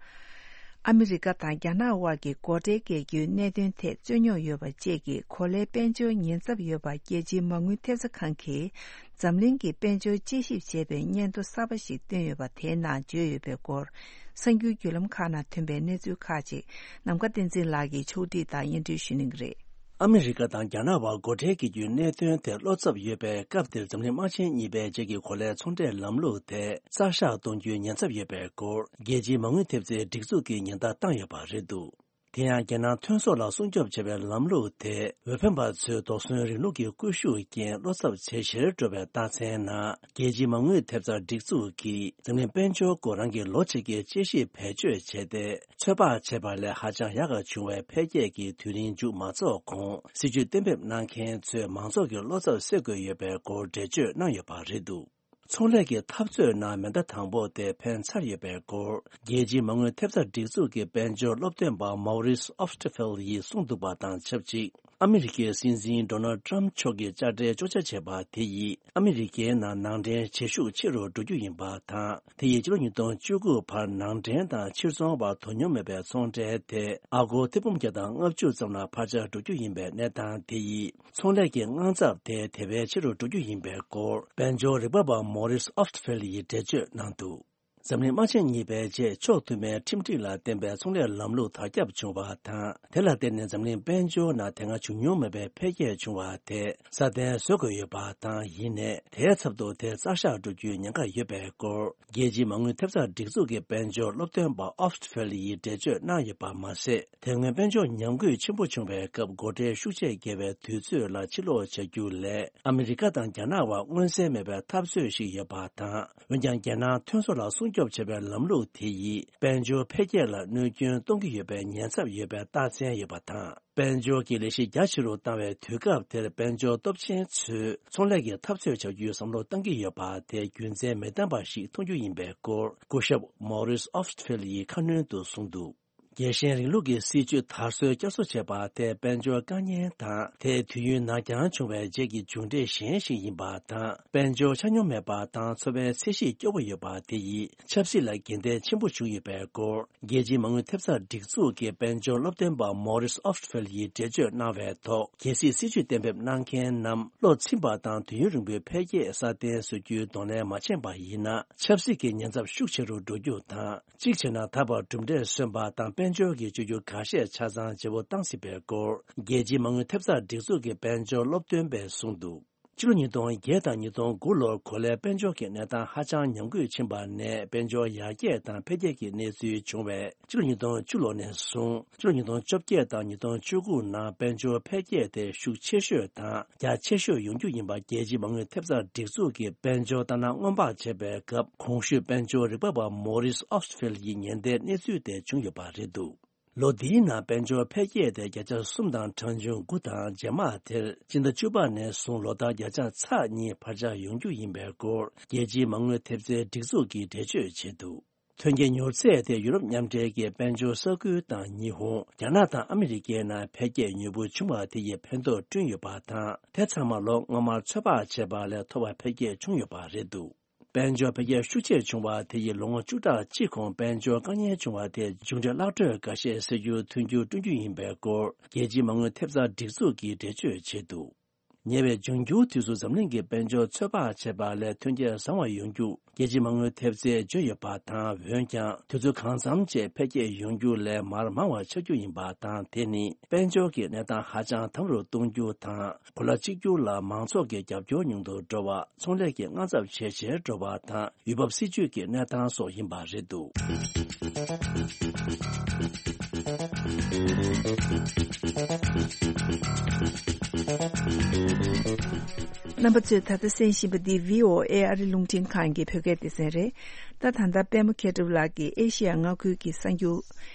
ཨ་མི་རི་ཀ་དང་རྒྱ་ནག་དབར་གྱི་སྒོ་ཁྲལ་བཀལ་རྒྱུའི་གནད་དོན་ཐད་རྩོད་རྙོག་ཡོད་པ་བཅས་ཀྱི་གོ་ལའི་དཔལ་འབྱོར་ཉེན་ཚབས་ཡོད་པ་རྒྱལ་སྤྱིའི་མ་དངུལ་ཐེབས་རྩ་ཁང་གིས་འཛམ་གླིང་གི་དཔལ་འབྱོར་དཔྱད་ཞིབ་བྱས་པའི་སྙན་ཐོ་གསར་པ་ཞིག་བཏོན་ཡོད་པ་དེའི་ནང་བརྗོད་ཡོད་པའི་སྐོར། གསར་འགྱུར་བརྒྱུད་ལམ་ཁག་ནང་ཐོན་པའི་གནས་ཚུལ་ཁག་ཅིག་ནམ་མཁའ་བསྟན་འཛིན་ལགས་ཀྱིས་ཕྱོགས་སྒྲིག་དང་སྙན་སྒྲོན་ཞུ་གནང་གི་རེད། ཨ་མི་རི་ཀ་དང་རྒྱ་ནག་དབར་སྒོ་ཁྲལ་གྱི་རྒྱུའི་གནད་དོན་དེ་བློ་འཚབ་ཡོད་པའི་སྐབས་དེར། འཛམ་གླིང་དམག་ཆེན་གཉིས་པའི་རྗེས་ཀྱི་གོ་ལའི་ཚོང་འབྲེལ་ལམ་ལུགས་དེ་རྩ་བཞག་གཏོང་རྒྱུའི་ཉེན་ཚབས་ཡོད་པའི་སྐོར། རྒྱལ་སྤྱིའི་མ་དངུལ་ཐེབས་རྩའི་སྒྲིག་འཛུགས་ཀྱིས་ཉེན་བརྡ་བཏང་ཡོད་པ་རེད་འདུག། དེ་ཡང་རྒྱལ་ནང་ཐོན་ཟོག་ལ་སྲུང་སྐྱོབ་བྱེད་པའི་ལམ་ལུགས་དེ། འོས་འཕེན་པ་ཚོས་དོགས་ཟོན་རིང་ལུགས་ཀྱི་སྐུལ་ཤུགས་རྐྱེན་བློ་འཚབ་ཇེ་ཆེར་འགྲོ་བའི་རྟགས་མཚན་ནང་། རྒྱལ་སྤྱིའི་མ་དངུལ་ཐེབས་རྩ་སྒྲིག་འཛུགས་ཀྱིས་འཛམ་གླིང་དཔལ་འབྱོར་སྐོར་རང་གི་ལོ་གཅིག་གི་དཔྱད་ཞིབ་བེད་སྤྱོད་བྱས་ཏེ། ཚོད་དཔག་བྱས་པ་ལས་ཧ་ཅང་ཡག་ག་བྱུང་བའི་འཕེལ་རྒྱས་ཀྱི་དུས་རིམ་མཇུག་མ་རྫོགས་གོང་། སྲིད་ཇུས་གཏན་འབེབས་གནང་མཁན་ཚོས་མང་ཚོགས་ཀྱི་བློ་འཚབ་སེལ་དགོས་ཡོད་པའི་སྐོར་འགྲེལ་བརྗོད་གནང་ཡོད་པ་རེད་འདུག། ཚོང་ལས་ཀྱི་འཐབ་རྩོད་ནང་མེ་མདའ་དང་པོ་དེ་འཕེན་ཚར་ཡོད་པའི་སྐོར། རྒྱལ་སྤྱིའི་མ་དངུལ་ཐེབས་རྩ་སྒྲིག་འཛུགས་ཀྱི་དཔལ་འབྱོར་སློབ་སྟོན་པ་Maurice Oftfeld ཡིས་གསུངས་འདུག་པ་དང་ཆབས་ཅིག། ཨ་མི་རི་ཀའི་སྲིད་འཛིན་ཌོ་ནལ་ཊམ་མཆོག་གིས་དཔྱ་ཁྲལ་གཅོག་ཆ་བྱས་པ་དེ་ཡིས། ཨ་མི་རི་ཀའི་ནང་ནང་འདྲེན་བྱེད་ཤུགས་ཆེ་རུ་འགྲོ་རྒྱུ་ཡིན་པ་དང་། དེ་ཡིས་ཕྱི་ལོ་ཉིས་སྟོང་བཅུ་དགུ་བར་ནང་འདྲེན་དང་ཕྱིར་ཚོང་བར་དོ་སྙོམས་མེད་པའི་ཚོང་འབྲེལ་དེ། ཨ་སྒོར་ཐེར་འབུམ་བརྒྱ་དང་ལྔ་བཅུ་ཙམ་ལ་འཕར་ཆ་འགྲོ་རྒྱུ་ཡིན་པའི་གནས་སྟངས་དེ་ཡིས། ཚོང་ལས་ཀྱི་དངངས་འཚབ་དེ་དེ་བས་ཆེ་རུ་འགྲོ་རྒྱུ་ཡིན་པའི་སྐོར། དཔལ་འབྱོར་རིག་པ་བ་Maurice Oftfeld ཡིས་འགྲེལ་བརྗོད་གནང་འདུག། འཛམ་གླིང་དམག་ཆེན་གཉིས་པའི་རྗེས་ཕྱོགས་མཐུན་པའི་ཁྲིམས་སྒྲིག་ལ་བརྟེན་པའི་ཚོང་ལས་ལམ་ལུགས་དར་ཁྱབ་བྱུང་བ་དང་། དེ་ལ་བརྟེན་ནས་འཛམ་གླིང་དཔལ་འབྱོར་ནང་དེ་སྔ་བྱུང་མྱོང་མེད་པའི་འཕེལ་རྒྱས་བྱུང་བ་དེ་སྲ་བརྟན་བཟོ་དགོས་ཡོད་པ་དང་། ཡིན་ནའི་དེའི་ཚབ་ཏུ་དེ་རྩ་བཞག་འགྲོ་རྒྱུའི་ཉེན་ཁ་ཡོད་པའི་སྐོར། རྒྱལ་སྤྱིའི་མ་དངུལ་ཐེབས་རྩ་སྒྲིག་འཛུགས་ཀྱི་དཔལ་འབྱོར་སློབ་སྟོན་པ་Oftfeld ཡིས་འགྲེལ་བརྗོད་གནང་ཡོད་པ་མ་ཟད། དེ་སྔོན་དཔལ་འབྱོར་ཉམས་རྒུད་ཆེན་པོ་བྱུང་བའི་སྐབས། སྒོ་ཁྲལ་ཤུགས་ཆེ་བརྒྱབ་པའི་དུས་ཚོད་ལ་ཕྱིར་ལོག་བྱ་རྒྱུ་ལས། ཨ་མི་རི་ཀ་དང་རྒྱ་ནག་དབར་མངོན་གསལ་མེད་པའི་འཐབ་རྩོད་ཞིག་ཡོད་པ་དང་། འོན་ཀྱང་། རྒྱལ་ནང་ཐོན་ཟོག་ལ་སྲུང་སྐྱོབ་བྱེད་པའི་ལམ་ལུགས་དེ་ཡིས། དཔལ་འབྱོར་འཕེལ་རྒྱས་ལ་གནོད་སྐྱོན་གཏོང་གི་ཡོད་པའི་ཉེན་ཚབས་ཡོད་པའི་རྟགས་མཚན་ཡོད་པ་དང་། དཔལ་འབྱོར་གྱི་ལས་གཞི་རྒྱ་ཆེ་རུ་བཏང་བའི་དུས་སྐབས་དེར། དཔལ་འབྱོར་སྟོབས་ཆེན་ཚོས་ཚོང་ལས་ཀྱི་འཐབ་རྩོད་བྱ་རྒྱུའི་བསམ་བློ་བཏང་གི་ཡོད་པ་དེ་རྒྱུ་མཚན་མི་ལྡན་པ་ཞིག་མཐོང་རྒྱུ་ཡིན་པའི་སྐོར། སྐུ་ཞབས་Maurice Oftfeld ཡིས་ཁ་སྣོན་དུ་གསུངས་འདུག། རྒྱལ་ཞེན་རིང་ལུགས་ཀྱི་སྲིད་བྱུས་དར་སྲོལ་བསྐྱར་གསོ་བྱས་པ་དེ་དཔལ་འབྱོར་དཀའ་ངལ་དང་། དེ་དུས་ཡུན་ནར་འགྱངས་བྱུང་བའི་རྗེས་ཀྱི་མཇུག་འབྲས་གཞན་ཞིག་ཡིན་པ་དང་། དཔལ་འབྱོར་ཆ་སྙོམས་མེད་པ་དང་། འཚོ་བའི་ཚད་གཞི་སྐྱོ་བོ་ཡོད་པ་དེ་ཡིས་ཆབ་སྲིད་ལ་རྒྱུན་ལྡན་ཆེན་པོ་བྱུང་ཡོད་པའི་སྐོར། རྒྱལ་སྤྱིའི་མ་དངུལ་ཐེབས་རྩ་སྒྲིག་འཛུགས་ཀྱི་དཔལ་འབྱོར་སློབ་སྟོན་པ་Maurice Oftfeld ཡིས་འགྲེལ་བརྗོད་གནང་བའི་ཐོག། གལ་སྲིད་སྲིད་བྱུས་གཏན་འབེབས་གནང་མཁན་རྣམས་བློ་ཚིམ་པ་དང་། དུས་ཡུན་རིང་པོའི་འཕེལ་རྒྱས་སྲ་བརྟན་བཟོ་རྒྱུའི་གདོང་ལེན་མ་བྱས་པ་ཡིན་ན། ཆབ་སྲིད་ཀྱི་ཉེན་ཚབས་ཤུགས་ཆེ་རུ་འགྲོ་རྒྱུ་དང་། གཅིག་བྱས་ན། ད་བར་གྲུབ་འབྲས་སོན་པ་དང་། དཔལ་འབྱོར་གྱི་བཅོས་བསྒྱུར་ཁ་ཤས་ཆ་ཚང་བརྗེ་པོ་བཏང་སྲིད་པའི་སྐོར། རྒྱལ་སྤྱིའི་མ་དངུལ་ཐེབས་རྩ་སྒྲིག་འཛུགས་ཀྱི་དཔལ་འབྱོར་སློབ་སྟོན་པས་གསུངས་འདུག། ཕྱི་ལོ་ཉིས་སྟོང་བརྒྱད་དང་ཉིས་སྟོང་དགུ་ལོར་གོ་ལའི་དཔལ་འབྱོར་གྱི་གནས་སྟངས་ཧ་ཅང་ཉམས་རྒུད་ཕྱིན་པ་ནས། དཔལ་འབྱོར་ཡར་རྒྱས་དང་འཕེལ་རྒྱས་ཀྱི་གནས་ཚུལ་བྱུང་བས། ཕྱི་ལོ་ཉིས་སྟོང་བཅུ་ལོ་ནས་བཟུང་། ཕྱི་ལོ་ཉིས་སྟོང་བཅོ་བརྒྱད་དང་ཉིས་སྟོང་བཅུ་དགུ་ནང་དཔལ་འབྱོར་འཕེལ་རྒྱས་དེ་ཤུགས་ཆེ་ཤོས་དང་རྒྱ་ཆེ་ཤོས་ཡོང་རྒྱུ་ཡིན་པ། རྒྱལ་སྤྱིའི་མ་དངུལ་ཐེབས་རྩ་སྒྲིག་འཛུགས་ཀྱི་དཔལ་འབྱོར་ལྟ་ན་སྔོན་དཔག་བྱས་པའི་སྐབས། གོང་ཞུས་དཔལ་འབྱོར་རིག་པ་བ་Maurice Oftfeld ཡིས་ཉེན་བརྡའི་གནས་ཚུལ་དེ་བྱུང་ཡོད་པ་རེད་འདུག། ལོ་འདིའི་ནང་དཔལ་འབྱོར་འཕེལ་རྒྱས་དེ་བརྒྱ་ཆ་གསུམ་དང་གྲངས་ཆུང་དགུ་དང་། རྗེས་མ་དེར་སྤྱི་ཟླ་བཅུ་པ་ནས་བཟུང་ལོ་ལྟར་བརྒྱ་ཆ་ཚེག་གཉིས་འཕར་ཆ་ཡོང་རྒྱུ་ཡིན་པའི་སྐོར། རྒྱལ་སྤྱིའི་མ་དངུལ་ཐེབས་རྩའི་སྒྲིག་འཛུགས་ཀྱིས་འགྲེལ་བརྗོད་བྱས་འདུག། ཐོན་སྐྱེད་མྱུར་ཚད་དེ་ཡུ་རོབ་མཉམ་འབྲེལ་གྱི་དཔལ་འབྱོར་ས་ཁུལ་དང་ཉི་ཧོང་། རྒྱ་ནག་དང་ཨ་མི་རི་ཀའི་ནང་འཕེལ་རྒྱས་མྱུར་པོ་བྱུང་བ་དེ་ཡིས་ཕན་ཐོགས་བསྐྲུན་ཡོད་པ་དང་། དེ་ཚང་མ་ལོ་སྔོན་མར་ཚོད་དཔག་བྱས་པ་ལས་མཐོ་བ་འཕེལ་རྒྱས་བྱུང་ཡོད་པ་རེད་འདུག་དཔལ་འབྱོར་འཕེལ་རྒྱས་ཤུགས་ཆེ་བྱུང་བ་དེ་ཡིས་ལོ་ངོ་བཅུ་ཕྲག་གཅིག་གོང་དཔལ་འབྱོར་དཀའ་ངལ་བྱུང་བ་དེ་མཇུག་འབྲས་བརླག་སྤྲོད་འགའ་ཤས་སེལ་རྒྱུར་མཐུན་འགྱུར་བསྐྲུན་རྒྱུ་ཡིན་པའི་སྐོར། རྒྱལ་སྤྱིའི་མ་དངུལ་ཐེབས་རྩ་སྒྲིག་འཛུགས་ཀྱིས་འགྲེལ་བརྗོད་བྱས་འདུག་ཉེ་བའི་འབྱུང་འགྱུར་དུས་སུ་འཛམ་གླིང་གི་དཔལ་འབྱོར་ཚོད་དཔག་བྱས་པ་ལས་ཐོན་སྐྱེད་བཟང་བ་ཡོང་རྒྱུ་རྒྱལ་སྤྱིའི་མ་དངུལ་ཐེབས་རྩས་བརྗོད་ཡོད་པ་དང་། འོན་ཀྱང་དུས་ཚོད་གང་འཚམ་བཅས་འཕེལ་རྒྱས་ཡོང་རྒྱུ་ལས་མར་མང་བ་ཆགས་རྒྱུ་ཡིན་པ་དང་། དེ་ནི་དཔལ་འབྱོར་གྱི་གནས་སྟངས་ཧ་ཅང་དམ་རུ་གཏོང་རྒྱུ་དང་། གོ་ལ་གཅིག་གྱུར་ལ་མང་ཚོགས་ཀྱི་རྒྱབ་སྐྱོར་ཉུང་དུ་འགྲོ་བ། ཚོང་ལས་ཀྱི་དངངས་འཚབ་ཇེ་ཆེར་འགྲོ་བ་དང་། ཡུལ་བབ་སྲིད་ཇུས་ཀྱི་གནས་སྟངས་སོགས་ཡིན་པ་རེད་འདུག་རྣམ་པ་ཚོས་ད་ལྟ་གསན་བཞིན་པ་འདི་བྷི་ཨོ་ཨེ་ཨ་རི་རླུང་འཕྲིན་ཁང་གི་བོད་སྐད་སྡེ་ཚན་རེད། ད་ད་ལྟ་པད་མ་མཁས་གྲུབ་ལགས་ཀྱིས་ཨེ་ཤེ་ཡ་མངའ་ཁུལ་གྱི་གསར་འགྱུར་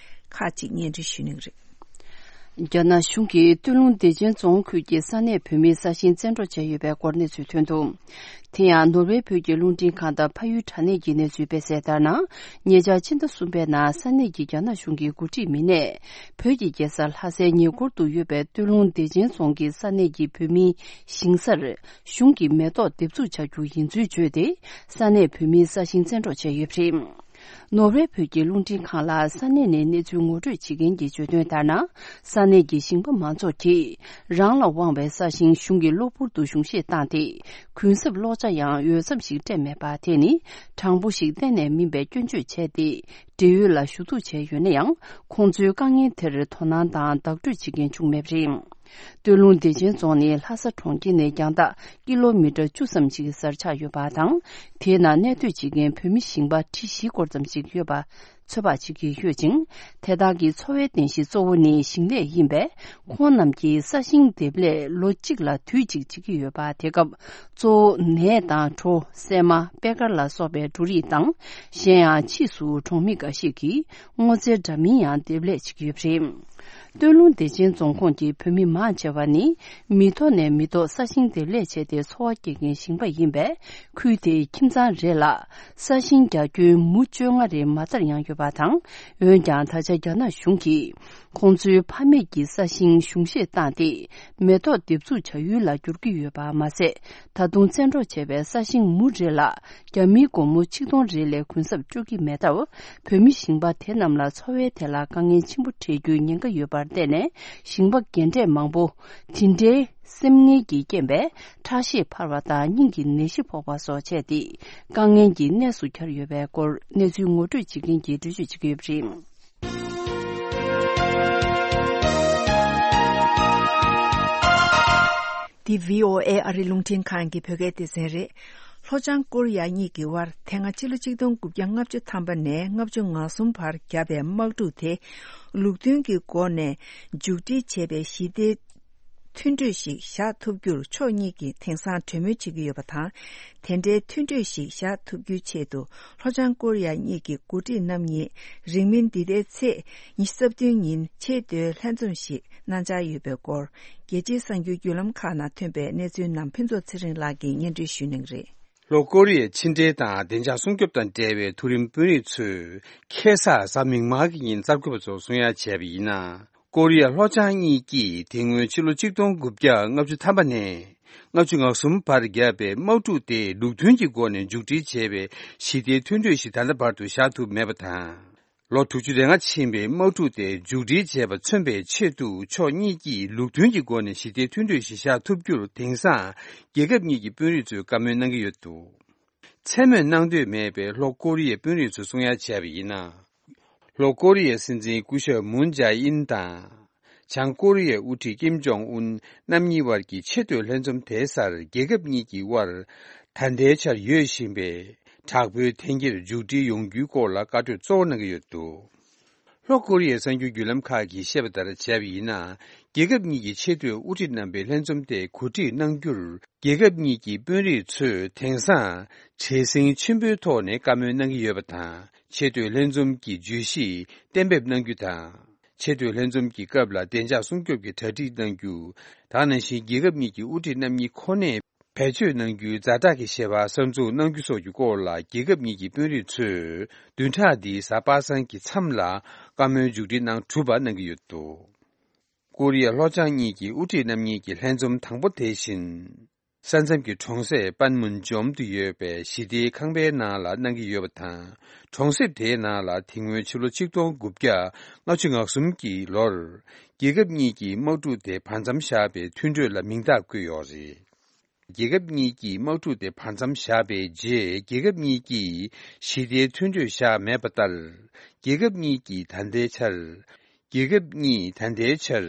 ཁག་ཅིག་སྙན་སྒྲོན་ཞུ་གནང་གི་རེད། རྒྱ་ནག་གཞུང་གིས་སྟོད་ལུང་བདེ་ཆེན་རྫོང་ཁུལ་གྱི་ས་གནས་བོད་མིའི་ས་ཞིང་བཙན་འཕྲོག་བྱས་ཡོད་པའི་སྐོར་གནས་ཚུལ་ཐོན་འདུག་དེ་ཡང་ནོར་ཝེ་བོད་ཀྱི་རླུང་འཕྲིན་ཁང་དང་ཕ་ཡུལ་དྲ་གནས་ཀྱི་གནས་ཚུལ་སྤེལ་གསལ་ལྟར་ན། ཉེ་ཆར་ཕྱི་ཟླ་གསུམ་པའི་ནང་ས་གནས་ཀྱི་རྒྱ་ནག་གཞུང་གི་འགོ་ཁྲིད་མི་སྣས་བོད་ཀྱི་རྒྱལ་ས་ལྷ་སའི་ཉེ་འཁོར་དུ་ཡོད་པའི་སྟོད་ལུང་བདེ་ཆེན་རྫོང་གི་ས་གནས་ཀྱི་བོད་མིའི་ཞིང་སར་གཞུང་གིས་མེ་ཏོག་འདེབས་འཛུགས་བྱ་རྒྱུ་ཡིན་ཚུལ་བརྗོད་དེ། ས་གནས་བོད་མིའི་ས་ཞིང་བཙན་འཕྲོག་བྱས་ཡོད་པ་རེད། ནོར་ཝེ་བོད་ཀྱི་རླུང་འཕྲིན་ཁང་ལ་ས་གནས་ནས་གནས་ཚུལ་ངོ་སྤྲོད་བྱེད་མཁན་གྱིས་བརྗོད་དོན་ལྟར་ན། ས་གནས་ཀྱི་ཞིང་པ་མང་ཚོགས་ཀྱིས་རང་ལ་དབང་བའི་ས་ཞིང་གཞུང་གི་གློ་བུར་དུ་གཞུང་བཞེས་བཏང་སྟེ། གུན་གསབ་གློག་ཆ་ཡང་འོས་འཚམ་ཞིག་སྤྲད་མེད་པ་དེ་ནི་དྲང་པོ་ཞིག་གཏན་ནས་མིན་པའི་སྐྱོན་བརྗོད་བྱས་ཏེ། འབྲེལ་ཡོད་ལ་ཞུ་གཏུག་བྱས་ཡོད་ན་ཡང་། ཁོང་ཚོའི་དཀའ་ངལ་དེར་དོ་སྣང་དང་བདག་སྤྲོད་བྱེད་མཁན་བྱུང་མེད་པ་རེད། སྟོད་ལུང་བདེ་ཆེན་རྫོང་ནི་ལྷ་ས་གྲོང་ཁྱེར་ནས་རྒྱང་ཐག་ཀི་ལོ་མི་ཊར་བཅུ་ཙམ་ཞིག་གི་སར་ཆགས་ཡོད་པ་དང་། དེའི་ནང་གནས་སྡོད་བྱེད་མཁན་བོད་མི་ཞིང་པ་ཁྲི་བཞི་སྐོར་ཙམ་ཞིག་ཡོད་པ་ཚོད་དཔག་བྱེད་ཀྱི་ཡོད་ཅིང་། དེ་དག་གི་འཚོ་བའི་རྟེན་གཞི་གཙོ་བོ་ནི་ཞིང་ལས་ཡིན་པས། ཁོང་རྣམས་ཀྱིས་ས་ཞིང་འདེབས་ལས་ལོ་གཅིག་ལ་དུས་གཅིག་བྱེད་ཀྱི་ཡོད་པ། དེ་སྐབས་གཙོ་བོ་ནས་དང་གྲོ། སྲན་མ། པད་དཀར་ལ་སོགས་པའི་འབྲུ་རིགས་དང་། གཞན་ཡང་ཕྱིས་སུ་གྲོང་མི་འགའ་ཞིག་གིས་སྔོ་ཚལ་འདྲ་མིན་ཡང་འདེབས་ལས་བྱེད་ཀྱི་ཡོད་པ་རེད། སྟོད་ལུང་བདེ་ཆེན་རྫོང་ཁོངས་ཀྱི་བོད་མི་མང་ཆེ་བ་ནི་མི་ཐོག་ནས་མི་ཐོག་ས་ཞིང་འདེབས་ལས་བྱས་ཏེ་འཚོ་བ་སྐྱེལ་མཁན་ཞིང་པ་ཡིན་པས། ཁུལ་དེའི་ཁྱིམ་ཚང་རེ་ལ་ས་ཞིང་རྒྱ་ཁྱོན་མུ་བཅོ་ལྔ་རེ་མ་མཐར་ཡང་ཡོད་པ་དང་། འོན་ཀྱང་ད་ཆ་རྒྱ་ནག་གཞུང་གིས་ཁོང་ཚོའི་ཕ་མེས་ཀྱི་ས་ཞིང་གཞུང་བཞེས་བཏང་སྟེ། མེ་ཏོག་འདེབས་འཛུགས་བྱ་ཡུལ་ལ་བསྒྱུར་གྱི་ཡོད་པ་མ་ཟད། ད་དུང་བཙན་འཕྲོག་བྱས་པའི་ས་ཞིང་མུ་རེ་ལ་རྒྱ་མིའི་སྒོར་མོ་ཆིག་སྟོང་རེ་ལས་གུན་གསབ་སྤྲོད་ཀྱི་མེད་སྟབས། བོད་མི་ཞིང་པ་དེ་རྣམས་ལ་འཚོ་བའི་ཐད་ལ་དཀའ་ངལ་ཆེན་པོ་འཕྲད་རྒྱུའི་ཉེན་ཁ་ཡོད་པར་བརྟེན་ནས། ཞིང་པ་རྒན་གྲས་མང་པོ་དེ་འདྲའི་སེམས་ངལ་གྱི་རྐྱེན་པས་ཁྲག་ཤེད་འཕར་བ་དང་སྙིང་གི་ནད་གཞི་ཕོག་པ་སོགས་བྱས་ཏེ། དཀའ་ངལ་གྱི་གནས་སུ་གྱར་ཡོད་པའི་སྐོར་གནས་ཚུལ་ངོ་སྤྲོད་བྱེད་མཁན་གྱིས་འགྲེལ་བརྗོད་བྱེད་ཀྱི་ཡོད་པ་རེད། འདི་བྷི་ཨོ་ཨེ་ཨ་རི་རླུང་འཕྲིན་ཁང་གི་བོད་སྐད་སྡེ་ཚན་རེད། ལྷོ་བྱང་ཀོ་རི་ཡ་གཉིས་ཀྱི་དབར་དེ་སྔ་ཕྱི་ལོ་ཆིག་སྟོང་དགུ་བརྒྱ་ལྔ་བཅུ་ཐམ་པ་ནས་ལྔ་བཅུ་ང་གསུམ་བར་བརྒྱབ་པའི་དམག་འཁྲུག་དེ་ལུགས་མཐུན་གྱི་སྒོ་ནས་མཇུག་སྒྲིལ་བྱེད་པའི་ཞི་བདེའི་མཐུན་གྲོས་ཤིག་བཞག་ཐུབ་རྒྱུར་ཕྱོགས་གཉིས་ཀྱིས་དེང་སང་གྲོས་མོལ་བྱེད་ཀྱི་ཡོད་པ་དང་། དེ་འདྲའི་མཐུན་གྲོས་ཤིག་བཞག་ཐུབ་རྒྱུའི་ཆེད་དུ་ལྷོ་བྱང་ཀོ་རི་ཡ་གཉིས་ཀྱི་འགོ་ཁྲིད་རྣམ་གཉིས་རིང་མིན་འདི་ཟླའི་ཚེས་ཉི་ཤུ་རྩ་བདུན་ཉིན་ཆེས་མཐོའི་ལྷན་འཛོམས་ཤིག་གནང་འཆར་ཡོད་པའི་སྐོར། རྒྱལ་སྤྱིའི་གསར་འགྱུར་བརྒྱུད་ལམ་ཁག་ནང་ཐོན་པའི་གནས་ཚུལ་རྣམས་ཕུན་ཚོགས་ཚེ་རིང་ལགས་ཀྱིས་སྙན་སྒྲོན་ཞུ་གནང་གི་རེད། ལྷོ་ཀོ་རི་ཡའི་ཕྱི་འབྲེལ་དང་བདེ་འཇགས་སྲུང་སྐྱོབ་དང་འབྲེལ་བའི་མཐོ་རིམ་དཔོན་རིགས་ཚོས་ཁ་སང་གཟའ་མིག་དམར་གྱི་ཉིན་གསར་འགོད་པ་ཚོར་གསུང་ཡ་བྱས་པ་ཡིན་ན། ཀོ་རི་ཡ་ལྷོ་བྱང་གཉིས་ཀྱིས་དེ་སྔོན་ཕྱི་ལོ་ཆིག་སྟོང་དགུ་བརྒྱ་ལྔ་བཅུ་ཐམ་པ་ནས་ལྔ་བཅུ་ང་གསུམ་བར་བརྒྱབ་པའི་དམག་འཁྲུག་དེ་ལུགས་མཐུན་གྱི་སྒོ་ནས་མཇུག་སྒྲིལ་བྱེད་པའི་ཞི་བདེའི་མཐུན་གྲོས་ཤིག་ད་ལྟ་བར་དུ་བཞག་ཐུབ་མེད་པ་དང་། ལོ་དྲུག་ཅུ་རེ་ལྔ་ཕྱིན་པའི་དམག་འཁྲུག་དེ་མཇུག་སྒྲིལ་བྱས་པ་མཚོན་པའི་ཆེད་དུ་ཕྱོགས་གཉིས་ཀྱིས་ལུགས་མཐུན་གྱི་སྒོ་ནས་ཞི་བདེའི་མཐུན་གྲོས་ཤིག་བཞག་ཐུབ་རྒྱུར་དེང་སང་རྒྱལ་ཁབ་གཉིས་ཀྱི་དཔོན་རིགས་ཚོས་བཀའ་མོལ་གནང་གི་ཡོད་འདུག་མཚན་སྨོས་གནང་འདོད་མེད་པའི་ལྷོ་ཀོ་རི་ཡའི་དཔོན་རིགས་ཚོས་གསུང་ཡ་བྱས་པ་ཡིན་ན། ལྷོ་ཀོ་རི་ཡའི་སྲིད་འཛིན་སྐུ་ཞབས་མུན་ཇཱ་ཨིན་དང་། བྱང་ཀོ་རི་ཡའི་དབུ་ཁྲིད་ཀིམ་ཇོང་ཨུན་རྣམ་གཉིས་དབར་གྱི་ཆེས་མཐོའི་ལྷན་འཛོམས་དེའི་སར་རྒྱལ་ཁབ་གཉིས་ཀྱི་དབར་ད་ལྟའི་ཆར་ཡོད་བཞིན་པའི་དྲག་པོའི་འཐེན་འཁྱེར་མཇུག་སྒྲིལ་ཡོང་རྒྱུའི་སྐོར་ལ་བཀའ་གྲོས་གཙོ་བོ་གནང་གི་ཡོད་འདུག་ལྷོ་ཀོ་རི་ཡའི་གསར་འགྱུར་བརྒྱུད་ལམ་ཁག་གིས་བཤད་པ་ལྟར་བྱས་པ་ཡིན་ན། རྒྱལ་ཁབ་གཉིས་ཀྱི་ཆེས་མཐོའི་དབུ་ཁྲིད་རྣམ་པའི་ལྷན་འཛོམས་དེ་གོ་སྒྲིག་གནང་རྒྱུར། རྒྱལ་ཁབ་གཉིས་ཀྱི་དཔོན་རིགས་ཚོས་དེང་སང་བྲེལ་ཟིང་ཆེན་པོའི་ཐོག་ནས་བཀའ་མོལ་གནང་གི་ཡོད་པ་དང་། ཆེས་མཐོའི་ལྷན་འཛོམས་ཀྱི་བརྗོད་གཞི་གཏན་འབེབས་གནང་རྒྱུ་དང་། ཆེས་མཐོའི་ལྷན་འཛོམས་ཀྱི་སྐབས་ལ་བདེ་འཇགས་སྲུང་སྐྱོབ་ཀྱི་གྲ་སྒྲིག་གནང་རྒྱུ། ད་ག་ནང་བཞིན་རྒྱལ་ཁབ་གཉིས་ཀྱི་དབུ་ཁྲིད་རྣམ་གཉིས་ཁོ་ནས་ བེད་སྤྱོད་གནང་རྒྱུའི་ཛ་དྲག་གི་བཤད་པ་གསར་འཛུགས་གནང་རྒྱུ་སོགས་ཀྱི་སྐོར་ལ། རྒྱལ་ཁབ་གཉིས་ཀྱི་དཔོན་རིགས་ཚོས་བདུན་ཕྲག་འདིའི་གཟའ་པ་སངས་ཀྱི་མཚམས་ལ་བཀའ་མོལ་མཇུག་སྒྲིལ་གནང་གྲུབ་པ་གནང་གི་ཡོད་འདུག་ཀོ་རི་ཡ་ལྷོ་བྱང་གཉིས་ཀྱི་དབུ་ཁྲིད་རྣམ་གཉིས་ཀྱི་ལྷན་འཛོམས་དང་པོ་དེ་བཞིན། ས་མཚམས་ཀྱི་གྲོང་གསེབ་པན་མུན་ཇོམ་དུ་ཡོད་པའི་ཞི་བདེའི་ཁང་པའི་ནང་ལ་གནང་གི་ཡོད་པ་དང་། གྲོང་གསེབ་དེའི་ནང་ལ་དེ་སྔོན་ཕྱི་ལོ་ཆིག་སྟོང་དགུ་བརྒྱ་ལྔ་བཅུ་ང་གསུམ་གྱི་ལོར། རྒྱལ་ཁབ་གཉིས་ཀྱི་དམག་འཁྲུག་དེ་བར་མཚམས་བཞག་པའི་མཐུན་གྲོས་ལ་མིང་རྟགས་བཀོད་ཡོད་རེད། རྒྱལ་ཁབ་གཉིས་ཀྱི་དམག་འཁྲུག་དེ་བར་མཚམས་བཞག་པའི་རྗེས། རྒྱལ་ཁབ་གཉིས་ཀྱིས་ཞི་བདེའི་མཐུན་གྲོས་བཞག་མེད་པ་ལྟར། རྒྱལ་ཁབ་གཉིས་ཀྱིས་ད་ལྟའི་ཆར། རྒྱལ་ཁབ་གཉིས་ད་ལྟའི་ཆར།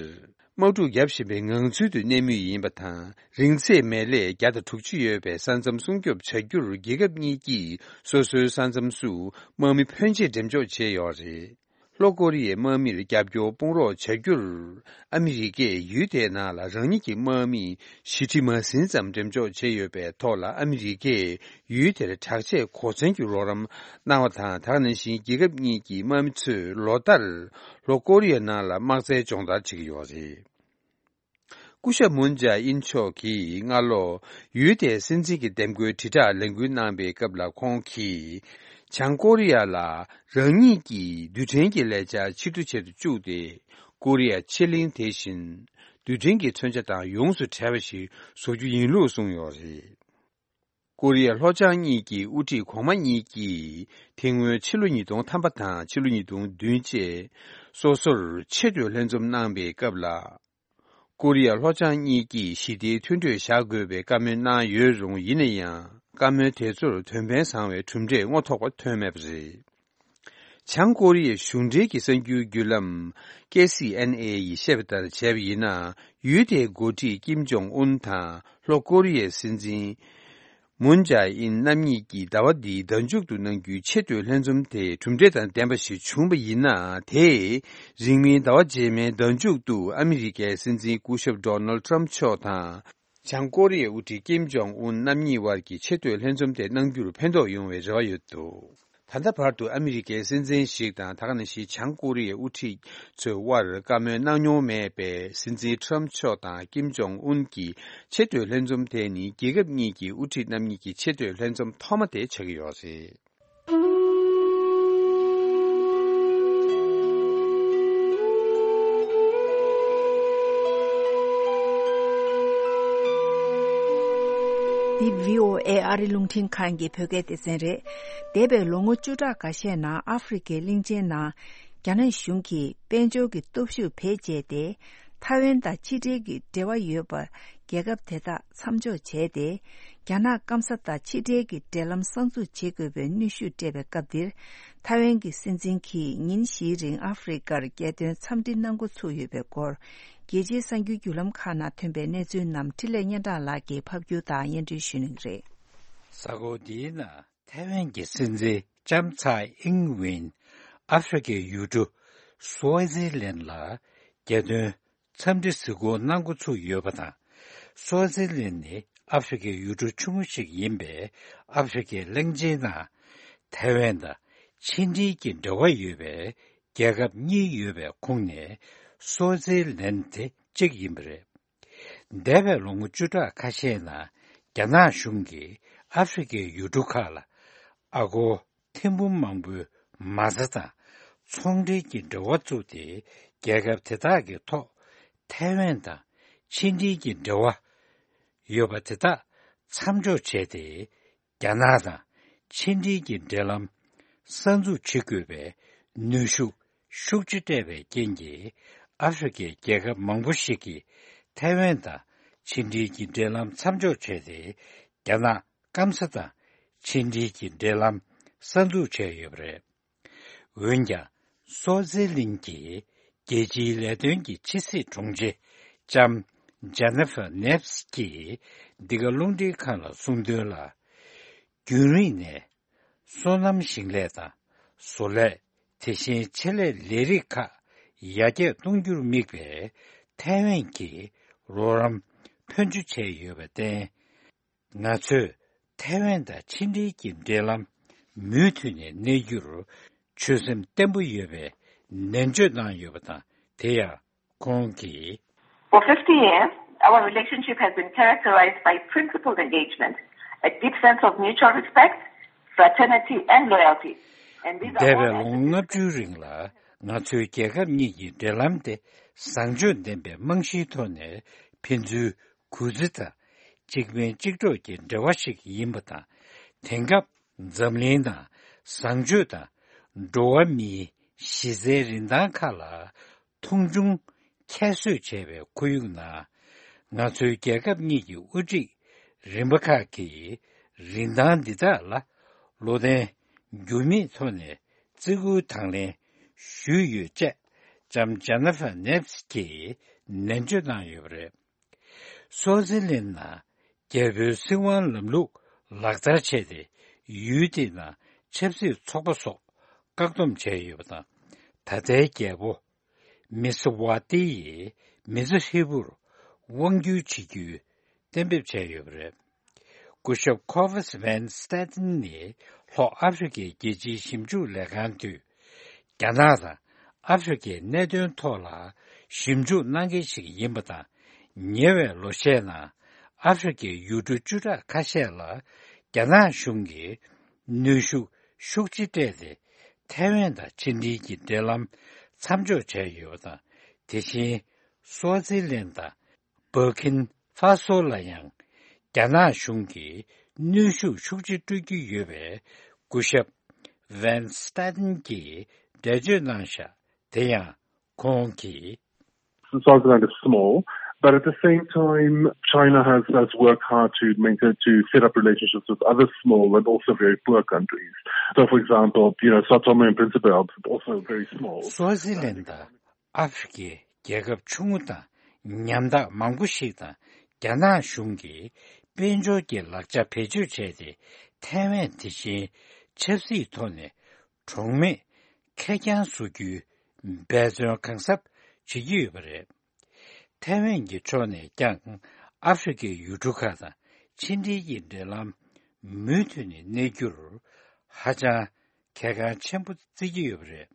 དམག་འཁྲུག་བརྒྱབ་བཞིན་པའི་ངང་ཚུལ་དུ་གནས་མུས་ཡིན་པ་དང་། རིང་ཚད་མེད་ལས་བརྒྱ་དང་དྲུག་ཅུ་ཡོད་པའི་ས་མཚམས་སྲུང་སྐྱོབ་བྱ་རྒྱུར། རྒྱལ་ཁབ་གཉིས་ཀྱིས་སོ་སོའི་ས་མཚམས་སུ་དམག་མི་ཕོན་ཆེ་འགྲེམས་འཇོག་བྱས་ཡོད་རེད། ལྷོ་ཀོ་རི་ཡའི་དམག་མིར་རྒྱབ་སྐྱོར་དཔུང་རོགས་བྱ་རྒྱུར། ཨ་མི་རི་ཀས་ཡུལ་དེའི་ནང་ལ་རང་ཉིད་ཀྱི་དམག་མི་བཞི་ཁྲི་མ་ཟིན་ཙམ་འགྲེམས་འཇོག་བྱས་ཡོད་པའི་ཐོག་ལ། ཨ་མི་རི་ཀས་ཡུལ་དེར་དྲག་ཆས་གོ་མཚོན་གྱི་རོགས་རམ་གནང་བ་དང་། དེ་ག་ནང་བཞིན་རྒྱལ་ཁབ་གཉིས་ཀྱི་དམག་མི་ཚོས་ལོ་ལྟར་ལྷོ་ཀོ་རི་ཡའི་ནང་ལ་དམག་རྩལ་སྦྱོང་བརྡར་བྱེད་ཀྱི་ཡོད་རེད། སྐུ་ཞབས་མུན་ཇཱ་ཨིན་མཆོག་གིས་སྔ་ལོ་ཡུལ་དེའི་སྲིད་འཛིན་གྱི་འདེམས་བསྐོའི་དྲིལ་བསྒྲགས་ལས་འགུལ་གནང་པའི་སྐབས་ལ། ཁོང་གིས་བྱང་ཀོ་རི་ཡ་ལ་རང་ཉིད་ཀྱི་རྡུལ་ཕྲན་གྱི་ལས་འཆར་ཕྱིར་བསྡུ་བྱེད་དུ་བཅུག་སྟེ། ཀོ་རི་ཡ་ཕྱེད་གླིང་དེ་བཞིན་རྡུལ་ཕྲན་གྱི་མཚོན་ཆ་དང་ཡོངས་སུ་བྲལ་བ་ཞིག་བཟོ་རྒྱུ་ཡིན་ལུགས་གསུངས་ཡོད་རེད། ཀོ་རི་ཡ་ལྷོ་བྱང་གཉིས་ཀྱི་དབུ་ཁྲིད་གོང་མ་གཉིས་ཀྱིས་དེ་སྔོན་ཕྱི་ལོ་ཉིས་སྟོང་ཐམ་པ་དང་ཕྱི་ལོ་ཉིས་སྟོང་བདུན་བཅས་སོ་སོར་ཆེས་མཐོའི་ལྷན་འཛོམས་གནང་པའི་སྐབས་ལ། ཀོ་རི་ཡ་ལྷོ་བྱང་གཉིས་ཀྱིས་ཞི་བདེའི་མཐུན་གྲོས་བཞག་དགོས་པའི་བཀའ་མོལ་གནང་ཡོད་རུང་། ཡིན་ན་ཡང་བཀའ་མོལ་དེ་ཚོར་དོན་ཕན་བཟང་བའི་གྲུབ་འབྲས་རྔོ་ཐོགས་པ་ཐོན་མེད་པ་རེད། བྱང་ཀོ་རི་ཡའི་གཞུང་འབྲེལ་གྱི་གསར་འགྱུར་བརྒྱུད་ལམ་ཀེ་སི་ཨེན་ཨེ་ཡིས་བཤད་པ་ལྟར་བྱས་པ་ཡིན་ན། ཡུལ་དེའི་འགོ་ཁྲིད་ཀིམ་ཇོང་ཨུན་དང་ལྷོ་ཀོ་རི་ཡའི་སྲིད་འཛིན་མུན་ཇཱ་ཨིན་རྣམ་གཉིས་ཀྱིས་ཟླ་བ་འདིའི་ཟླ་མཇུག་ཏུ་གནང་རྒྱུའི་ཆེས་མཐོའི་ལྷན་འཛོམས་དེ་གྲུབ་འབྲས་དང་ལྡན་པ་ཞིག་བྱུང་བ་ཡིན་ན། དེས་རིང་མིན་ཟླ་བ་རྗེས་མའི་ཟླ་མཇུག་ཏུ་ཨ་མི་རི་ཀའི་སྲིད་འཛིན་སྐུ་ཞབས་ཌོ་ནལ་ཊམ་མཆོག་དང་། བྱང་ཀོ་རི་ཡའི་དབུ་ཁྲིད་ཀིམ་ཇོང་ཨུན་རྣམ་གཉིས་དབར་གྱི་ཆེས་མཐོའི་ལྷན་འཛོམས་དེ་གནང་རྒྱུར་ཕན་ཐོགས་ཡོང་བའི་རེ་བ་ཡོད་འདུག་ད་ལྟ་བར་དུ་ཨ་མི་རི་ཀའི་སྲིད་འཛིན་ཞིག་དང་། ད་ག་ནང་བཞིན་བྱང་ཀོ་རི་ཡའི་དབུ་ཁྲིད་ཚོའི་དབར་བཀའ་མོལ་གནང་མྱོང་མེད་པའི་སྲིད་འཛིན་ཊམ་མཆོག་དང་ཀིམ་ཇོང་ཨུན་གྱི་ཆེས་མཐོའི་ལྷན་འཛོམས་དེ་ནི་རྒྱལ་ཁབ་གཉིས་ཀྱི་དབུ་ཁྲིད་རྣམ་གཉིས་ཀྱི་ཆེས་མཐོའི་ལྷན་འཛོམས་ཐོག་མ་དེ་ཆགས་ཀྱི་ཡོད་རེད། འདི་བྷི་ཨོ་ཨེ་ཨ་རི་རླུང་འཕྲིན་ཁང་གི་བོད་སྐད་སྡེ་ཚན་རེད། འདས་པའི་ལོ་ངོ་བཅུ་ཕྲག་འགའ་ཤས་ནང་ཨ་ཧྥེ་རི་ཁའི་གླིང་ཆེན་ནང་རྒྱ་ནག་གཞུང་གིས་དཔལ་འབྱོར་གྱི་སྟོབས་ཤུགས་བེད་སྤྱད་དེ། ཐའེ་ཝན་དང་ཕྱི་འབྲེལ་གྱི་འབྲེལ་བ་ཡོད་པ། རྒྱལ་ཁབ་དེ་དག་མཚམས་འཇོག་བྱས་ཏེ། རྒྱ་ནག་སྐམ་ས་དང་ཕྱི་འབྲེལ་གྱི་འབྲེལ་ལམ་གསར་འཛུགས་བྱེད་དགོས་པའི་གནོན་ཤུགས་སྤྲད་པའི་སྐབས་འདིར། ཐའེ་ཝན་གྱི་སྲིད་འཛིན་གྱིས་ཉིན་བཞིའི་རིང་ཨ་ཧྥེ་རི་ཀར་རྒྱལ་དོན་འཚམས་འདྲི་གནང་འགོ་ཚུགས་ཡོད་པའི་སྐོར། རྒྱལ་སྤྱིའི་གསར་འགྱུར་བརྒྱུད་ལམ་ཁག་ནང་ཐོན་པའི་གནས་ཚུལ་རྣམས་འཕྲིན་ལས་སྙན་གྲགས་ལགས་ཀྱིས་ཕབ་སྒྱུར་དང་སྙན་སྒྲོན་ཞུ་གནང་གི་རེད། གཟའ་འཁོར་འདིའི་ནང་ཐའེ་ཝན་གྱི་སྲིད་འཛིན་ལྕམ་ཚའེ་ཨིང་ཝེན་ཨ་ཧྥེ་རི་ཁའི་ཡུལ་གྲུ་སུའེ་ཙི་ལན་ལ་རྒྱལ་དོན་འཚམས་འདྲི་གཟིགས་སྐོར་གནང་འགོ་ཚུགས་ཡོད་པ་དང་། སུའེ་ཙི་ལན་ནི་ཨ་ཧྥེ་རི་ཁའི་ཡུལ་གྲུ་ཆུང་ངུ་ཞིག་ཡིན་པས། ཨ་ཧྥེ་རི་ཁའི་གླིང་ཆེན་ནང་ཐའེ་ཝན་དང་ཕྱི་འབྲེལ་གྱི་འབྲེལ་བ་ཡོད་པའི་རྒྱལ་ཁབ་གཉིས་ཡོད་པའི་ཁོངས་ནས་སུའེ་ཙི་ལན་དེ་གཅིག་ཡིན་པ་རེད། འདས་པའི་ལོ་ངོ་བཅུ་ཕྲག་ཁ་ཤས་ནང་རྒྱ་ནག་གཞུང་གིས་ཨ་ཧྥེ་རི་ཁའི་ཡུལ་གྲུ་ཁག་ལ་ཨ་སྒོར་ཐེར་འབུམ་མང་པོའི་མ་རྩ་དང་ཚོང་འབྲེལ་གྱི་འབྲེལ་བ་བཙུགས་ཏེ། རྒྱལ་ཁབ་དེ་དག་གི་ཐོག་ཐའེ་ཝན་དང་ཕྱི་འབྲེལ་གྱི་འབྲེལ་བ་ཡོད་པ་དེ་དག་མཚམས་འཇོག་བྱས་ཏེ། རྒྱ་ནག་དང་ཕྱི་འབྲེལ་གྱི་འབྲེལ་ལམ་གསར་འཛུགས་བྱེད་དགོས་པའི་གནོན་ཤུགས་ཤུགས་ཆེ་སྤྲད་པའི་རྐྱེན་གྱིས། ཨ་ཧྥེ་རི་ཁའི་རྒྱལ་ཁབ་མང་པོ་ཞིག་གིས་ཐའེ་ཝན་དང་ཕྱི་འབྲེལ་གྱི་འབྲེལ་ལམ་མཚམས་འཇོག་བྱས་ཏེ། རྒྱ་ནག་སྐམ་ས་དང་ཕྱི་འབྲེལ་གྱི་འབྲེལ་ལམ་གསར་འཛུགས་བྱས་ཡོད་པ་རེད། འོན་ཀྱང་། སུའེ་ཙི་ལན་གྱི་རྒྱལ་སྤྱིའི་ལས་དོན་གྱི་ཕྱི་སྲིད་དྲུང་ཆེ་ལྕམ་ཇེ་ནི་ཧྥ་ནེབ་སི་གིས་འདི་ག་རླུང་འཕྲིན་ཁང་ལ་གསུངས་དོན་ལ། རྒྱུན་རིང་ནས་སོ་ནམ་ཞིང་ལས་དང་བཟོ་ལས། དེ་བཞིན་ཆེད་ལས་ལས་རིགས་ཁག་ཡར་རྒྱས་གཏོང་རྒྱུར་དམིགས་པའི་ཐའེ་ཝན་གྱི་རོགས་རམ་ཕོན་ཆེ་བྱས་ཡོད་པར་བརྟེན། ང་ཚོས་ཐའེ་ཝན་དང་ཕྱི་འབྲེལ་གྱི་འབྲེལ་ལམ་མུ་མཐུད་ནས་གནས་རྒྱུར་ཆོད་སེམས་བརྟན་པོ་ཡོད་པའི་ནན་བརྗོད་གནང་ཡོད་པ་དང་། དེ་ཡང་ཁོང་གིས། For fifty years, Our relationship has been characterized by principled engagement, a deep sense of mutual respect, fraternity, and loyalty. And these are འདས་པའི་all ལོ་ངོ་ལྔ་བཅུའི་རིང་ལ་ང་ཚོའི་རྒྱལ་ཁབ་གཉིས་ཀྱི་འབྲེལ་ལམ་དེ་བཟང་སྤྱོད་ལྡན་པའི་རྨང་གཞིའི་ཐོག་ནས་ཕན་ཚུན་གུས་བརྩི་དང་གཅིག་ཕན་གཅིག་གྲོགས་ཀྱི་འབྲེལ་བ་ཞིག་ཡིན་པ་དང་། དེང་སྐབས་འཛམ་གླིང་ནང་བཟང་སྤྱོད་དང་འགྲོ་བ་མིའི་གཞི་རྩའི་རིན་ཐང་ཁག་ལ་མཐོང་ཆུང་ཁྱད་གསོད་བྱས་པའི་ཁོར་ཡུག་ནང་། ང་ཚོའི་རྒྱལ་ཁབ་གཉིས་ཀྱི་དབུ་ཁྲིད་རིམ་པ་ཁག་གིས་རིན་ཐང་འདི་དག་ལ་བློ་བརྟན་འགྱུར་མེད་ཐོག་ནས་བརྩི་བཀུར་དང་ལེན་ཞུས་ཡོད་ཅེས་ལྕམ་ཇེ་ནི་ཧྥར་ནེབ་སི་གིས་ནན་བརྗོད་གནང་ཡོད་པ་རེད། སུའུ་ཙི་ལན་ནང་རྒྱལ་པོའི་སྲིད་དབང་ལམ་ལུགས་ལག་བསྟར་བྱས་ཏེ། ཡུལ་དེའི་ནང་ཆབ་སྲིད་ཚོགས་པ་སོགས་བཀག་སྡོམ་བྱས་ཡོད་པ་དང་། ད་ལྟའི་རྒྱལ་པོ་མི་སི་ཝ་ཏི་ཡིས་མི་ཚེ་ཧྲིལ་པོར་དབང་སྒྱུར་བྱེད་རྒྱུའི་གཏན་འབེབས་བྱས་ཡོད་པ་རེད། སྐུ་ཞབས་ཁོ་ཝེས་ཝན་སྟེ་ཏན་ནི་ལྷོ་ཨ་ཧྥེ་རི་ཁའི་རྒྱལ་སྤྱིའི་ཞིབ་འཇུག་ལས་ཁང་དུས། རྒྱ་ནག་དང་ཨ་ཧྥེ་རི་ཁའི་གནད་དོན་ཐོག་ལ་ཞིབ་འཇུག་གནང་མཁན་ཞིག་ཡིན་པ་དང་། ཉེ་བའི་ལོ་ཤས་ནང་ཨ་ཧྥེ་རི་ཁའི་ཡུལ་གྲུ་བཅུ་ཕྲག་ཁ་ཤས་ལ་རྒྱ་ནག་གཞུང་གིས་གནོན་ཤུགས་ཤུགས་ཆེ་སྤྲད་དེ། ཐའེ་ཝན་དང་ཕྱི་འབྲེལ་གྱི་འབྲེལ་ལམ་མཚམས་འཇོག་བྱས་ཡོད་པ་དང་། དེ་བཞིན་སུའུ་ཙི་ལན་དང་། སྦུར་ཀིན་ཧྥ་སོ་ལ་ཡང་རྒྱ་ནག་གཞུང་གིས་གནོན་ཤུགས་ཤུགས་ཆེ་སྤྲོད་ཀྱི་ཡོད་པའི་སྐུ་ཞབས་ཝན་སྟེ་ཏན་གྱིས་འགྲེལ་བརྗོད་གནང་བཞག་དེ་ཡང་ཁོང་གིས། Swaziland is small, but at the same time, China has, has worked hard to maintain, to set up relationships with other small and also very poor countries. So, for example, you know, Sao Tome and Principe are also very small. སུའུ་ཙི་ལན་དང་ཨ་ཧྥེ་རི་ཁའི་རྒྱལ་ཁབ་ཆུང་ངུ་དང་ཉམ་ཐག་མང་པོ་ཞིག་དང་རྒྱ་ནག་གཞུང་གིས་དཔལ་འབྱོར་གྱི་ལག་ཆ་བེད་སྤྱོད་བྱས་ཏེ། ཐའེ་ཝན་དེ་བཞིན་ཆབ་སྲིད་ཐོག་ནས་གྲོགས་མེད་ཁེར་རྐྱང་བཟོ་རྒྱུའི་འབད་བརྩོན་གང་ཟབ་བྱེད་ཀྱི་ཡོད་པ་རེད། ཐའེ་ཝན་གྱི་ཕྱོགས་ནས་ཀྱང་ཨ་ཧྥེ་རི་ཁའི་ཡུལ་གྲུ་ཁག་དང་ཕྱི་འབྲེལ་གྱི་འབྲེལ་ལམ་མུ་མཐུད་ནས་གནས་རྒྱུར་ཧ་ཅང་གལ་འགངས་ཆེན་པོ་བརྩི་གི་ཡོད་པ་རེད།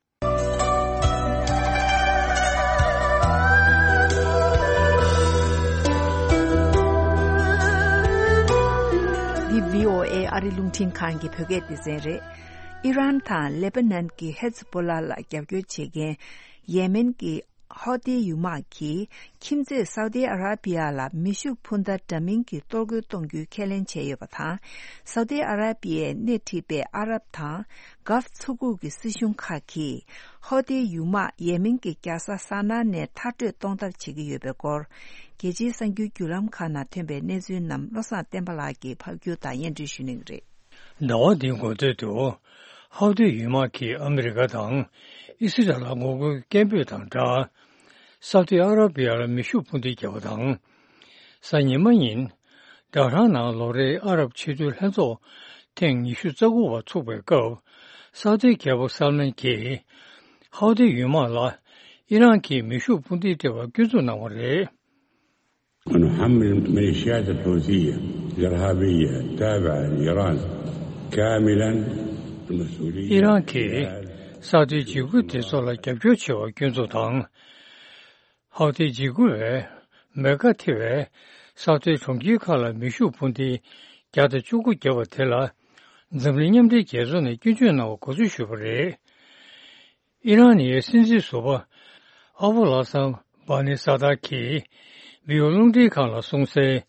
འདི་བྷི་ཨོ་ཨེ་ཨ་རི་རླུང་འཕྲིན་ཁང་གི་བོད་སྐད་སྡེ་ཚན་རེད། ཨི་རན་དང་ལེ་པ་ནན་གྱི་ཧེ་ཛ་པོ་ལ་ལ་རྒྱབ་སྐྱོར་བྱེད་མཁན་ཡེ་མེན་གྱི་ཧོ་ཏི་ཡུ་མག་གིས་ཁྱིམ་མཚེས་སའུ་ཏི་ཨ་ར་པི་ཡ་ལ་མེ་ཤུགས་འཕུར་མདའ་འདྲ་མིན་གྱི་གཏོར་རྒོལ་གཏོང་རྒྱུའི་ཁས་ལེན་བྱས་ཡོད་པ་དང་། སའུ་ཏི་ཨ་ར་པི་ཡའི་སྣེ་ཁྲིད་པའི་ཨ་རབ་དང་གྷ་ལཕ་མཚོ་ཁུག་གི་སྲིད་གཞུང་ཁག་གིས་ཧོ་ཏི་ཡུ་མག་ཡེ་མེན་གྱི་རྒྱལ་ས་ས་ན་ནས་མཐར་སྐྲོད་གཏོང་ཐབས་བྱེད་ཀྱི་ཡོད་པའི་སྐོར། རྒྱལ་སྤྱིའི་གསར་འགྱུར་བརྒྱུད་ལམ་ཁག་ནང་ཐོན་པའི་གནས་ཚུལ་རྣམས་བློ་བཟང་བསྟན་པ་ལགས་ཀྱིས་ཕབ་སྒྱུར་དང་སྙན་སྒྲོན་ཞུ་གནང་གི་རེད། ཟླ་བ་འདིའི་འགོ་སྟོད་དུ། ཧའུ་ཏི་ཡུལ་དམག་གིས་ཨ་མི་རི་ཀ་དང་ཨི་སི་རལ་ལ་ངོ་རྒོལ་སྐད་འབོད་དང་སྦྲགས། སའུ་ཏི་ཨ་ར་བི་ཡ་ལ་མེ་ཤུགས་འཕུར་མདེལ་བརྒྱབ་པ་དང་། གཟའ་ཉི་མ་ཉིན། ཌ་ཧྲང་ནང་ལོ་རེའི་ཨ་རབ་ཆེས་མཐོའི་ལྷན་ཚོགས་ཐེངས་ཉི་ཤུ་རྩ་དགུ་པ་ཚུགས་པའི་སྐབས། སའུ་ཏི་རྒྱལ་པོ་སལ་མན་གྱིས། ཧའུ་ཏི་ཡུལ་དམག་ལ་ཨི་རན་གྱིས་མེ་ཤུགས་འཕུར་མདེལ་སྤྲད་པར་སྐྱོན་འཛུགས་གནང་བ་རེད། ونحمل الميليشيات الحوثية الإرهابية التابعة لإيران كاملا المسؤولية. ཨི་རན་གྱིས་སའུ་ཏི་འཇིགས་སྐུལ་སྡེ་ཚོགས་ལ་རྒྱབ་སྐྱོར་བྱས་པར་སྐྱོན་འཛུགས་དང་། ཧའུ་ཏི་འཇིགས་སྐུལ་བས་མེ་ཀ་ཐེ་བའི་སའུ་ཏི་གྲོང་ཁྱེར་ཁག་ལ་མེ་ཤུགས་འཕུར་མདེལ་བརྒྱ་དང་བཅུ་དགུ་བརྒྱབ་པ་དེ་ལ་འཛམ་གླིང་མཉམ་འབྲེལ་རྒྱལ་ཚོགས་ནས་སྐྱོན་བརྗོད་གནང་བ་གོ་ཚུལ་ཞུས་པ་རེད། ཨི་རན་ནི་སྲིད་འཛིན་ཟུར་པ་ཨ་བོ་ལ་སམ་བྷ་ནི་ས་ཏཱ་གིས་བྷི་ཡོ་རླུང་འཕྲིན་ཁང་ལ་གསུངས་གསལ།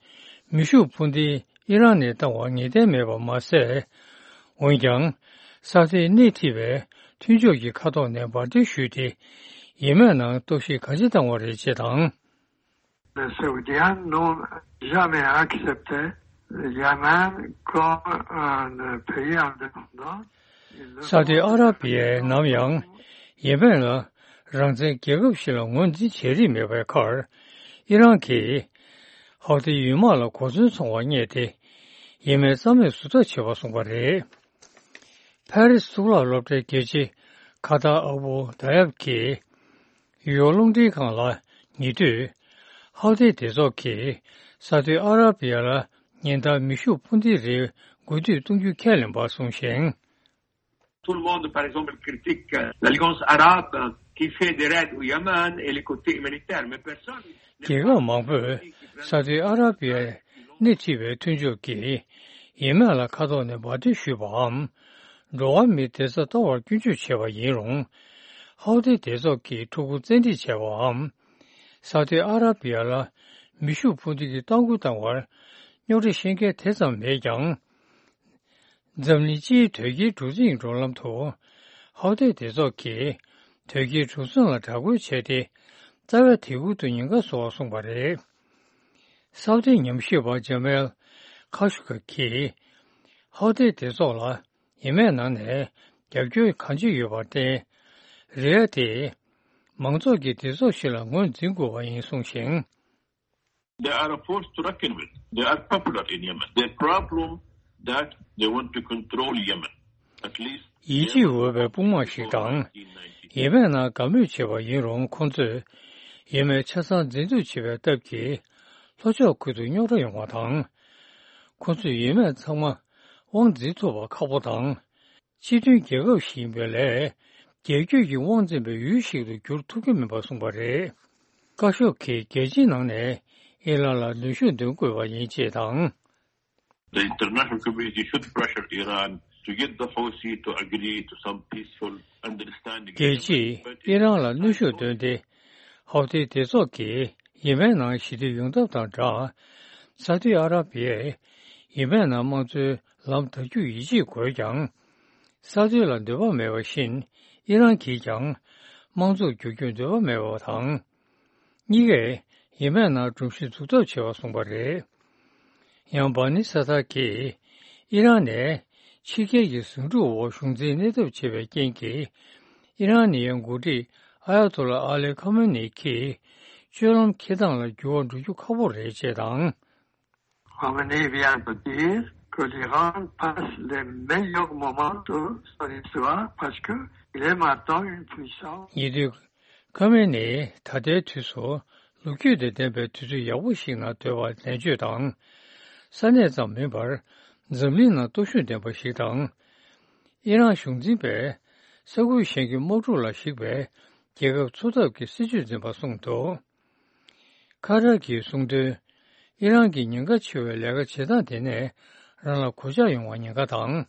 མེ་ཤུགས་འཕུར་མདེལ་ཨི་རན་ནས་བཏང་བར་ངེས་གཏན་མེད་པ་མ་ཟད། འོན་ཀྱང་། ས་ཏཱས་སྣེ་ཁྲིད་པའི་མཐུན་ཕྱོགས་ཀྱི་མཁའ་ཐོག་ནས་འབར་མདེལ་གཞུས་ཏེ། ཡེ་མེན་ནང་གཏོར་བཤིག་ག་ཚོད་བཏང་བ་རེད་ཅེས་དང་། Les Saoudiens n'ont jamais accepté le Yémen comme un pays indépendant. སའུ་ཏི་ཨ་ར་པི་ཡས་ནམ་ཡང་ཡེ་མེན་ལ་རང་བཙན་རྒྱལ་ཁབ་ཞིག་ལ་ངོས་འཛིན་བྱེད་རིན་མེད་པའི་ཁར། ཨི་རན་གྱིས་ཧའུ་ཏི་ཡུལ་དམག་ལ་གོ་མཚོན་ཚང་བ་བརྙས་ཏེ། ཡེ་མེན་རྩ་མེད་བཟོ་ཐབས་བྱས་པ་གསུངས་པ་རེད། ཕ་རི་སི་གཙུག་ལག་སློབ་གྲྭའི་དགེ་ཆེ་ཁ་ཏར་ཨ་བུ་ད་ཡབ་ཀྱིས་ཡུ་རོབ་རླུང་འཕྲིན་ཁང་ལ་ཉེ་དུས། ཧའུ་ཏི་སྡེ་ཚོགས་ཀྱིས་སའུ་ཏི་ཨ་ར་པི་ཡ་ལ་ཉིན་ལྟར་མེ་ཤུགས་འཕུར་མདེལ་རེ་འགོ་ཁྲིད་གཏོང་རྒྱུའི་ཁས་ལེན་པ་གསུངས་ཤིང་། Tout le monde, par exemple, critique l'Alliance arabe. qui fait des raids au Yémen et les côtés humanitaires, mais personne རྒྱལ་ཁབ་མང་པོས་ས་ཨུ་ཏི་ཨ་ར་པི་ཡར་སྣེ་ཁྲིད་པའི་མཐུན་ཕྱོགས་ཀྱིས་ཡེ་མེན་ལ་མཁའ་ཐོག་ནས་འབར་མདེལ་གཞུས་པའམ། འགྲོ་བ་མིའི་བདེ་རྩ་གཏོར་བར་སྐྱོན་བརྗོད་བྱས་པ་ཡིན་རུང་། ཧའུ་ཏི་སྡེ་ཚོགས་ཀྱིས་ཕྲུ་གུ་བཙན་ཁྲིད་བྱས་པའམ། ས་ཨུ་ཏི་ཨ་ར་པི་ཡ་ལ་མེ་ཤུགས་འཕུར་མདེལ་གྱིས་ལྟ་སྐོར་བཏང་བར་རྙོག་དྲ་བཤད་མཁན་དེ་ཙམ་མེད་ཀྱང་། འཛམ་གླིང་སྤྱིའི་དོལ་རྒྱལ་གྲུ་གཟིངས་འགྲོ་ལམ་དུ་ཧའུ་ཏི་སྡེ་ཚོགས་ཀྱིས་དོལ་རྒྱལ་གྲུ་གཟིངས་ལ་དྲག་རྒོལ་བྱས་ཏེ། རྩ་བའི་དེ་ཁུལ་དུ་ཉེན་ཁ་བཟོ་བར་གསུངས་པ་རེད། ས་ཨུ་ཏིའི་ཉམས་ཞིབ་པ་ཇ་མེལ་ཁ་ཤུ་ཀ་གིས་ཧའུ་ཏི་སྡེ་ཚོགས་ལ་ཡེ་མེན་ནང་ནས་རྒྱབ་སྐྱོར་གང་ཅི་ཡོད་པར་བརྟེན། རེད་ཡ་དེ་མང་ཚོགས་ཀྱིས་སྡེ་ཚོགས་ཤིག་ལ་ངོས་འཛིན་དགོས་པ་ཡིན་གསུངས་ཤིང་། They are a force to reckon with. They are popular in Yemen. Their problem that they want to control Yemen. At least ཡིད་ཆེས་འོས་པའི་དཔུང་དམག་ཞིག་དང་། ཡེ་མེན་ནང་དགའ་མོས་བྱེད་པ་ཡིན་རུང་། ཁོང་ཚོས་ཡེ་མེན་ཆ་ཚང་འཛིན་བཟུང་བྱེད་པའི་སྟབས་ཀྱིས་ལྷོ་ཕྱོགས་ཁུལ་དུ་རྙོག་དྲ་ཡོང་བ་དང་། ཁོང་ཚོས་ཡེ་མེན་ཚང་མ་དབང་འཛིན་ཐུབ་པ་ཁག་པོ་དང་། སྤྱི་མཐུན་རྒྱལ་ཁབ་ཞིག་ཡིན་པའི་ལས། རྒྱལ་རྒྱུད་ཀྱི་དབང་འཛིན་པའི་ཡུལ་ཞིག་ཏུ་འགྱུར་ཐུབ་ཀྱི་མིན་པར་གསུངས་པ་རེད། ཀ་ཤོག་གིས་རྒྱལ་སྤྱིའི་ནང་ནས་ཨི་རན་ལ་གནོན་ཤུགས་འདོན་དགོས་པ་ཡིན་ཅེས་དང་། The international community should pressure Iran to get the Houthi to agree to some peaceful understanding. རྒྱལ་སྤྱིས་ཨི་རན་ལ་གནོན་ཤུགས་བཏོན་ཏེ། ཧའུ་ཏི་སྡེ་ཚོགས་ཀྱིས་ཡེ་མེན་ནང་ཞི་བདེ་ཡོང་ཐབས་དང་སྦྲགས། ས་ཨུ་ཏི་ཨ་ར་པི་ཡས་ཡེ་མེན་ནང་དམངས་གཙོའི་ལམ་དར་རྒྱུར་ཡིད་ཆེས་དགོས་ཀྱང་། ས་ཨུ་ཏི་ལ་འདོད་པ་མེད་པ་བཞིན། ཨི་རན་གྱིས་ཀྱང་དམངས་གཙོར་བསྒྱུར་རྒྱུར་འདོད་པ་མེད་པ་དང་། གཉིས་ཀས་ཡེ་མེན་ནང་སྒྲོམ་གཞི་འཛུགས་ཐབས་བྱེད་པ་གསུངས་པ་རེད། ཡང་། བྷ་ནི་ས་ཐར་གྱིས་ཨི་རན་ནས་ཕྱི་རྒྱལ་གྱི་ཟིང་འཁྲུག་འོག་གཞུང་འཛིན་གནས་ཐབས་བྱེད་པའི་རྐྱེན་གྱིས། ཨི་རན་ནི་ཡའི་འགོ་ཁྲིད་ཨ་ཡ་ཏོ་ལ་ཨ་ལི་ཁ་མེ་ནི་གྱིས་སྤྱོད་ལམ་འཁྱེར་སྟངས་ལ་འགྱུར་བ་འགྲོ་རྒྱུ་ཁག་པོ་རེད་ཅེས་དང་། Khamenei vient de dire que l'Iran passe les meilleurs moments de son histoire parce que il est maintenant une puissance. ཉེ་དུས། ཁ་མེ་ནི་ད་ལྟའི་དུས་སུ་ལོ་རྒྱུས་དང་ལྡན་པའི་དུས་ཚོད་ཡག་པོ་ཞིག་ནང་སྡོད་པར་ནན་བརྗོད་དང་། ས་གནས་ཙམ་མིན་པར་འཛམ་གླིང་ནང་སྟོབས་ཤུགས་ལྡན་པ་ཞིག་དང་། ཨི་རན་གཞུང་འཛིན་པས་ས་ཁུལ་གཞན་གྱི་དམག་འཁྲུག་ལ་གཞིགས་པའི་རྒྱལ་ཁབ་འཚོ་ཐབས་ཀྱི་སྲིད་ཇུས་འཛིན་པ་གསུངས་འདུག་ཁ་ཏར་གྱིས་གསུངས་དོན། ཨི་རན་གྱིས་ཉེན་ཁ་ཆེ་བའི་ལས་ཀ་བྱེད་སྟངས་དེ་ནས་རང་ལ་གོད་ཆག་ཡོང་བ་ཉེན་ཁ་དང་།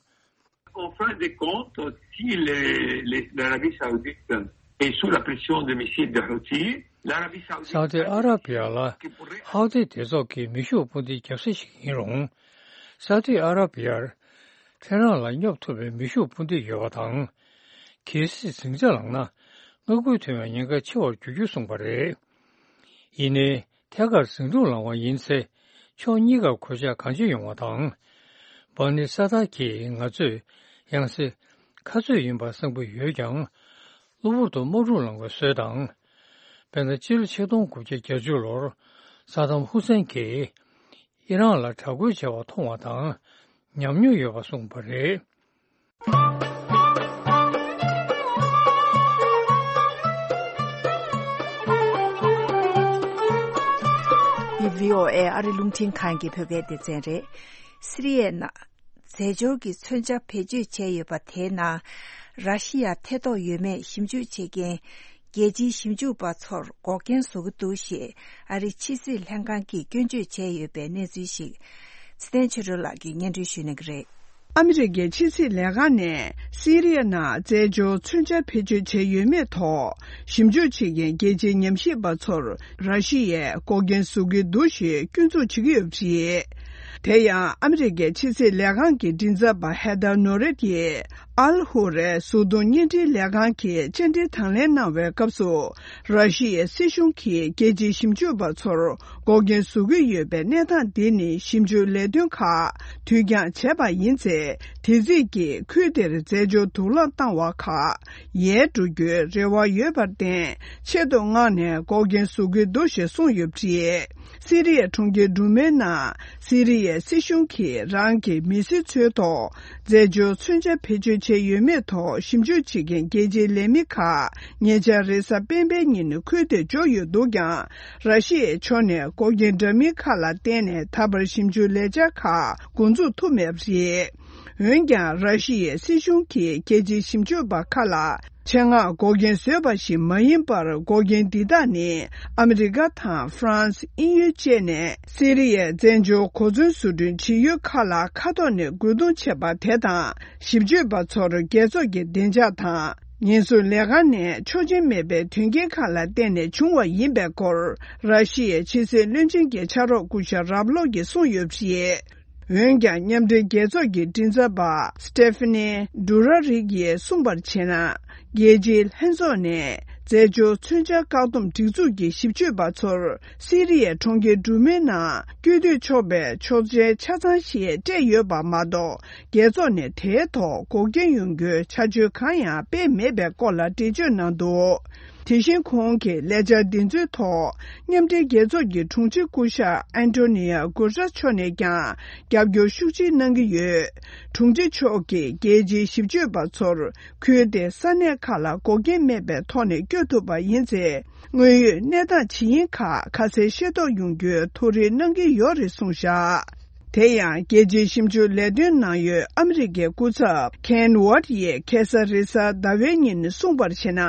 En fin de compte, si les, les, l'Arabie Saoudite est sous la pression des missiles de Houthi, l'Arabie Saoudite ས་ཨུ་ཏི་ཨ་ར་པི་ཡ་ལ་ཧའུ་ཏི་སྡེ་ཚོགས་ཀྱི་མེ་ཤུགས་འཕུར་མདེལ་རྒྱབ་ས་ཞིག་ཡིན་རུང་། ས་ཨུ་ཏི་ཨ་ར་པི་ཡར་ཐེ་རང་ལ་སྙོབ་ཐུབ་པའི་མེ་ཤུགས་འཕུར་མདེལ་ཡོད་པ་དང་། གལ་སྲིད་ཟིང་ཆ་ལངས་ན། མངའ་ཁུལ་ཐོན་པའི་ཉེན་ཁ་ཆེ་བར་འགྱུར་རྒྱུ་གསུངས་པ་རེད། ཡིན་ནའི། ཐད་ཀར་ཟིང་འཁྲུག་ལངས་པ་ཡིན་ཚེ། ཕྱོགས་གཉིས་ཀར་གོད་ཆག་གང་ཆེ་ཡོང་བ་དང་། བྷ་ནི་ས་ཐར་གྱིས་ང་ཚོས་ཡང་སེ་ཁ་རྩོད་ཡིན་པར་བསམ་གྱི་ཡོད་ཀྱང་། གློ་བུར་དུ་དམག་འཁྲུག་ལངས་པའི་སྲོལ་དང་། དཔེར་ན། སྤྱི་ལོ་ཆིག་སྟོང་དགུ་བརྒྱ་བརྒྱད་ཅུ་ལོར་ས་དམ་ཧུ་སེན་གྱིས་ཨི་རན་ལ་དྲག་རྒོལ་བྱས་པ་མཐོང་བ་དང་། ཉམས་མྱོང་ཡོད་པ་གསུངས་པ་རེད། འདི་བྷི་ཨོ་ཨེ་ཨ་རི་རླུང་འཕྲིན་ཁང་གི་བོད་སྐད་སྡེ་ཚན་རེད། སི་རི་ཡའི་ནང་རྫས་སྦྱོར་གྱི་མཚོན་ཆ་བེད་སྤྱོད་བྱས་ཡོད་པ་དེའི་ནང་། ར་ཤི་ཡ་ཐེ་གཏོགས་ཡོད་མེད་ཞིབ་འཇུག་བྱེད་མཁན་རྒྱལ་སྤྱིའི་ཞིབ་འཇུག་པ་ཚོར་འགོག་རྐྱེན་བཟོ་གི་འདུག་ཞེས་ཨ་རིའི་ཕྱི་སྲིད་ལྷན་ཁང་གིས་སྐྱོན་བརྗོད་བྱས་ཡོད་པའི་གནས་ཚུལ་ཞིག་ཚེ་བརྟན་ཆོས་སྒྲོན་ལགས་ཀྱིས་སྙན་སྒྲོན་ཞུ་གནང་གི་རེད། ཨ་མི་རི་ཀའི་ཕྱི་སྲིད་ལས་ཁང་ནས་སི་རི་ཡ་ནང་རྫས་སྦྱོར་མཚོན་ཆ་བེད་སྤྱོད་བྱས་ཡོད་མེད་ཐོག་ཞིབ་འཇུག་བྱེད་མཁན་རྒྱལ་སྤྱིའི་ཉམས་ཞིབ་པ་ཚོར་ར་ཤི་ཡས་འགོག་རྐྱེན་བཟོ་གི་འདུག་ཞེས་སྐྱོན་འཛུགས་བྱེད་ཀྱི་ཡོད་པ་རེད། དེ་ཡང་ཨ་མི་རི་ཀའི་ཕྱི་སྲིད་ལས་ཁང་གི་མགྲིན་ཚབ་པ་ཧེ་ཐར་ནོ་རེད་ཀྱིས་ཨལ་ཧུ་རའི་གཟུགས་མཐོང་བརྙན་འཕྲིན་ལས་ཁང་གི་བཅར་འདྲིར་དང་ལེན་གནང་བའི་སྐབས་སུ། ར་ཤི་ཡའི་སྲིད་གཞུང་གིས་རྒྱལ་སྤྱིའི་ཞིབ་འཇུག་པ་ཚོར་འགོག་རྐྱེན་བཟོ་གི་ཡོད་པའི་གནས་སྟངས་འདི་ནི་ཞིབ་འཇུག་ལས་དོན་ཁག་དུས་འགྱངས་བྱས་པ་ཡིན་ཚེ། དེ་རྩིས་ཀྱིས་ཁུལ་དེར་རྫས་སྦྱོར་དུག་རླངས་བཏང་བ་ཁག་ཡལ་འགྲོ་རྒྱུའི་རེ་བ་ཡོད་པར་བརྟེན། ཆེད་དུ་མངགས་ནས་འགོག་རྐྱེན་བཟོ་གི་འདུག་ཞེས་གསུངས་ཡོད་པ་རེད། སི་རི་ཡའི་གྲོང་ཁྱེར་འབྲུག་མའི་ནང་སི་རི་ཡའི་སྲིད་གཞུང་གིས་རང་གི་མི་སེར་ཚོའི་ཐོག་རྫས་སྦྱོར་མཚོན་ཆ་བེད་སྤྱོད་བྱས་ཡོད་མེད་ཐོག་ཞིབ་འཇུག་བྱེད་མཁན་རྒྱལ་སྤྱིའི་ལས་མི་ཁག་ཉེ་ཆར་རེས་གཟའ་སྤེན་པའི་ཉིན་ཁུལ་དེར་འབྱོར་ཡོད་འདུག་ཀྱང་། ར་ཤི་ཡའི་ཕྱོགས་ནས་འགོག་རྐྱེན་འདྲ་མིན་ཁག་ལ་བརྟེན་ནས་ད་བར་ཞིབ་འཇུག་ལས་འཆར་ཁག་འགོ་འཛུགས་ཐུབ་མེད་པ་རེད། འོན་ཀྱང་། ར་ཤི་ཡའི་སྲིད་གཞུང་གིས་རྒྱལ་སྤྱིའི་ཞིབ་དཔྱོད་པ་ཁག་ལ་ཆེད་མངགས་འགོག་རྐྱེན་བཟོས་པ་ཞིག་མ་ཡིན་པར། འགོག་རྐྱེན་འདི་དག་ནི་ཨ་མི་རི་ཀ་དང་ཧྥ་རན་སི། དབྱིན་ཡུལ་བཅས་ནས་སི་རི་ཡའི་བཙན་བྱོལ་གོ་མཚོན་བཟོ་སྐྲུན་བྱེད་ཡུལ་ཁག་ལ་མཁའ་ཐོག་ནས་རྒོལ་རྡུང་བྱས་པ་དེ་དང་། ཞིབ་དཔྱོད་པ་ཚོར་རྒྱལ་ཚོགས་ཀྱི་བདེ་འཇགས་དང་ཉེན་སྲུང་ལས་ཁང་ནས་ཆོག་མཆན་མེད་པའི་དོན་རྐྱེན་ཁག་ལ་བརྟེན་ནས་བྱུང་བ་ཡིན་པའི་སྐོར། ར་ཤི་ཡའི་ཕྱི་སྲིད་བློན་ཆེན་གྱི་ཕྱག་རོགས་སྐུ་ཞབས་རབ་ལོག་གིས་གསུངས་ཡོད་པ་རེད། འོན་ཀྱང་། མཉམ་འབྲེལ་རྒྱལ་ཚོགས་ཀྱི་མགྲིན་ཚབ་པ་Stephanie Dujarric ཡིས་གསུངས་པར་བྱས་ན། རྒྱལ་སྤྱིའི་ལྷན་ཚོགས་ནས་རྫས་སྦྱོར་མཚོན་ཆ་བཀག་སྡོམ་སྒྲིག་འཛུགས་ཀྱི་ཞིབ་དཔྱོད་པ་ཚོར་སི་རི་ཡའི་གྲོང་ཁྱེར་འབྲུག་མའི་ནང་བསྐྱོད་སྡོད་ཆོག་པའི་ཆོག་མཆན་ཆ་ཚང་ཞིག་སྤྲད་ཡོད་པ་མ་གཏོགས། རྒྱལ་ཚོགས་ནས་དེའི་ཐོག་འགོག་རྐྱེན་ཡོང་རྒྱུའི་བྱ་སྤྱོད་གང་ཡང་སྤེལ་མེད་པའི་སྐོར་ལ་འགྲེལ་བརྗོད་གནང་འདུག་དེ་བཞིན་ཁོང་གིས་ལས་འཆར་འདི་ཚོའི་ཐོག་མཉམ་འབྲེལ་རྒྱལ་ཚོགས་ཀྱི་དྲུང་ཆེ་སྐུ་ཞབས་ཨན་ཏོ་ནི་ཡ་གུ་ཏྲེས་མཆོག་ནས་ཀྱང་རྒྱབ་སྐྱོར་ཤུགས་ཆེ་གནང་གི་ཡོད། དྲུང་ཆེ་མཆོག་གིས་རྒྱལ་སྤྱིའི་ཞིབ་དཔྱོད་པ་ཚོར་ཁུལ་དེའི་ས་གནས་ཁག་ལ་འགོག་རྐྱེན་མེད་པའི་ཐོག་ནས་བསྐྱོད་ཐུབ་པ་ཡིན་ཚེ། དངོས་ཡོད་གནས་སྟངས་ཇི་ཡིན་ཁག་ཁ་གསལ་ཤེས་རྟོགས་ཡོང་རྒྱུའི་ཐུགས་རེ་གནང་གི་ཡོད་རེད་གསུངས་བཞག་དེ་ཡང་། རྒྱལ་སྤྱིའི་ཞིབ་འཇུག་ལས་དོན་གནང་ཡུལ་ཨ་མི་རི་ཀའི་སྐུ་ཚབ་Ken Ward ཡིས་ཁ་སང་རེས་གཟའ་ཟླ་བའི་ཉིན་གསུངས་པར་བྱས་ན།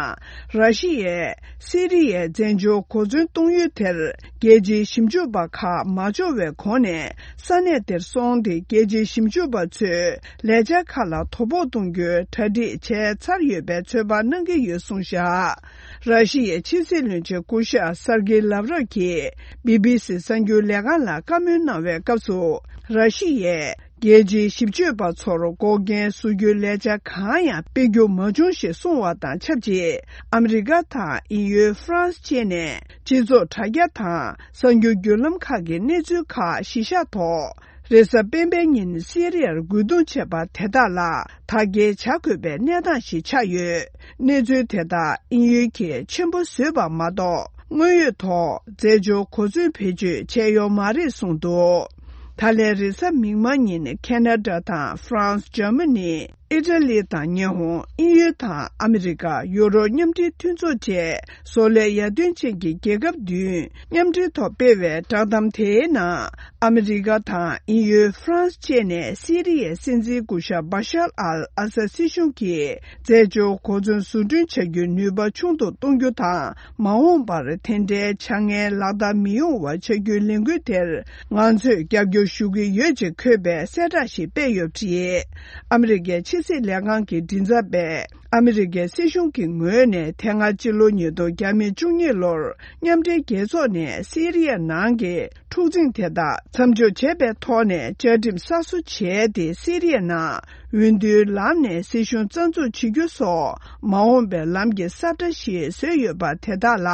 ར་ཤི་ཡས་སི་རི་ཡའི་བཙན་བྱོལ་གོ་མཚོན་གཏོང་ཡུལ་དེར་རྒྱལ་སྤྱིའི་ཞིབ་འཇུག་པ་ཁག་མ་འབྱོར་བའི་གོང་ནས་ས་གནས་དེར་སོང་སྟེ། རྒྱལ་སྤྱིའི་ཞིབ་འཇུག་པ་ཚོས་ལས་འཆར་ཁག་ལ་དོ་ཕོག་གཏོང་རྒྱུའི་གྲ་སྒྲིག་བྱས་ཚར་ཡོད་པའི་ཚོད་དཔག་གནང་གི་ཡོད་གསུངས་བཞག་ར་ཤི་ཡའི་ཕྱི་སྲིད་བློན་ཆེན་སྐུ་ཞབས་སར་གྷེ་ལབ་རོབ་ཀྱིས་བི་བི་སི་གསར་འགྱུར་ལས་ཁང་ལ་བཀའ་མོལ་གནང་བའི་སྐབས་སུ། ར་ཤི་ཡས་རྒྱལ་སྤྱིའི་ཞིབ་དཔྱོད་པ་ཚོར་འགོག་རྐྱེན་བཟོ་རྒྱུའི་ལས་འཆར་གང་ཡང་སྤེལ་རྒྱུ་མ་བྱུང་ཞེས་གསུངས་བ་དང་ཆབས་ཅིག་ཨ་མི་རི་ཀ་དང་དབྱིན་ཡུལ་ཧྥ་རན་སི་བཅས་ནས་སྤྱི་ཚོགས་དྲ་རྒྱ་དང་གསར་འགྱུར་བརྒྱུད་ལམ་ཁག་གི་གནས་ཚུལ་ཁག་གཞི་བཞག་ཐོག་རེས་གཟའ་སྤེན་པའི་ཉིན་སི་རི་ཡར་རྒོལ་རྡུང་བྱས་པ་དེ་དག་ལ་དག་སྐྱེལ་བྱ་དགོས་པའི་གནས་སྟངས་ཤིག་ཆགས་ཡོད། གནས་ཚུལ་དེ་དག་དབྱིན་ཡུལ་གྱིས་ཆེན་པོ་བཟོས་པ་མ་གཏོགས། དངོས་ཡོད་ཐོག་རྫས་སྦྱོར་གོ་མཚོན་བེད་སྤྱོད་བྱས་ཡོད་མ་རེད་གསུངས་འདུག་ད་ལན་རེས་གཟའ་མིག་དམར་ཉིན་ཁེ་ན་ཌ་དང་ཧྥ་རན་སི། འཇར་མ་ནི། ཨི་ཊ་ལི་དང་ཉི་ཧོང་། དབྱིན་ཡུལ་དང་ཨ་མི་རི་ཀ། ཡུ་རོབ་མཉམ་འབྲེལ་མཐུན་ཚོགས་བཅས་བཟོ་ལས་ཡར་ཐོན་ཅན་གྱི་རྒྱལ་ཁབ་བདུན་མཉམ་འབྲེལ་ཐོག་སྤེལ་བའི་བསྒྲགས་གཏམ་དེའི་ནང་། ཨ་མི་རི་ཀ་དང་དབྱིན་ཡུལ། ཧྥ་རན་སི་བཅས་ནས་སི་རི་ཡའི་སྲིད་འཛིན་སྐུ་ཞབས་བྷ་ཤར་ཨལ་ཨ་སད་སྲིད་གཞུང་གིས་རྫས་སྦྱོར་གོ་མཚོན་བཟོ་སྐྲུན་བྱ་རྒྱུའི་ནུས་པ་ཆུང་དུ་གཏོང་རྒྱུ་དང་། མ་འོངས་པར་དེ་འདྲའི་བྱ་ངན་ལག་བསྟར་མི་ཡོང་བ་བྱ་རྒྱུའི་ལས་འགུལ་དེར་ང་ཚོས་རྒྱབ་སྐྱོར་ཞུ་གི་ཡོད་ཅེས་འཁོད་པའི་གསལ་བསྒྲགས་ཤིག་སྤེལ་ཡོད་པ་རེད། ཨ་མི་རི་ཀའི་ཕྱི་སྲིད་ལས་ཁང་གི་མགྲིན་ཚབ་པས། ཨ་མི་རི་ཀའི་སྲིད་གཞུང་གི་ངོས་ནས་དེ་སྔ་སྤྱི་ལོ་ཉིས་སྟོང་ཉེར་གཉིས་ལོར་མཉམ་འབྲེལ་རྒྱལ་ཚོགས་ནས་སི་རི་ཡ་ནང་གི་འཁྲུག་འཛིང་དེ་དག་མཚམས་འཇོག་བྱས་པའི་ཐོག་ནས་བཅའ་ཁྲིམས་གསར་བཟོ་བྱས་ཏེ། སི་རི་ཡ་ནང་འོས་བསྡུའི་ལམ་ནས་སྲིད་གཞུང་རྩ་འཛུགས་བྱེད་རྒྱུ་སོགས་མ་འོངས་པའི་ལམ་གྱི་ས་བཀྲ་ཞིག་བཟོས་ཡོད་པ་དེ་དག་ལ་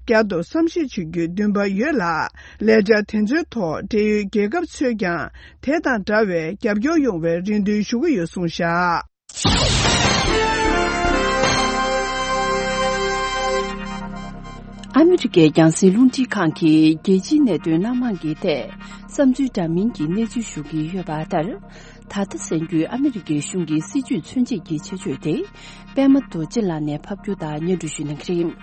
བསྐྱར་དུ་བསམ་ཤེས་བྱེད་རྒྱུའི་འདུན་པ་ཡོད་ལ། ལས་འཆར་དེ་ཚོའི་ཐོག་འབྲེལ་ཡོད་རྒྱལ་ཁབ་ཚོས་ཀྱང་དེ་དང་འདྲ་བའི་རྒྱབ་སྐྱོར་ཡོང་བའི་རེ་འདུན་ཞུ་གི་ཡོད་གསུངས་བཞག་ཨ་མི་རི་ཀའི་རྒྱང་སྲིང་རླུང་འཕྲིན་ཁང་གིས་རྒྱལ་སྤྱིའི་གནད་དོན་སྣ་མང་གི་ཐད་བསམ་ཚུལ་འདྲ་མིན་གྱི་གནས་ཚུལ་ཞུ་གི་ཡོད་པ་ལྟར། ད་ལྟ་གསར་འགྱུར་ཨ་མི་རི་ཀའི་གཞུང་གི་སྲིད་ཇུས་མཚོན་བྱེད་ཀྱི་ཆེད་བརྗོད་དེ། པད་མ་རྡོ་རྗེ་ལགས་ནས་ཕབ་སྒྱུར་དང་སྙན་སྒྲོན་ཞུ་གནང་གི་རེད།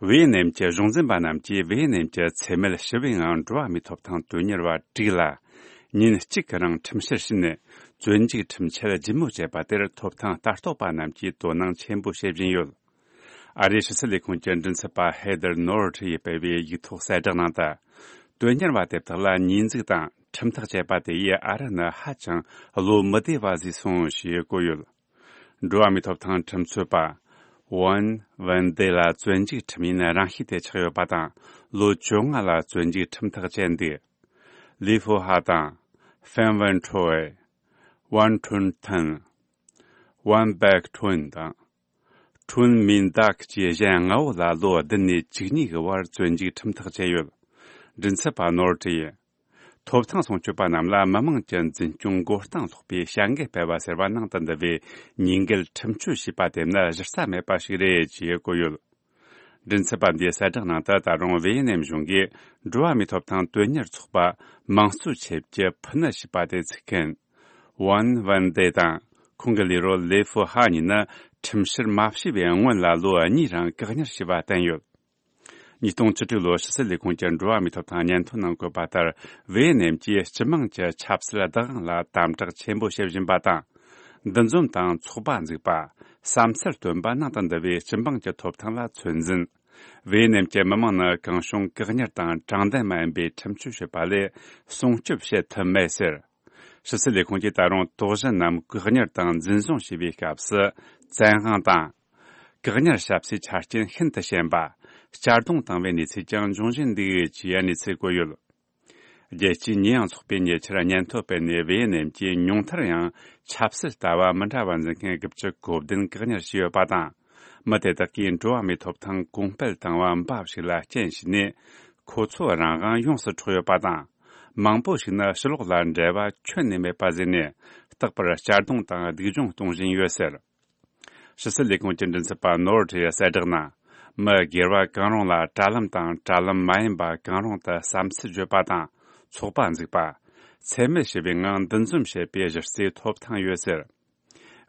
ཝེ་ཡེ་ནེམ་གྱི་གཞུང་འཛིན་པ་རྣམས་ཀྱིས་ཝེ་ཡེ་ནེམ་གྱི་འཚེ་མེད་ཞི་བའི་ངང་འགྲོ་བ་མིའི་ཐོབ་ཐང་དོན་གཉེར་བ་དྲུག་ལ་ཉིན་གཅིག་གི་རིང་ཁྲིམས་བཤེར་བྱས་ནས་བཙོན་འཇུག་ཁྲིམས་ཆད་ལྗིད་མོ་བཅད་པ་དེར་ཐོབ་ཐང་ལྟ་རྟོག་པ་རྣམས་ཀྱིས་དོ་སྣང་ཆེན་པོ་བྱེད་བཞིན་ཡོད། ཨ་རིའི་ཕྱི་སྲིད་ལས་ཁུངས་ཀྱི་མགྲིན་ཚབ་པ་ཧེ་དར་ནོར་ཊི་ཡིས་སྤེལ་བའི་ཡིག་ཐོག་གསལ་བསྒྲགས་ནང་དུ། དོན་གཉེར་བ་དེ་དག་ལ་ཉེས་འཛུགས་དང་ཁྲིམས་ཐག་བཅད་པ་དེ་ཡིས་ཨ་རི་ནི་ཧ་ཅང་བློ་མི་བདེ་བ་བཟོས་སོང་ཞེས་བཀོད་ཡོད། འགྲོ་བ་མིའི་ཐོབ་ཐང་ཁྲིམས་རྩོད་པ་ཝན་ཝན་ཏེ་ལ་བཙོན་འཇུག་ཁྲིམས་ཡིན་རང་ཤེས་དེ་ཆགས་ཡོད་པ་དང་། ལོ་བཅོ་ལྔ་ལ་བཙོན་འཇུག་ཁྲིམས་ཐག་བཅད་འདུག་ལི་ཧྥུ་ཧྭ་དང་། ཧྥན་ཝན་ཁྲོ་ཝེ། ཝན་ཁྲུན་ཐན། ཝན་པེག་ཁྲུན་དང་། ཁྲུན་མིན་དཱག་བཅས་གཞན་ལྔ་བོ་ལ་ལོ་བདུན་ནས་བཅུ་གཉིས་ཀྱི་བར་བཙོན་འཇུག་ཁྲིམས་ཐག་བཅད་ཡོད། མགྲིན་ཚབ་པ་ནོར་ཊི་ཡིས། ཐོབ་ཐང་སྲུང་སྐྱོབ་པ་རྣམས་ལ་མི་དམངས་ཀྱི་འཛིན་སྐྱོང་མགོ་རྟིང་སློག་པའི་བྱ་འགུལ་སྤེལ་བ་ཟེར་བ་ནང་དུ་འདུ་བའི་ཉེས་འགེལ་ཁྲིམས་གཅོད་བྱས་པ་དེ་ནི་གཞི་རྩ་མེད་པ་ཞིག་རེད་ཅེས་བཀོད་ཡོད། མགྲིན་ཚབ་པ་འདིའི་གསལ་བསྒྲགས་ནང་དུ། ད་རུང་ཝེ་ཡེ་ནེམ་གཞུང་གིས་འགྲོ་བ་མིའི་ཐོབ་ཐང་དོན་གཉེར་ཚོགས་པ་དམངས་གཙོའི་ཆེད་ཀྱི་ཕུ་ནུ་ཞེས་པ་དེ་ཚུགས་མཁན་ཝན་ཝན་ཏེ་དང་ཁོང་གི་ལས་རོགས་ལེ་ཧྥུ་ཧྭ་གཉིས་ནི་ཁྲིམས་བཤེར་མ་བྱས་པའི་སྔོན་ལ་ལོ་གཉིས་རིང་བཀག་ཉར་བྱས་པ་བསྟན་ཡོད། ཉིས་སྟོང་བཅུ་དྲུག་ལོར་ཕྱི་སྲིད་ལས་ཁུངས་ཀྱི་འགྲོ་བ་མིའི་ཐོབ་ཐང་སྙན་ཐོ་ནང་བཀོད་པ་ལྟར། ཝེ་ཡེ་ནེམ་གྱིས་སྤྱི་དམངས་ཀྱི་ཆབ་སྲིད་བདག་དབང་ལ་དམ་དྲག་ཆེན་པོ་བྱེད་བཞིན་པ་དང་། འདུ་འཛོམས་དང་ཚོགས་པ་འཛུགས་པ། བསམ་ཚུལ་བཏོན་པ་ནང་དུ་འདུ་བའི་སྤྱི་འབངས་ཀྱི་ཐོབ་ཐང་ལ་ཚོད་འཛིན། ཝེ་ཡེ་ནེམ་གྱི་མི་དམངས་ནི་གང་བྱུང་བཀག་ཉར་དང་དྲང་བདེན་མ་ཡིན་པའི་ཁྲིམས་གཅོད་བྱེད་པ་ལས་སྲུང་སྐྱོབ་བྱེད་ཐུབ་མེད་ཟེར། ཕྱི་སྲིད་ལས་ཁུངས་ཀྱིས་ད་རུང་དོགས་གཞི་རྣམས་བཀག་ཉར་དང་འཛིན་བཟུང་བྱས་པའི་སྐབས་སུ་བཙན་དབང་དང་། བཀག་ཉར་བྱ་སའི་ཆ་རྐྱེན་ཤིན་ཏུ་ཞན་པ། གཅར་རྡུང་བཏང་བའི་གནས་ཚུལ་ཀྱང་འབྱུང་བཞིན་འདུག་ཅེས་གནས་ཚུལ་བཀོད་ཡོད། རྒྱལ་སྤྱིའི་ཉེས་ཡངས་ཚོགས་པས་ཉེ་ཆར་སྙན་ཐོ་སྤེལ་ནས། ཝེ་ཡེ་ནེམ་གྱིས་ཉུང་མཐར་ཡང་ཆབ་སྲིད་ལྟ་བ་མི་འདྲ་བ་འཛིན་མཁན་དགུ་བཅུ་གོ་བདུན་བཀག་ཉར་བྱས་ཡོད་པ་དང་། མི་དེ་དག་གིས་འགྲོ་བ་མིའི་ཐོབ་ཐང་གོང་སྤེལ་བཏང་བ་འབའ་ཞིག་ལ་རྐྱེན་བྱས་ནས། ཁོ་ཚོ་རང་དབང་ཡོངས་སུ་འཕྲོག་ཡོད་པ་དང་། མང་པོ་ཞིག་ནི་ཕྱི་ལོགས་ལ་འབྲེལ་བ་ཁྱོན་ནས་མེད་པ་བཟོས་ནས། རྟག་པར་གཅར་རྡུང་དང་སྡུག་སྦྱོང་གཏོང་བཞིན་ཡོད་ཟེར། ཕྱི་སྲིད་ལས་ཁུངས་ཀྱི་མགྲིན་ཚབ་པ་ནོར་ཁྲི་ཡིས་གསལ་བསྒྲགས་ནང་། མི་སྒེར་བ་གང་རུང་ལ་དྲ་ལམ་དང་དྲ་ལམ་མ་ཡིན་པ་གང་རུང་དུ་བསམ་ཚུལ་བརྗོད་པ་དང་ཚོགས་པ་འཛུགས་པ། འཚེ་མེད་ཞི་བའི་ངང་འདུ་འཛོམས་བྱེད་པའི་གཞི་རྩའི་ཐོབ་ཐང་ཡོད་ཟེར།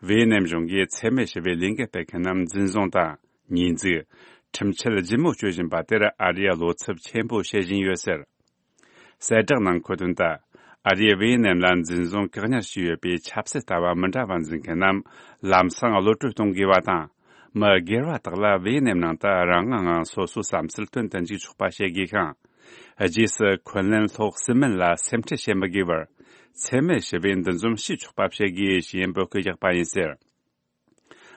ཝེ་ཡེ་ནེམ་གཞུང་གིས་འཚེ་མེད་ཞི་བའི་ལས་འགུལ་སྤེལ་མཁན་རྣམས་འཛིན་བཟུང་དང་། ཉེས་འཛུགས། ཁྲིམས་ཆད་ལྗིད་མོ་གཅོད་བཞིན་པ་དེར་ཨ་རིས་བློ་འཚབ་ཆེན་པོ་བྱེད་བཞིན་ཡོད་ཟེར། གསལ་བསྒྲགས་ནང་འཁོད་དོན་ལྟར། ཨ་རིས་ཝེ་ཡེ་ནེམ་ལ་འཛིན་བཟུང་བཀག་ཉར་བྱས་ཡོད་པའི་ཆབ་སྲིད་ལྟ་བ་མི་འདྲ་བ་འཛིན་མཁན་རྣམས་ལམ་སང་གློད་གྲོལ་གཏོང་དགོས་པ་དང་། མི་སྒེར་བ་དག་ལ་ཝེ་ཡེ་ནེམ་ནང་དུ་རང་དབང་ངང་སོ་སོའི་བསམ་ཚུལ་སྟོན་དུ་འཇུག་ཆོག་པ་བྱེད་དགོས་ཤིང་། རྗེས་སུ་འཁོན་ལན་སློག་སྲིད་མིན་ལ་སེམས་ཁྲལ་བྱེད་མི་དགོས་པར། འཚེ་མེད་ཞི་བའི་འདུ་འཛོམས་བྱེད་ཆོག་པ་བྱེད་དགོས་ཞེས་འབོད་སྐུལ་བརྒྱབ་པ་ཡིན་ཟེར།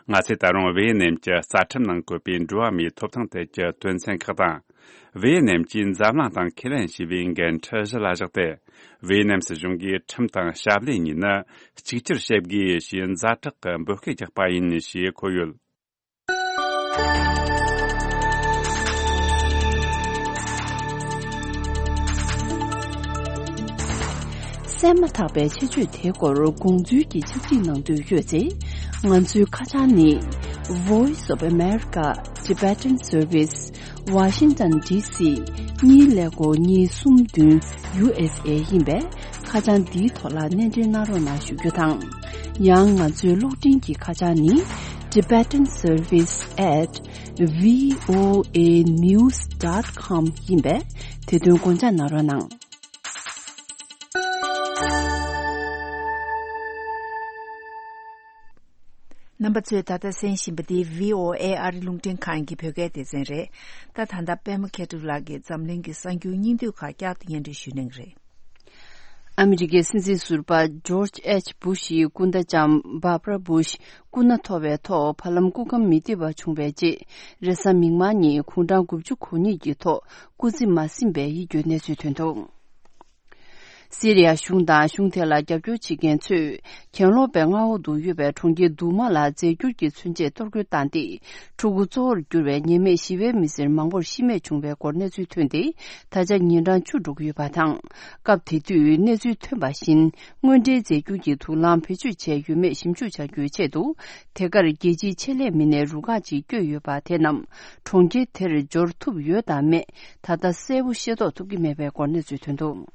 ང་ཚོས་ད་རུང་ཝེ་ཡེ་ནེམ་གྱི་རྩ་ཁྲིམས་ནང་བཀོད་པའི་འགྲོ་བ་མིའི་ཐོབ་ཐང་ཐད་ཀྱི་དོན་ཚན་ཁག་དང་། ཝེ་ཡེ་ནེམ་གྱིས་འཛམ་གླིང་དང་ཁས་ལེན་བྱས་པའི་འགན་འཁྲི་གཞི་ལ་བཞག་སྟེ། ཝེ་ཡེ་ནེམ་སྲིད་གཞུང་གིས་ཁྲིམས་དང་ཞབས་ལས་གཉིས་ནི་གཅིག་གྱུར་བྱེད་དགོས་ཞེས་ཛ་དྲག་གི་འབོད་སྐུལ་བརྒྱབ་པ་ཡིན་ཞེས་འཁོད་ཡོད། གསན་མ་ཐག་པའི་ཆེད་བརྗོད་དེའི་སྐོར་དགོངས་ཚུལ་གྱི་ཕྱག་བྲིས་གནང་འདོད་ཡོད་ཚེ། ང་ཚོའི་ཁ་བྱང་ནི། Voice of America Tibetan Service, Washington D C གཉིས་ཀླད་ཀོར་གཉིས་གསུམ་བདུན། U S A ཡིན་པས། ཁ་བྱང་འདིའི་ཐོག་ལ་གནས་འབྲེལ་གནང་རོགས་གནང་ཞུ་རྒྱུ་དང་། ཡང་ང་ཚོའི་གློག་འཕྲིན་གྱི་ཁ་བྱང་ནི། Tibetan Service at V O A news dot com ཡིན་པས། དེ་དོན་དགོངས་འཇགས་གནང་རོགས་གནང་། རྣམ་པ་ཚོས་ད་ལྟ་གསན་བཞིན་པ་འདི་V O A ཨ་རི་རླུང་འཕྲིན་ཁང་གི་བོད་སྐད་སྡེ་ཚན་རེད། ད་ད་ལྟ་པད་མ་མཁས་གྲུབ་ལགས་ཀྱིས་འཛམ་གླིང་གི་གསར་འགྱུར་སྙིང་བསྡུས་ཁག་བསྐྱར་དུ་སྙན་སྒྲོན་ཞུ་གནང་གི་རེད། ཨ་མི་རི་ཀའི་སྲིད་འཛིན་ཟུར་པ་ཇོརྗ་ཨེཆ་བུ་ཤིའི་སྐུ་ཟླ་ལྕམ་བྷར་བྷ་ར་བུ་ཤི་སྐུ་ན་མཐོ་བའི་ཐོག་ཕ་ལམ་སྐུ་ཁམས་མི་བདེ་བ་བྱུང་བའི་རྗེས། རེས་གཟའ་མིག་དམར་ཉིན་དགུང་གྲངས་དགུ་བཅུ་གོ་གཉིས་ཀྱི་ཐོག་སྐུ་ཚེ་མ་ཟིན་པའི་ཡིད་སྐྱོའི་གནས་ཚུལ་ཐོན་འདུག། སི་རི་ཡ་གཞུང་དང་གཞུང་དེ་ལ་རྒྱབ་སྐྱོར་བྱེད་མཁན་ཚོས། གྱེན་ལོག་པའི་མངའ་འོག་ཏུ་ཡོད་པའི་གྲོང་ཁྱེར་དུ་མ་ལ་རྫས་འགྱུར་གྱི་མཚོན་ཆས་གཏོར་རྒོལ་བཏང་སྟེ། ཕྲུ་གུ་གཙོ་བོར་གྱུར་བའི་ཉེས་མེད་བཞི་པའི་མི་སེར་མང་པོར་ཤི་རྨས་བྱུང་བའི་སྐོར་གནས་ཚུལ་ཐོན་ཏེ། ད་ཆ་ཉིན་གྲངས་བཅུ་འགྲོ་གི་ཡོད་པ་དང་། སྐབས་དེ་དུས་གནས་ཚུལ་ཐོན་པ་བཞིན། དངོས་འབྲེལ་རྫས་འགྱུར་གྱི་དུག་རླངས་བེད་སྤྱོད་བྱས་ཡོད་མེད་ཞིབ་འཇུག་བྱ་རྒྱུའི་ཆེད་དུ། དེ་གར་རྒྱལ་སྤྱིའི་ཆེད་ལས་མི་སྣའི་རུ་ཁག་ཅིག་བསྐྱོད་ཡོད་པ་དེ་རྣམས། གྲོང་ཁྱེར་དེར་འབྱོར་ཐུབ་ཡོད་དམ་མེད། ད་ལྟ་གསལ་པོ་ཤེས་རྟོགས་ཐུབ་ཀྱི་མེད་པའི་སྐོར་གནས་ཚུལ་ཐོན་འདུག།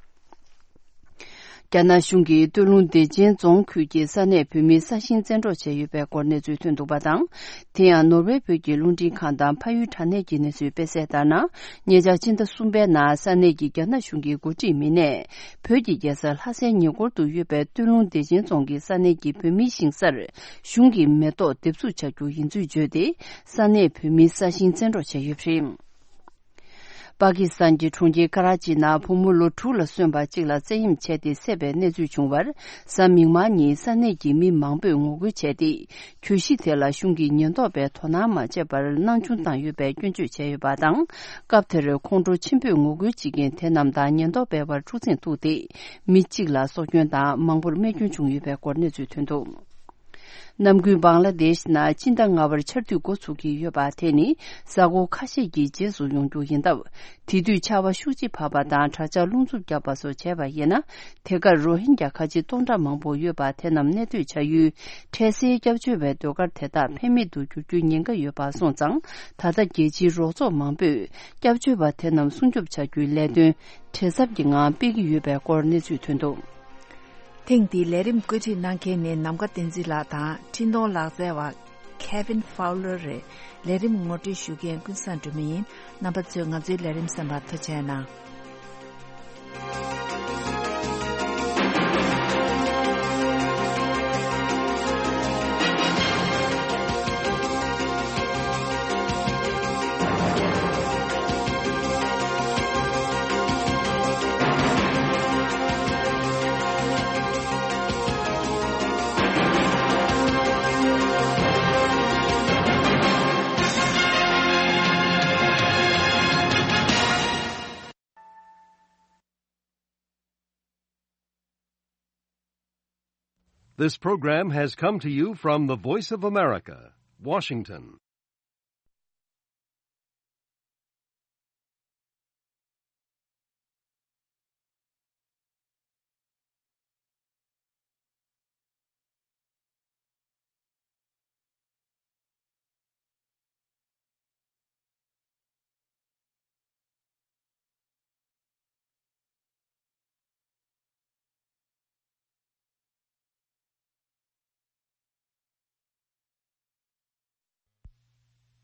རྒྱ་ནག་གཞུང་གིས་སྟོད་ལུང་བདེ་ཆེན་རྫོང་ཁུལ་གྱི་ས་གནས་བོད་མིའི་ས་ཞིང་བཙན་འཕྲོག་བྱས་ཡོད་པའི་སྐོར་གནས་ཚུལ་ཐོན་འདུག་པ་དང་། དེ་ཡང་ནོར་ཝེ་བོད་ཀྱི་རླུང་འཕྲིན་ཁང་དང་ཕ་ཡུལ་དྲ་གནས་ཀྱི་གནས་ཚུལ་སྤེལ་གསལ་ལྟར་ན། ཉེ་ཆར་ཕྱི་ཟླ་གསུམ་པའི་ནང་ས་གནས་ཀྱི་རྒྱ་ནག་གཞུང་གི་འགོ་ཁྲིད་མི་སྣས། བོད་ཀྱི་རྒྱལ་ས་ལྷ་སའི་ཉེ་འཁོར་དུ་ཡོད་པའི་སྟོད་ལུང་བདེ་ཆེན་རྫོང་གི་ས་གནས་ཀྱི་བོད་མིའི་ཞིང་སར། གཞུང་གིས་མེ་ཏོག་འདེབས་འཛུགས་བྱ་རྒྱུ་ཡིན་ཚུལ་བརྗོད་དེ། ས་གནས་བོད་མིའི་ས་ཞིང་བཙན་འཕྲོག་བྱས་ཡོད་པ་རེད། པ་ཀི་སི་ཐན་གྱི་གྲོང་ཁྱེར་ཀ་ར་ཅི་ནང་བུ་མོ་ལོ་དྲུག་ལ་སོན་པ་གཅིག་ལ་བཙན་གཡེམ་བྱས་ཏེ་བསད་པའི་གནས་ཚུལ་བྱུང་བར། གཟའ་མིག་དམར་ཉིན་ས་གནས་ཀྱི་མི་མང་པོས་ངོ་རྒོལ་བྱས་ཏེ། གྱོད་གཞི་དེ་ལ་གཞུང་གིས་ཉེན་རྟོག་པས་དོ་སྣང་མ་བྱས་པར་སྣང་ཆུང་བཏང་ཡོད་པའི་སྐྱོན་བརྗོད་བྱས་ཡོད་པ་དང་། སྐབས་དེར་ཁོང་ཁྲོ་ཆེན་པོས་ངོ་རྒོལ་བྱེད་མཁན་དེ་རྣམས་དང་ཉེན་རྟོག་པའི་བར་འཁྲུག་འཛིང་བཙུགས་ཏེ། མི་གཅིག་ལ་སྲོག་སྐྱོན་དང་མང་པོར་རྨས་སྐྱོན་བྱུང་ཡོད་པའི་སྐོར་གནས་ཚུལ་ཐོན་འདུག། ནམ་རྒྱུན་བང་ལ་དེཤ་ནང་སྤྱི་ཟླ་ལྔ་པར་ཆར་དུས་འགོ་ཚུགས་ཀྱི་ཡོད་པ་དེ་ནི་གཟའ་འཁོར་ཁ་ཤས་ཀྱི་རྗེས་སུ་ཡོང་རྒྱུ་ཡིན་སྟབས། དེ་དུས་ཆར་པ་ཤུགས་ཆེ་བབས་པ་དང་དྲག་ཆར་རླུང་འཚུབ་བརྒྱབ་པ་སོགས་བྱས་པ་ཡིན་ན། དེ་གར་རོ་ཧིན་རྒྱ་ཁ་ཆེ་སྟོང་ཕྲག་མང་པོ་ཡོད་པ་དེ་རྣམས་གནས་སྡོད་བྱ་ཡུལ་འཕྲལ་སེལ་སྐྱབས་བཅོལ་བའི་སྡོད་སྒར་དེ་དག་ཕན་མེད་དུ་འགྱུར་རྒྱུའི་ཉེན་ཁ་ཡོད་པ་སོང་ཙང་། ད་ལྟ་རྒྱལ་སྤྱིའི་རོགས་ཚོགས་མང་པོས་སྐྱབས་བཅོལ་བ་དེ་རྣམས་སྲུང་སྐྱོབ་བྱ་རྒྱུའི་ལས་དོན་བྲེལ་འཚབ་ཀྱི་ངང་སྤེལ་གྱི་ཡོད་པའི་སྐོར་གནས་ཚུལ་ཐོན་འདུག། ཐེངས་འདིའི་ལས་རིམ་བཀོད་སྒྲིག་གནང་མཁན་ནི་ནམ་མཁའ་བསྟན་འཛིན་ལགས་དང་འཕྲིན་གཏོང་ལག་རྩལ་བ། Kevin Fowler་རེད། ལས་རིམ་ངོ་སྤྲོད་ཞུ་མཁན་ཀུན་བཟང་སྒྲོལ་མ་ཡིན། རྣམ་པ་ཚོས་ང་ཚོའི་ལས་རིམ་གསན་པར་ཐུགས་རྗེ་གནང་། This program has come to you from the Voice of America, Washington.